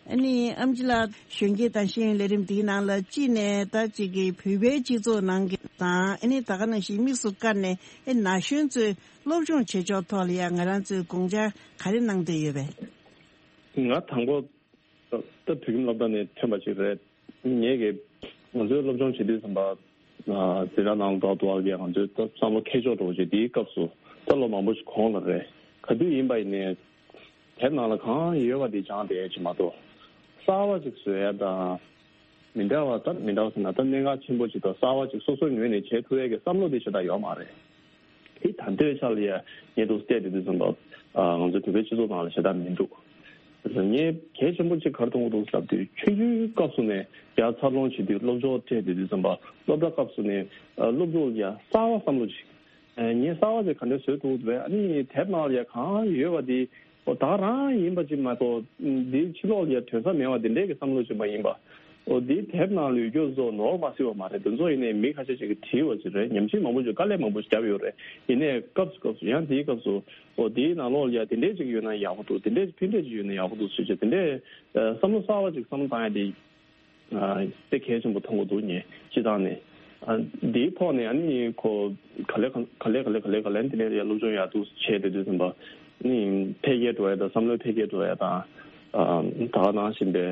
ཨ་ནི་ཨེམ་ཆི་ལགས་གཞོན་སྐྱེས་དང་ཤེས་ཡོན་ལས་རིམ་འདིའི་ནང་ལ་གཅིག་ནས་ད་གཅིག་གི་བོད་པའི་སྤྱི་ཚོགས་ནང་གི་དང་ཨ་ནི་ད་ག་ནང་བཞིན་དམིགས་སུ་བཀར་ནས་ཨེ་ན་གཞོན་ཚོས་སློབ་སྦྱོང་བྱེད་ཕྱོགས་ཐོག་ལ་ཡ་ང་རང་ཚོས་དགོངས་འཆར་ག་རེ་གནང་འདོད་ཡོད་པས། ང་དང་པོ་ད་བོད་ཁྱིམ་སློབ་གྲྭ་ནས་ཐོན་པ་ཞིག་རེད། ངེད་ཀྱིས་ང་ཚོའི་སློབ་སྦྱོང་བྱེད་དུས་ཙམ་པ་འཛིན་གྲྭ་ནང་ལ་འགྲོ་འདུག་བ་ལ་ང་ཚོའི་ད་བསམ་བློ་འཁྱེར་ཕྱོགས་འདྲ་བོ་ཞིག་དེའི་སྐབས་སུ་ད་ལོ་མང་པོ་ཞིག་གོང་ལ་རེད། ག་དུས་ཡིན་པ་ཡིན་ནའི་དེབ་ནང་ལ་གང་ཡོད་པ་དེ་སྦྱངས་བསྡད་ཡ་ཅིག་མ་གཏོགས་གསར་བ་ཅིག་བཟོ་ཡ་དང་། མི་འདྲ་བ་ད་མི་འདྲ་བ་ཟེར་ན་ད་གནད་འགག་ཆེན་པོ་ཅིག་དང་གསར་བ་ཅིག་སོ་སོའི་ངོས་ནས་བྱེད་ཐུབ་ཡས་ཀྱི་བསམ་བློ་དེ་ཞེ་དྲག་ཡོད་མ་རེད། དེ་ད་ལྟའི་ཆ་ལ་ཡ་ངས་འདུག་བལྟས་དེ་དུས་ཙམ་པ་ང་ཚོ་བོད་པའི་སྤྱི་ཚོགས་ནང་ལ་ཞེ་དྲག་མི་འདུག་ངས་གལ་ཆེན་པོ་ཅིག་ག་རེ་མཐོང་གི་འདུག་ཟེར་དུས་ཆུང་ཆུང་སྐབས་སུ་ནས་ཡ་འཚར་ལོངས་བྱེད་དུས་སློབ་སྦྱོང་སྤྲད་དེ་དུས་ཙམ་པ་སློབ་གྲྭ་སྐབས་སུ་ནས་སློབ་ཕྲུག་ལ་ཡ་གསར་བ་བསམ་བློ་ཅིག་ངས་གསར་བ་ཅིག་ག་འདྲ་བཟོས་ཐུབ་འདུག་བས། ཨ་ནི་དེབ་ནང་ལ་ཡ་གང་ཡོད་པ་དེ་ཨོ་ད་རང་ཡིན་པ་ཅིག་མ་གཏོགས་འདིའི་ཕྱི་ལོགས་ལ་ཡ་ཐོན་ས་མེད་པ་དེ་འདྲས་ཀྱི་བསམ་བློ་ཅིག་མ་ཡིན་པ། ཨོ་འདིའི་དེབ་ནང་ལ་ཡོད་རྒྱུ་བཟོ་ནོར་མ་སྲིད་པ་མ་རེད། དེ་ཚོ་ཡིན་ནའི་མི་ཁ་ཤས་ཅིག་གིས་བྲིས་པ་ཅིག་རེད། ཉམས་ཞིབ་མང་པོ་ཅིག་དཀའ་ལས་མང་པོ་ཞིག་བརྒྱབ་ཡོད་རེད། ཡིན་ནའི་སྐབས་སུ་སྐབས་སུ་ཡང་དེའི་སྐབས་སུ་ཨོ་དེའི་ནང་ལོགས་ལ་ཡ་དེ་འདྲས་ཅིག་ཡོད་ན་ཡག་པོ་འདུག་དེ་འདྲས་ཕན་འབྲས་ཅིག་ཡོད་ན་ཡག་པོ་འདུག་ཟེར་ཅིག་དེ་འདྲས་བསམ་བློ་གསར་བ་ཅིག་བསམ་བློ་བཏང་ཡ་དེ། དཔེ་གལ་ཆེན་པོ་མཐོང་གི་འདུག་ངས་སྤྱི་བཏང་ནས། འདིའི་ཐོག་ནས་ཨ་ནི་ཁོ་ག་ལེ་ག་ལེ་ག་ལེ་ག་ལེ་ག་ལེ་འདི་ནས་ཡར་སློབ་སྦྱོང་ཡག་ཏུ་བྱས་ཏེ་དུས་ཙམ་པ་ནི་འཕེལ་རྒྱས་འགྲོ་ཡ་དང་བསམ་བློའི་འཕེལ་རྒྱས་འགྲོ་ཡ་དང་། ད་ག་ནང་བཞིན་པའི་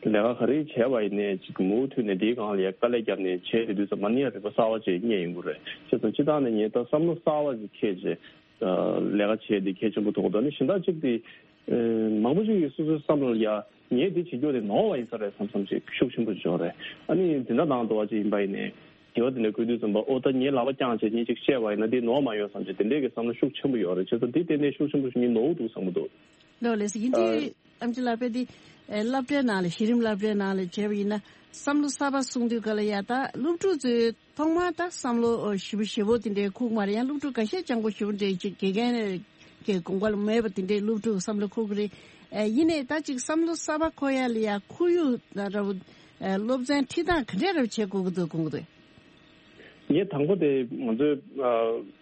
ལས་ཀ་ག་རེ་བྱས་པ་ཡིན་ནའི་ཅིག་མུ་མཐུད་ནས་འདིའི་སྒང་ལ་ཡ་དཀའ་ལས་བརྒྱབ་ནས་བྱས་ཏེ་དུས་ཙམ་པ་ནི་ཡ་རིག་པ་གསར་བ་ཅིག་རྙེད་ཡོང་གི་རེད། བྱས་ཙང་སྤྱི་བཏང་ནས་ངས་ད་བསམ་བློ་གསར་བ་ཅིག་འཁྱེར་བྱས། ལས་ཀ་བྱས་འདི་གལ་ཆེན་པོ་མཐོང་གི་འདུག་ནི་གཞན་དག་ཅིག་དེ་མང་པོ་ཞིག་གིས་སོ་སོའི་བསམ་བློ་ལ་ཡ་ངས་འདི་བྱེད་རྒྱུ་དེ་ནོར་བ་ཡིན་ས་རེད་བསམ་བསམ་ཅིག་ཤུགས་ཆེན་པོ་ཅིག་ཡོད་རེད། ཨ་ནི་འཛིན་གྲྭ་ནང་དུ་བ་ཅིག་ཡིན་པ་ཡིན་ནའི་དྲི་བ་དེ་འདྲ་བཀོད་དུས་ཙམ་པ་ཨོ་ད་ངས་ལག་པ་བརྐྱངས་བྱས་ངས་ཅིག་བཤད་པ་ཡིན་ན་འདི་ནོར་མ་ཡོང་བསམ་ཅིག་དེ་འདྲས་ཀྱི་བསམ་བློ་ཤུགས་ཆེན་པོ་ཡོད་རེད། བྱས་ཙང་འདི་ཏན་ཏན་ཤུགས་ཆེན་པོ་ཞིག་ངས་ནོར་འདུག་བསམ་གྱི་འདུག་ལགས་ལགས་སོ། ཡིན་དུས་ཨམ་ཆི་ལགས་དཔེ་འདི་ཨེ་སློབ་གྲྭའི་ནང་ལ་གཞི་རིམ་སློབ་གྲྭའི་ནང་ལ་བྱས་པ་ཡིན་ན་བསམ་བློ་གསར་པ་གསུང་དུས་ག་ལ་ཡ་ད་སློབ་ཕྲུག་ཚོས་ཐོག་མར་ད་བསམ་བློ་ཞེ་པོ་ཞེ་པོ་དེ་འདྲའི་ཁུག་མ་རེད། ཡང་སློབ་ཕྲུག་འགའ་ཤས་སྤྱང་པོ་ཞེ་པོ་འདྲའི་ཅིག་དགེ་རྒན་གྱི་དགོངས་པ་ལ་མོས་པ་དེ་འདྲའི་སློབ་ཕྲུག་བསམ་བློ་ཁུག་གི་རེད། ཨེ་ཡིན་ནའི་ད་ཅིག་བསམ་བློ་གསར་པ་འཁོར་ཡ་ལ་ཡ་ཁོར་ཡུག་ད་ར་བུ་ཨེ་སློབ་ཚན་ཁྲིད་སྟངས་ག་འདྲས་ར་བྱེད་དགོས་ཀྱི་འདུག་དགོངས་ཀྱི་འདུག་ངས་དང་པོ་དེ་ང་ཚོའི་ཨ་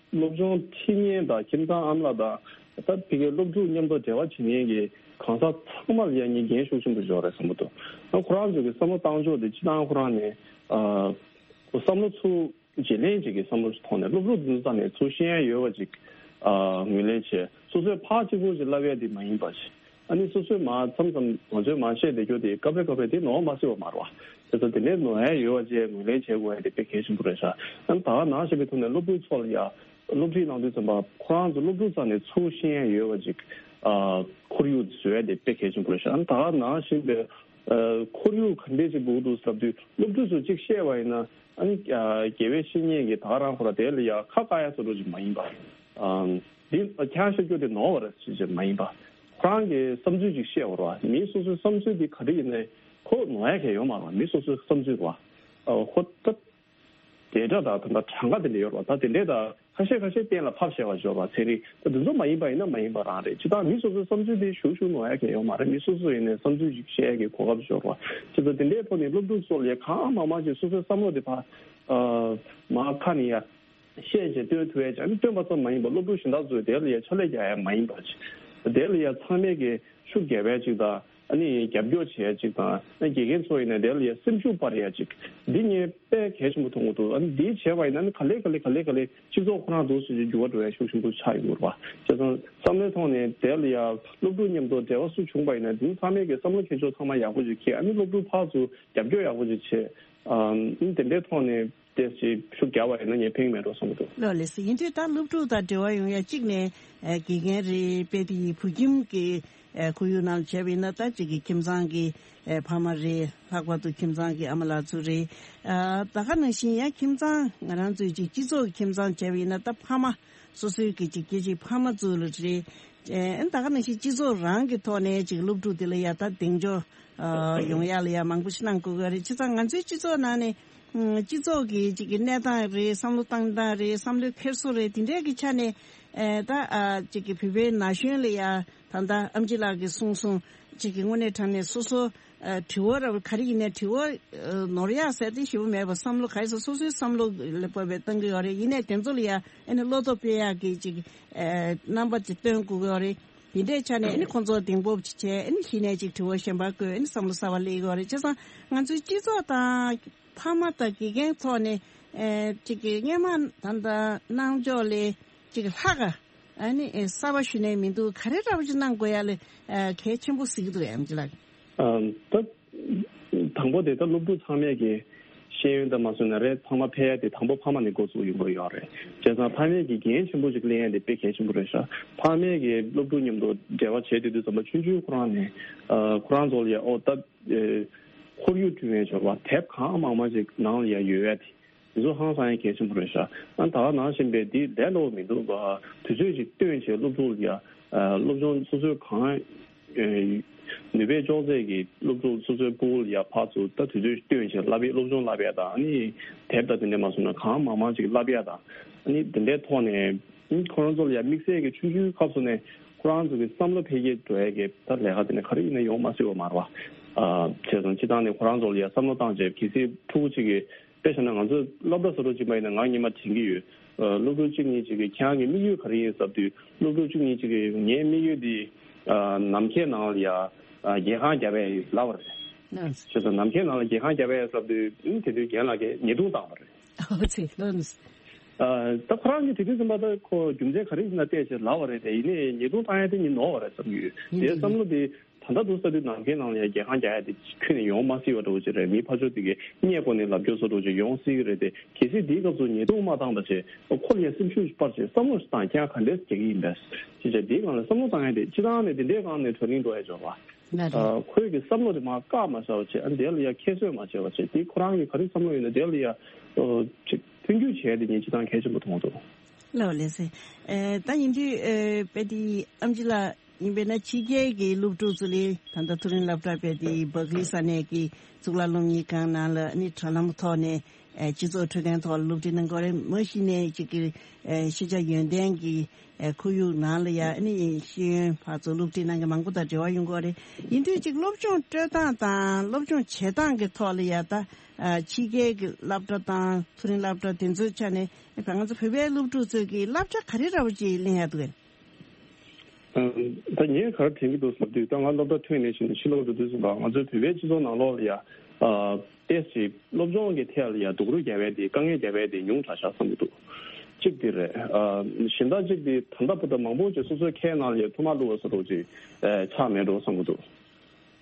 སློབ་སྦྱོང་ཁྲིད་མཁན་དང་ཁྱིམ་ཚང་ཨ་མ་ལགས་དང་ད་ཕ་གིའི་སློབ་ཕྲུག་མཉམ་དུ་འབྲེལ་བ་བྱེད་མཁན་གྱི་གང་ཟག་ཚང་མ་ལ་ཡང་ངས་འགན་ཤུགས་ཆེན་པོ་འབྱོར་རེད་བསམ་གྱི་འདུག་ཨ་ཁོ་རང་ཚོ་གི་བསམ་བློ་བཏང་ཕྱོགས་དེ་སྤྱིར་བཏང་ཁོ་རང་ནས་ཨ་བསམ་བློ་ཚུར་བརྗེ་ལེན་ཅིག་གི་བསམ་བློ་ཞིག་ཐོག་ནས་སློབ་ཕྲུག་འདི་ཚོ་ནས་ཚུར་ཤེས་ཡ་ཡོད་པ་ཅིག་ཨ་ངོས་ལེན་བྱས། སོ་སོས་ཕར་གཅིག་པོ་ཅིག་བསླབ་ཡ་དེ་མ་ཡིན་པ་ཅིག་ཨ་ནི་སོ་སོས་མ་མཚམས་མཚམས་ང་ཚོས་མ་བཤད་བསྡད་རྒྱུ་དེ་སྐབས་རེ་སྐབས་རེ་དེ་ནོར་མ་སྲིད་པ་མ་རེད་བ། དེ་ཚོ་དེ་འདྲའི་ནོར་ཡ་ཡོད་པ་ཅིག་ངོས་ལེན་བྱེད་དགོས་ཡ་དེ་དཔེ་གལ་ཆེན་པོ་རེད་ཤག་ཨ་ནི་ད་ག་ནང་བཞིན་པའི་ཐོག་ནས་སློབ་ཕྲུག་ཚོ་ལ་ཡ་སློབ་ཁྲིད་གནང་དུས་ཙམ་པ་ཁོ་རང་ཚོ་སློབ་ཕྲུག་རྩ་ནས་ཚུར་ཤེས་ཡ་ཡོད་པ་ཅིག་ཨ་ཁོར་ཡུག་བཟོ་ཡ་དེ་དཔེ་གལ་ཆེན་པོ་རེད་ཤག་ཨ་ནི་ད་ག་ནང་བཞིན་པའི་ཨ་ཁོར་ཡུག་ག་འདྲས་ཅིག་དགོས་འདུག་ཟེར་དུས་སློབ་ཕྲུག་ཚོ་གཅིག་བཤད་པ་ཡིན་ན་ཨ་ནི་ཨ་དགེ་བའི་བཤེས་གཉེན་གྱིས་ད་ག་རང་ཁོ་ར་དེ་ལ་ཡ་ཁ་བཀག་ཡ་བཟོ་འདྲ་ཅིག་མ་ཡིན་པ། ཨམ་འདི་ཁྱེད་རང་བཤད་རྒྱུ་དེ་ནོར་བ་རེད་ཟེར་ཅིག་མ་ཡིན་པ། ཁོ་རང་གི་བསམ་ཚུལ་ཅིག་བཤད་པ་རེད་བ། མི་སོ་སོའི་བསམ་ཚུལ་དེ་ག་རེ་ཡིན་ནའི་ཁོ་ནོར་ཡ་གང་ཡང་ཡོད་མ་རེད་བ། མི་སོ་སོའི་བསམ་ཚུལ་རེད་བ། ཨ་ཁོ་ད་དེ་འདྲ་དང་ད་ལྟ་གྲངས་ཀ་དེ་འདྲ་ཡོད་རེད་བ། ད་དེ་འདྲས་དང་ཁ་ཤས་ཁ་ཤས་གཏན་ལ་ཕབ་བྱས་པ་ཤོར་བ་ཚན་རིག་ད་དེ་ཚོ་མ་ཡིན་པ་ཡིན་ན་མ་ཡིན་པ་རང་རེད། ཇི་ལྟར་མི་སོ་སོའི་བསམ་ཚུལ་དེ་ཞུ་ཞུ་ནོར་ཡ་གང་ཡོད་མ་རེད། མི་སོ་སོ་ཡིན་ནའི་བསམ་ཚུལ་ཞིག་བཤད་ཡ་གི་གོ་སྐབས་ཤོར་བ། ཇི་ལྟར་དེ་འདྲའི་ཐོག་ནས་སློབ་ཕྲུག་ཚོ་ལ་གང་མང་མང་ཅིག་སོ་སོའི་བསམ་བློ་དེ་ཕར་ཨ་མར་ཁ་ནས་ཡ་བཤད་བྱས་སྟོན་ཐུབ་ཡ་ཅིག་ཨ་ནི་སྟོན་པ་ཙམ་མ་ཡིན་པར་སློབ་ཕྲུག་གཞན་དག་ཚོས་དེ་ལ་ཡ་ཕྱག་ལས་རྒྱག་ཡ་མ་ཡིན་པ་ཅིག་དེ་ལ་ཡ་ཚང་མས་ཀྱི་ཤུགས་རྒྱབ་ཡ་ཅིག་དང་། ཨ་ནི་རྒྱབ་སྐྱོར་བྱེད་ཡ་ཅིག་དང་། ཨ་དགེ་རྒན་ཚོ་ཡིན་ན་དེ་ལ་ཡ་སེམས་ཤུགས་སྤར་ཡ་ཅིག་འདི་ངས་དཔེ་གལ་ཆེན་པོ་མཐོང་གི་འདུག་ཨ་ནི་འདི་བྱས་པ་ཡིན་ན་ཨ་ནི་ག་ལེ་ག་ལེ་ག་ལེ་ག་ལེ་སྤྱི་ཚོགས་ཁོ་རང་འདུག་སེ་འགྱུར་བ་འགྲོ་ཡ་ཤུགས་ཆེན་པོ་ཆགས་ཡོང་གི་རེད་བ། བྱས་ཙང་བསམ་བློའི་ཐོག་ནས་དེ་ལ་ཡ་སློབ་ཕྲུག་མཉམ་དུ་འབྲེལ་བ་སུ་བྱུང་པ་ཡིན་ན་འདི་ཚང་མས་ཀྱི་བསམ་བློ་འཁྱེར་ཕྱོགས་ཚང་མ་ཡག་པོ་ཅིག་འཁྱེར། ཨ་ནི་སློབ་ཕྲུག་ཕར་ཚུར་རྒྱབ་སྐྱོར་ཡག་པོ་ཅིག་བྱེད། ཨ་ནི་དེ་འདྲའི་ཐོག་ནས་ཏོག་ཙམ་ཤུགས་རྒྱབ་པ་ཡིན་ན་ངས་ཕན་གྱི་མེད་འགྲོ་བསམ་གྱི་འདུག་ལགས་ལགས་སོ། ཡིན་དུས་ད་སློབ་ཕྲུག་དང་འབྲེལ་བ་ཡོང་ཡ་གཅིག་ནས་ཨ་དགེ་རྒན་རེད། དཔེ་དེ་ཡི་བོད་ཁྱིམ་གྱི་ཨ་ཁོར་ཡུག་ནང་བྱས་པ་ཡིན་ན་ད་གཅིག་གི་ཁྱིམ་ཚང་གི་ཨ་ཕ་མ་རེད། ལྷག་པར་དུ་ཁྱིམ་ཚང་གི་ཨ་མ་ལགས་ཚོ་རེད། ཨ་ད་ག་ནང་བཞིན་ཡང་ཁྱིམ་ཚང་ང་རང་ཚོའི་གཅིག་སྤྱི་ཚོགས་ཀྱི་ཁྱིམ་ཚང་བྱས་པ་ཡིན་ན་ད་ཕ་མ་སོ་སོའི་གི་གཅིག་སྐྱེ་གཅིག་ཕ་མ་ཚོ་ལ་རེད། ཨ་ད་ག་ནང་བཞིན་སྤྱི་ཚོགས་རང་གི་ཐོག་ནས་གཅིག་སློབ་ཕྲུག་དེ་ལ་ཡ་ད་གདེང་འཇོག་ཨ་ཡོང་ཡ་ལ་ཡ་མང་པོ་ཞིག་གནང་དགོས་ཀྱི་རེད། བྱས་ཙང་ང་ཚོའི་སྤྱི་ཚོགས་ནང་ནས་ཨ་སྤྱི་ཚོགས་ཀྱི་གཅིག་གི་གནས་སྟངས་རེད། བསམ་བློ་བཏང་སྟངས་རེད། བསམ་བློའི་འཁྱེར་སོ་རེད། དེ་འདྲའི་གི་ཆ་ནས་ཨ་ད་ཨ་གཅིག་གི་བོད་པའི་ན་གཞོན་ལ་ཡ་ད་ལྟ་ཨེམ་ཆི་ལགས་ཀྱིས་གསུངས་སོང་། གཅིག་གི་དངོས་གནས་དྲང་གནས་སོ་སོ་ཨ་དྲི་བ་ར་ག་རེ་ཡིན་ནའི་དྲི་བ་ཨ་ནོར་ཡག་ཟེར་དེ་ཞེ་པོ་མེད་པ། བསམ་བློ་ག་རེ་ཟེར་སོ་སོའི་བསམ་བློ་ལ་བབས་པའི་བཏང་གི་ཡོད་རེད། ཡིན་ནའི་དེ་ཚོ་ལ་ཡ་ཨ་ནི་བློ་སྟོབས་སྤེལ་ཡག་གི་གཅིག་ཨ་རྣམ་པ་ཅིག་སྟོན་དགོས་ཀྱི་ཡོད་རེད། དེ་འདྲའི་ཆ་ནས་ཨ་ནི་ཁོང་ཚོ་གདེང་སྤོབས་ཅིག་བྱས། ཨ་ནི་གཞི་ནས་ཅིག་དྲི་བ་གཞན་པ་བཀོད། ཨ་ནི་བསམ་བློ་གསར་པ་སླེབས་ཀྱི་ཡོད་རེད། བྱས་ཙང་ང་ཚོའི་སྤྱི་ཚོགས་དང་ཕ་མ་དང་དགེ་རྒན་ཐོག་ནས་ཨ་ཅིག་གི་སྔོན་མ་ད་ལྟ་གནང་ཕྱོགས་ལས་ཅིག་ལྷག་ག་ཨ་ནི་ཨ་གསར་པ་ཞུ་ནས་མི་འདུག་ག་རེ་འདྲ་པོ་ཅིག་གནང་དགོས་ཡ་ལ་ཨ་གལ་ཆེན་པོ་གཟིགས་ཀྱི་འདུག་ཨེམ་ཆི་ལགས། ཨ་ད་དང་པོ་དེ་ད་སློབ་ཕྲུག་ཚང་མས་ཀྱི་ཤེས་ཡོན་དང་མ་སོན་ན་རེད། ཚང་མ་ཕལ་ཡ་དེ་དང་པོ་ཕ་མ་ནས་འགོ་བཙུགས་ཡོང་དགོས་ཡོད་རེད། བྱས་ཙང་ཕ་མས་ཀྱི་འགན་ཆེན་པོ་ཅིག་ལེན་ཡ་དེ་དཔེ་གལ་ཆེན་པོ་རེད་ཤག་ཕ་མས་ཀྱི་སློབ་ཕྲུག་མཉམ་དུ་འབྲེལ་བ་བྱེད་དུས་དུས་ཙམ་པ་ཆུང་ཆུང་ཁོ་རང་ནས་ཨ་ཁོ་རང་ཚོ་ལ་ཡ་ཨོ་ད་ཨེ་ཁོར་ཡུག་བསྐྲུན་ཡ་འབྱོར་བ་དེབ་གང་མང་མང་ཅིག་ནང་ལ་ཡ་ཡོད་ཡ་དེ། དེ་ཚོ་ཧང་སང་ཡ་གལ་ཆེན་པོ་རེད་ཤག་ཨ་ད་ག་ནང་བཞིན་པའི་འདི་ལས་སླ་པོ་མི་འདུག་ག་དུས་ཚོད་ཅིག་བཏོན་བྱས་སློབ་ཕྲུག་ལ་ཡ་ཨ་སློབ་སྦྱོང་སོ་སོའི་གང་ཨེ་ནུས་པས་ལྕོགས་ཚད་ཀྱི་སློབ་ཕྲུག་སོ་སོའི་ཕྲུ་གུ་ལ་ཡ་ཕར་ཚུར་ད་དུས་ཚོད་བཏོན་བྱས་བསླབ་པའི་སློབ་སྦྱོང་བསླབ་ཡ་དང་། ཨ་ནི་དེབ་དང་དེ་འདྲ་མ་སོང་ན་གང་མང་མང་ཅིག་བསླབ་ཡ་དང་། ཨ་ནི་དེ་འདྲའི་ཐོག་ནས་ཨ་ནི་ཁོ་རང་ཚོ་ལ་ཡ་དམིགས་བསལ་གྱི་ཆུང་ཆུང་སྐབས་སུ་ནས་ཁོ་རང་ཚོ་གི་བསམ་བློ་འཕེལ་རྒྱས་འགྲོ་ཡ་གི་ད་ལས་ཀ་དེ་འདྲ་ག་རེ་ཡིན་ན་ཡོང་མ་སྲིད་པ་མ་རེད་བ། ཨ་བྱས་ཙང་སྤྱིར་བཏང་ནས་ཁོ་རང་ཚོ་ལ་ཡ་བསམ་བློ་བཏང་བྱས། གལ་སྲིད་ཕྲུ་གུ་གཅིག་གིས་དཔེ་བཞག་ན་ང་ཚོ་སློབ་གྲྭ་བཟོ་འདྲ་ཅིག་མ་ཡིན་ན་ང་སྔོན་མ་དྲན་གྱི་ཡོད། ཨ་སློབ་ཕྲུག་གཅིག་གཉིས་ཅིག་གིས་ཁྱེད་རང་གི་དམིགས་ཡུལ་ག་རེ་ཡིན་ཟེར་དུས། སློབ་ཕྲུག་གཅིག་གཉིས་ཅིག་གིས་ངའི་དམིགས་ཡུལ་འདི་ཨ་ནམ་མཁའི་ནང་ལ་ཡ་ཨ་རྒྱལ་ཁང་རྒྱབ་ཡ་ཡིན་ལབ་པ་རེད། ལགས། བྱས་ཙང་ནམ་མཁའི་ནང་ལ་རྒྱལ་ཁང་རྒྱབ་ཡ་ཟེར་དུས་ཨ་དེ་དུས་རྒན་ལགས་ཀྱིས་ཉེས་རྡུང་བཏང་བ་རེད། ཨོ་ཙི་ལགས། ཨ་ད་ཁོ་རང་གིས་དེ་དུས་ཙམ་པ་ད་ཁོ་རྒྱུ་མཚན་ག་རེ་ཡིན་ན་བལྟས་བྱས་ལབ་པ་རེད་དེ། ཡིན་ནའི་ཉེས་རྡུང་བཏང་ཡ་དེ་ནི་ནོར་བ་རེད་བསམ་གྱི་ཡོད། ཡིན་དེའི་གྱི་བསམ་བློ་དེ་ད་ལྟ་འདུག་ས་དུས་ནམ་མཁའི་ནང་ལ་ཡ་རྒྱལ་ཁང་རྒྱག་ཡ་དེ་ཁྱོན་ནས་ཡོང་མ་སྲིད་པ་འདྲ་བོ་ཅིག་རེད། མི་ཕར་ཕྱོགས་དེ་གའི་སྔས་སྒོ་ནས་ལབ་རྒྱུ་བཟོ་འདྲ་བོ་ཅིག་ཡོང་སྲིད་ཀྱི་རེད་དེ། གལ་སྲིད་དེའི་སྐབས་སུ་ཉེས་རྡུང་མ་བཏང་བ་བྱས། ཁོ་ལ་ཡ་སེམས་ཤུགས་སྤར་བྱས་བསམ་བློ་ཞིག་བཏང་། ཁྱེད་རང་ག་འདྲས་རྒྱག་གི་ཡིན་པས་ཅེས་བྱས། དེའི་སྒང་ལ་བསམ་བློ་བཏང་ཡ་དེ་སྤྱིར་བཏང་ནས་དེ་འདྲའི་སྒང་ནས་གྲ་སྒྲིག་འགྲོ་ཡ་འབྱོར་བ། ལགས་རེད། ཨ་ཁོས་ཀྱི་བསམ་བློ་དེ་མར་བཀག་མ་བཞག་པ་བྱས། ཨ་དེ་ལ་ཡ་ཁྱད་གསོད་མ་བྱས་པ་བྱས། དེ་ཁོ་རང་གི་ག་རེ་བསམ་བློ་ཡོད་ན་དེ་ལ་ཡ་ཨོ་ཅིག་མཐུན་འགྱུར་བྱས་ཏེ་ངས་སྤྱིར་བཏང་གལ་ཆེན་པོ་མཐོང་འདུག་ལགས་ལགས་སེ། ཨེ་ད་ཡིན་དུས་ཨེ་དཔེ་དེ་ཨེམ་ཆི་ལགས་ཡིན་པས་ན་ཕྱི་རྒྱལ་གྱི་སློབ་ཕྲུག་ཚོ་ལས་ད་ལྟ་མཐོ་རིམ་སློབ་གྲྭ་དཔེ་དེ་བག་ལེབ་ས་གནས་ཀྱི་གཙུག་ལག་སློབ་གཉེར་ཁང་ནང་ལ་ཨ་ནི་དྲ་ལམ་ཐོག་ནས་ ཨེ་སྤྱི་ཚོགས་འཕྲོད་བསྟེན་ཐོག་ལ་སློབ་ཁྲིད་གནང་གི་ཡོད་རེད། མ་གཞི་ནས་ཅིག་གི་ཨེ་ཤེས་བྱ་ཡོན་ཏན་གྱི་ཨེ་ཁོར་ཡུག་ནང་ལ་ཡ་ཨ་ནི་ཤེས་ཡོན་ཕར་ཚུར་སློབ་ཁྲིད་གནང་མཁན་མང་པོ་དང་འབྲེལ་བ་ཡོང་གི་ཡོད་རེད། ཡིན་དུས་ཅིག་སློབ་སྦྱོང་སྤྲོད་སྟངས་དང་སློབ་སྦྱོང་བྱེད་སྟངས་ཀྱི་ཐོག་ལ་ཡ་ད་ཨ་ཕྱི་རྒྱལ་གྱི་སློབ་གྲྭ་དང་མཐོ་རིམ་སློབ་གྲྭ་དེ་ཚོའི་ཆ་ནས་ཨེ་ང་ཚོ་བོད་པའི་སློབ་ཕྲུག་ཚོས་ཀྱི་བསླབ་བྱ་ག་རེ་འདྲ་བོ་ཅིག་ལེན་ཡ་འདུག་གས། ད་ངས་ག་རེ་དྲན་གྱི་འདུག་ཟེར་དུས། ད་ང་སློབ་གྲྭ་ཐོན་ནས་ཕྱིན་ནས་ཕྱི་ལོགས་འགྲོ་དུས་ཙམ་པ་ང་ཚོའི་བོད་པའི་སྤྱི་ཚོགས་ནང་ལོགས་ལ་ཡ་ཨ་ཏོག་ཙམ་སློབ་སྦྱོང་གི་ཐད་ལ་ཡ་སྡུག་རུས་རྒྱག་པ་དེ་དཀའ་ངལ་རྒྱག་པ་དེ་ཉུང་དྲགས་ཤག་བསམ་གྱི་འདུག་གཅིག་དེ་རེད། ཨ་གཞན་དག་གཅིག་དེ་ད་ལྟ་བར་དུ་མང་པོ་ཅིག་སོ་སོའི་ཁའི་ནང་ལ་ཡ་ཐུག་མ་ཐུག་པ་བཟོ་འདྲ་ཅིག་ཨ་ཆགས་མེད་འགྲོ་བསམ་གྱི་འདུག་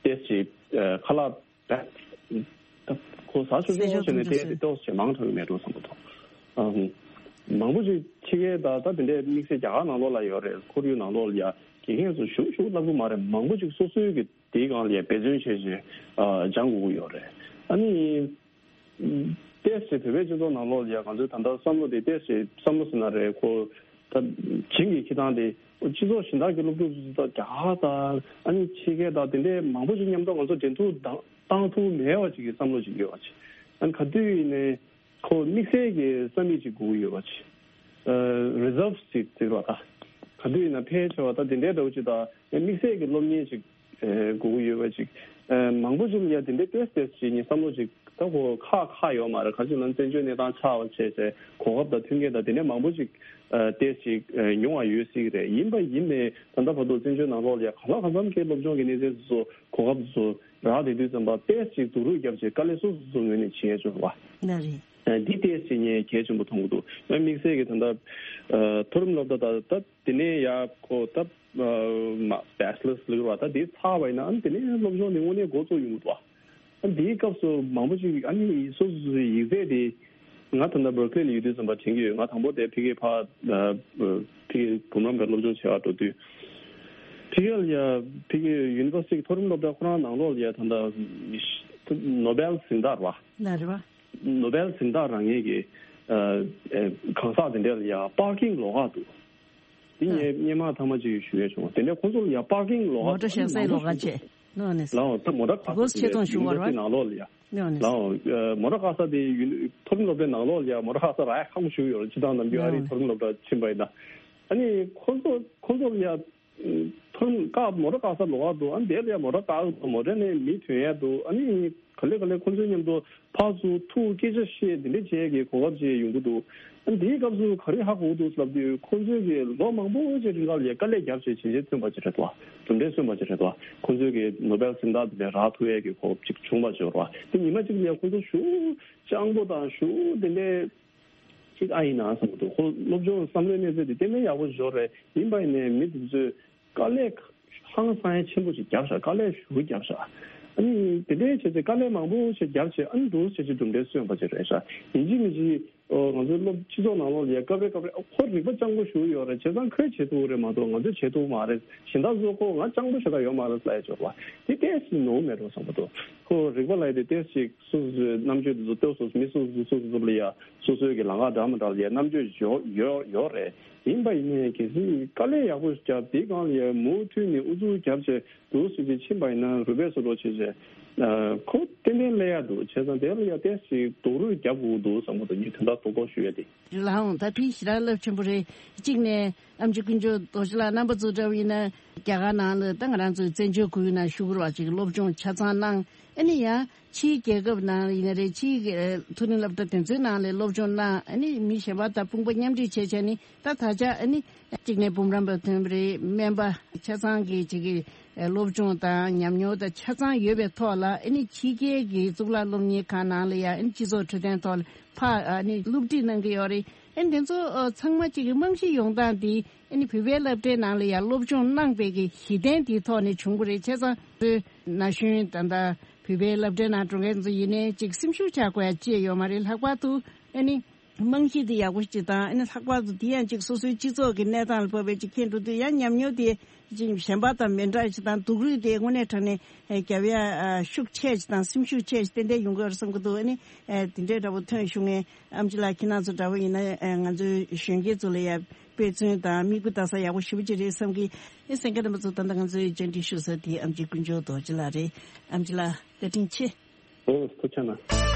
ཏོག་ཙམ་ཨ་ཁ་ལག་ད་ཁོ་ཟ་ཆོག་ཆོག་བྱས་ནས་བལྟས་ཏེ་ཏོག་ཙམ་མང་དྲགས་ཀྱི་མེད་འགྲོ་བསམ་གྱི་འདུག་ཨ་མང་པོ་ཅིག་ཕྱི་རྒྱལ་དང་ད་དེ་འདྲའི་དམིགས་བསལ་རྒྱ་གར་ནང་ལོགས་ལ་ཡོད་རེད། ཁོར་ཡུག་ནང་ལོགས་ལ་ཡ་དགེ་རྒན་ཚོ་ཞུ་ཞུ་བསླབ་ཀྱི་མ་རེད། མང་པོ་ཅིག་སོ་སོའི་གི་དེའི་སྒང་ལ་ཡ་འབད་བརྩོན་བྱས་བྱས་ཨ་སྦྱང་དགོས་ཀྱི་ཡོད་རེད། ཨ་ནི་ཏོག་ཙམ་བོད་པའི་སྤྱི་ཚོགས་ནང་ལོགས་ལ་ཡ་ང་ཚོའི་ད་ལྟ་བསམ་བློ་དེ་ཏོག་ཙམ་བསམ་བློ་ཟེར་ན་རེད། ཁོ་ད་བྱིངས་ཀྱི་འཁྱེར་སྟངས་དེ་སྤྱི་ཚོགས་གཞན་དག་གི་སློབ་ཕྲུག་ཚོ་ད་རྒྱ་གར་དང་ཨ་ནི་ཕྱི་རྒྱལ་དང་དེ་འདྲའི་མང་པོ་ཞིག་མཉམ་དུ་ང་ཚོ་འབྲེལ་གཏུག་བཏང་བཏང་ཐུབ་མེད་པ་ཅིག་གི་བསམ་བློ་ཅིག་ཡོད་པ་ཅིག་ཨ་ནི་ག་དུས་ཡིན་ནའི་ཁོ་དམིགས་བསལ་གྱི་རྩ་མེད་ཅིག་དགོས་ཀྱི་ཡོད་པ་ཅིག་ཨ་རི་ཛརབ་ཅིག་ཟེར་བ་ད་ག་དུས་ཡིན་ན་ཕལ་ཆེ་བ་ད་དེ་འདྲའི་འདྲ་བོ་ཅིག་དང་དམིགས་བསལ་གྱི་སློབ་གཉེར་ཅིག་ཨེ་དགོས་ཀྱི་ཡོད་པ་ཅིག་ཨེ་མང་པོ་ཅིག་ལ་ཡ་དེ་འདྲའི་ཏོག་ཙམ་ཅིག་ངས་བསམ་བློ་ཅིག་ད་ཁོ་ཁག་ཁག་ཡོད་མ་རེད། ག་ཅིག་ལབ་ན་བཙན་བྱོལ་གནས་སྟངས་ཆགས་པ་བྱས་ཚེ་གོ་སྐབས་དང་མཐུན་རྐྱེན་དང་དེ་འདྲ་མང་པོ་ཅིག་ཨེ་ཏོག་ཙམ་ཅིག་ཨེ་ཉུང་བ་ཡོད་སྲིད་ཀྱི་རེད། ཡིན་པ་ཡིན་ནའི་ད་ལྟ་བར་དུ་བཙན་བྱོལ་ནང་ལོགས་ལ་ཡ་གང་ལ་གང་འཚམ་གྱི་སློབ་སྦྱོང་གི་གནས་ཚད་ཚོ་གོ་སྐབས་ཚོ་རག་བསྡད་དུས་ཙམ་པ་ཏོག་ཙམ་ཅིག་སྡུག་རུས་བརྒྱབ་བྱས་དཀའ་ལས་སོ་སོ་སོ་ངོས་ནས་བྱེད་ཡ་ཅིག་ཡོད་རེད་པ། ལགས་རེད། ཨ་འདི་ཏོག་ཙམ་ངས་གལ་ཆེན་པོ་མཐོང་གི་འདུག་ཨ་དམིགས་བསལ་གྱི་ད་ལྟ་ཨ་མཐོ་རིམ་སློབ་གྲྭ་ད་ད་དེ་ནས་ཡ་ཁོ་ད་ཨ་མ་བེ་ཆི་ལར་ཟེར་བ་ད་དེ་ཚར་བ་ཡིན་ན་ཨ་དེ་ནས་སློབ་སྦྱོང་དེ་དངོས་གནས་འགོ་བཙུགས་ཡོང་གི་འདུག་ཨ་འདིའི་སྐབས་སུ་མང་པོ་ཅིག་ཨ་ནི་སོ་སོ་སོའི་ཡིག་ཚད་དེ་ང་ད་ལྟ་བར་ཀི་ལེ་ལ་ཡོད་དུས་ཙམ་པ་དྲན་གྱི་ཡོད། ང་དང་པོ་དེ་ཕ་གིར་ཕར་ཨ་ཕ་གིར་འབུམ་རམས་པའི་སློབ་སྦྱོང་བྱེད་པར་འགྲོ་དུས་ཕ་གིར་ཡ་ཕ་གིའི་ཡུ་ནི་ཝར་སི་ཊི་མཐོ་རིམ་སློབ་གྲྭ་ཁོ་རང་ནང་ལོགས་ལ་ཡ་ད་ལྟ་ནོ་བེལ་གཟེངས་རྟགས་རེད་པ། ལགས་རེད་པ། ནོ་བེལ་གཟེངས་རྟགས་རག་མཁན་གྱི་ཨ་ཨ་གང་ཟག་དེ་འདྲ་ལ་ཡ་པར་ཀིང་ལོགས་ཀ་འདུག་འདི་ཨ་ངས་སྔོན་མ་ཐེངས་མ་གཅིག་ཞུ་ཡས་བྱུང་། དེ་འདྲ་ཁོང་ཚོ་ལ་ཡ་པར་ཀིང་ལོགས་ཀ་མོ་ཊ་བཞག་སའི་ལོགས་ཀ་བྱས། ནོ་ནེ། ལའོ་ད་མོ་ཊ་བཀག་ས་དེ་ཆེད་དུ་ཡུ་ནི་ཝར་སི་ཊི་ནང་ལོགས་ལ་ཡ། ནོ་ནེ། ལའོ་ཨ་མོ་ཊ་བཀག་ས་དེ་ཡུ་ནི་མཐོ་རིམ་སློབ་གྲྭའི་ནང་ལོགས་ལ་ཡ་མོ་ཊ་བཀག་ས་རག་ཡ་ཁག་པོ་ཞིག་ཡོད་རེད། སྤྱིར་བཏང་ནམ་རྒྱུན་ཨ་རིའི་མཐོ་རིམ་སློབ་གྲྭ་ཕྱིན་པ་ཡིན་ན། ཨ་ནི་ཁོང་ཚོ་ཁོང་ཚོ་ལ་ཡ་མཐོ་རིམ་བཀག་མོ་ཊ་བཀག་ས་ལོགས་ཀ་འདུག་ཨ་ནི་དེ་ལ་ཡ་མོ་ཊ་བཀག་འདུག་མོ་ཊ་ནས་མི་ཐོན་ཡ་འདུག་ཨ་ནི་ག་ལེ་ག་ལེ་ཁོང་ཚོའི་མཉམ་དུ་ཕར་ཚུར་ཐུག་སྐད་ཆ་བཤད་འདི་འདྲ་བྱེད་ཀྱི་གོ་སྐབས་ཅིག་ཡོང་གི་འདུག་ཨ་ནི་དེའི་སྐབས་སུ་ག་རེ་ཧ་གོ་གི་འདུག་ལབ་དུས་ཁོང་ཚོས་ཀྱི་ལོ་མང་པོ་ཅིག་རིང་ལ་ཡ་དཀའ་ལས་བརྒྱབ་བྱས་བྱས་རྗེས་ཐོན་པ་ཅིག་རེད་དོ། གྲུབ་འབྲས་སོན་པ་ཅིག་རེད་དོ། ཁོང་ཚོས་ཀྱི་ནོ་བེལ་གཟེངས་རྟགས་འདི་འདྲ་རག་ཐུབ་ཡས་ཀྱི་གོ་སྐབས་ཅིག་བྱུང་བ་ཅིག་རེད་བ། དེ་ཉི་མ་གཅིག་ལ་ཡ་ཁོང་ཚོ་ཞེ་པོ་སྤྱང་པོ་དང་ཞེ་པོ་དེ་འདྲའི་ཅིག་ཨ་ཡིན་ན་བསམ་གྱི་འདུག་ཁོ་སློབ་སྦྱོང་བསམ་བློའི་གནས་ཚད་དེ་གཏན་ནས་ཡག་པོ་ཞིག་ཡོད་རེད། ཡིན་པ་ཡིན་ནའི་མི་དེ་ཚོས་དཀའ་ལས་ཧང་སང་ཡ་ཆེན་པོ་ཞིག་བརྒྱབ་ཤག་དཀའ་ལས་ཞེ་པོ་བརྒྱབ་ཤག་ཨ་ནི་དེ་འདྲའི་བྱས་ཚེ་དཀའ་ལས་མང་པོ་ཞིག་བརྒྱབ་བྱས་ཨ་ནི་འདུག་བྱས་ཚེ་གྲུབ་འབྲས་སོན་པ་ཅིག་རེད་ཤག་ཡིན་གཅིག་མིན་གཅིག་ཨོ་ང་ཚོའི་སློབ་སྤྱི་ཚོགས་ནང་ལོགས་ལ་ཡ་སྐབས་རེ་སྐབས་རེ་ཨ་ཁོ་རིག་པ་སྤྱང་པོ་ཞེ་པོ་ཡོད་རེད། བྱས་ཙང་ཁོས་བྱེད་ཐུབ་རེད་མ་གཏོགས་ང་ཚོས་བྱེད་ཐུབ་མ་རེད། གཞན་དག་ཚོ་ཁོ་ང་སྤྱང་པོ་ཞེ་དྲག་ཡོད་མ་རེད་ལབ་ཡ་ཅིག་ཡོད་རེད་བ། དེ་ཏོག་ཙམ་ནོར་མེད་འགྲོ་བསམ་གྱི་འདུག་ཁོ་རིག་པ་ལབ་ཡ་དེ་ཏོག་ཙམ་ཅིག་སོ་སོའི་རྣམ་དཔྱོད་དེ་ཚོ་ཏོག་ཙམ་མི་སོ་སོ་སོ་སོ་སོ་ལ་ཡ་སོ་སོའི་གི་ལམ་ཁ་འདྲ་མི་འདྲ་ལ་ཡ་རྣམ་དཔྱོད་ཡོད་ཡོད་ཡོད་རེད། ཡིན་པ་ཡིན་ནའི་གལ་སྲིད་དཀའ་ལས་ཡག་པོ་བརྒྱབ་དེའི་སྒང་ལ་ཡ་མུ་མཐུད་ནས་ཨུ་ཚུགས་བརྒྱབ་བྱས་འདུག་སེ་ཅིག་ཕྱིན་པ་ཡིན་ན་རུས་པའི་སོ་འགྲོ་བྱས་བྱས་ཁོ་ཏན་ཏན་སླེབས་ཡ་འདུག་བྱས་ཙང་དེ་ལ་ཡ་ཏོག་ཙམ་སྡུག་རུས་རྒྱབ་དགོས་འདུག་བསམ་གྱི་འདུག་ངས་དོན་དག་རྡོག་རྡོག་ཞུ་ཡ་དེ། ལགས་འོང་། ད་དེ་ཞེ་དྲག་རླབས་ཆེན་པོ་རེད། གཅིག་ནས་ཨེམ་ཆི་དཀོན་མཆོག་རྡོ་རྗེ་ལགས་རྣམ་པ་ཚོ་འདྲ་བོ་ཡིན་ན་རྒྱ་གར་ནང་ལ་ད་ང་རང་ཚོའི་བཙན་བྱོལ་ཁོར་ཡུག་ནང་བཞུགས་ཡོད་པ་ཅིག་སློབ་སྦྱོང་ཆ་ཚང་གནང་། ཨ་ནི་ཡང་ཕྱིའི་རྒྱལ་ཁབ་ནང་ཡིན་ན་རེད། ཕྱིའི་མཐོ་རིམ་སློབ་གྲྭ་དེ་ཚོའི་ནང་ལ་སློབ་སྦྱོང་གནང་། ཨ་ནི་མི་གཞན་པ་དང་དཔུང་པ་མཉམ་འབྲེལ་བྱས་བྱས་ནི་ད་ད་ཆ་ཨ་ནི་གཅིག་ནས་འབུམ་རམས་པ་ཐོན་པ་རེད། སྨན་པ་ཆ་ཚང་གི་ཅིག་གི་སློབ་སྦྱོང་དང་ཉམས་མྱོང་དང་ཆ་ཚང་ཡོད་པའི་ཐོག་ལ་ཨ་ནི་ཕྱི་རྒྱལ་གྱི་གཙུག་ལག་སློབ་གཉེར་ཁང་ནང་ལ་ཡང་ཨ་ནི་སྤྱི་ཚོགས་འཕྲོད་བསྟེན་ཐོག་ལ་ཕར་ཨ་ནི་སློབ་ཁྲིད་གནང་གི་ཡོད་རེད། ཨ་ནི་དེ་ཚོ་ཨ་ཚང་མ་གཅིག་གི་རྨང་གཞི་ཡོང་སྟངས་དེ་ཨ་ནི་བོད་པའི་སློབ་གྲྭའི་ནང་ལ་ཡང་སློབ་སྦྱོང་གནང་པའི་གི་གཞི་རྟེན་དེའི་ཐོག་ནས་བྱུང་གི་རེད། བྱས་ཙང་ན་གཞོན་ད་ལྟ་བོད་པའི་སློབ་གྲྭའི་ནང་འགྲོ་མཁན་ཚོ་ཡིན་ནའི་གཅིག་སེམས་ཤུགས་ཆག་དགོས་ཡ་ཅི་ཡང་ཡོད་མ་རེད། ལྷག་པར་དུ་ཨ་ནི་རྨང་གཞི་དེ་ཡག་པོ་ཞིག་དང་། ཨ་ནི་ལྷག་པར་དུ་དེ་ཡང་ཅིག་སོ་སོའི་སྤྱི་ཚོགས་ཀྱི་གནས་སྟངས་ལ་བབས་པའི་ཅིག་མཁྱེན་འགྲོ་དུས་ཡང་ཉམས་མྱོང་དེ་ཅིག་གཞན་པ་དང་མི་འདྲ་ཞིག་དང་སྡུག་རུས་དེ་དངོས་གནས་དྲང་གནས་རྒྱབ་ཡ་ཤུགས་ཆེ་ཞིག་དང་སེམས་ཤུགས་ཆེ་ཞིག་ཏན་ཏན་ཡོང་གི་ཡོད་རེད་བསམ་གྱི་འདུག་ཨ་ནི་དེ་འདྲའི་འདྲ་པོ་ཐོན་བྱུང་ངས་ཨེམ་ཆི་ལགས་ཁྱེད་རང་ཚོ་འདྲ་པོ་ཡིན་ན་ང་ཚོའི་གཞོན་སྐྱེས་ཚོ་ལ་ཡ་དཔེ་མཚོན་དང་མིག་དཔེ་ལྟ་ས་ཡག་པོ་ཞེ་པོ་ཅིག་རེད་བསམ་གྱི། ཨེ་གསན་མཁན་རྣམ་པ་ཚོ་ད་ལྟ་ང་ཚོའི་བཅར་འདྲི་ཞུ་ས་དེ་ཨེམ་ཆི་དཀོན་མཆོག་རྡོ་རྗེ་ལགས་རེད། ཨེམ་ཆི་ལགས་བཀའ་དྲིན་ཆེ། ཨོ་ཐུགས་རྗེ་གནང་།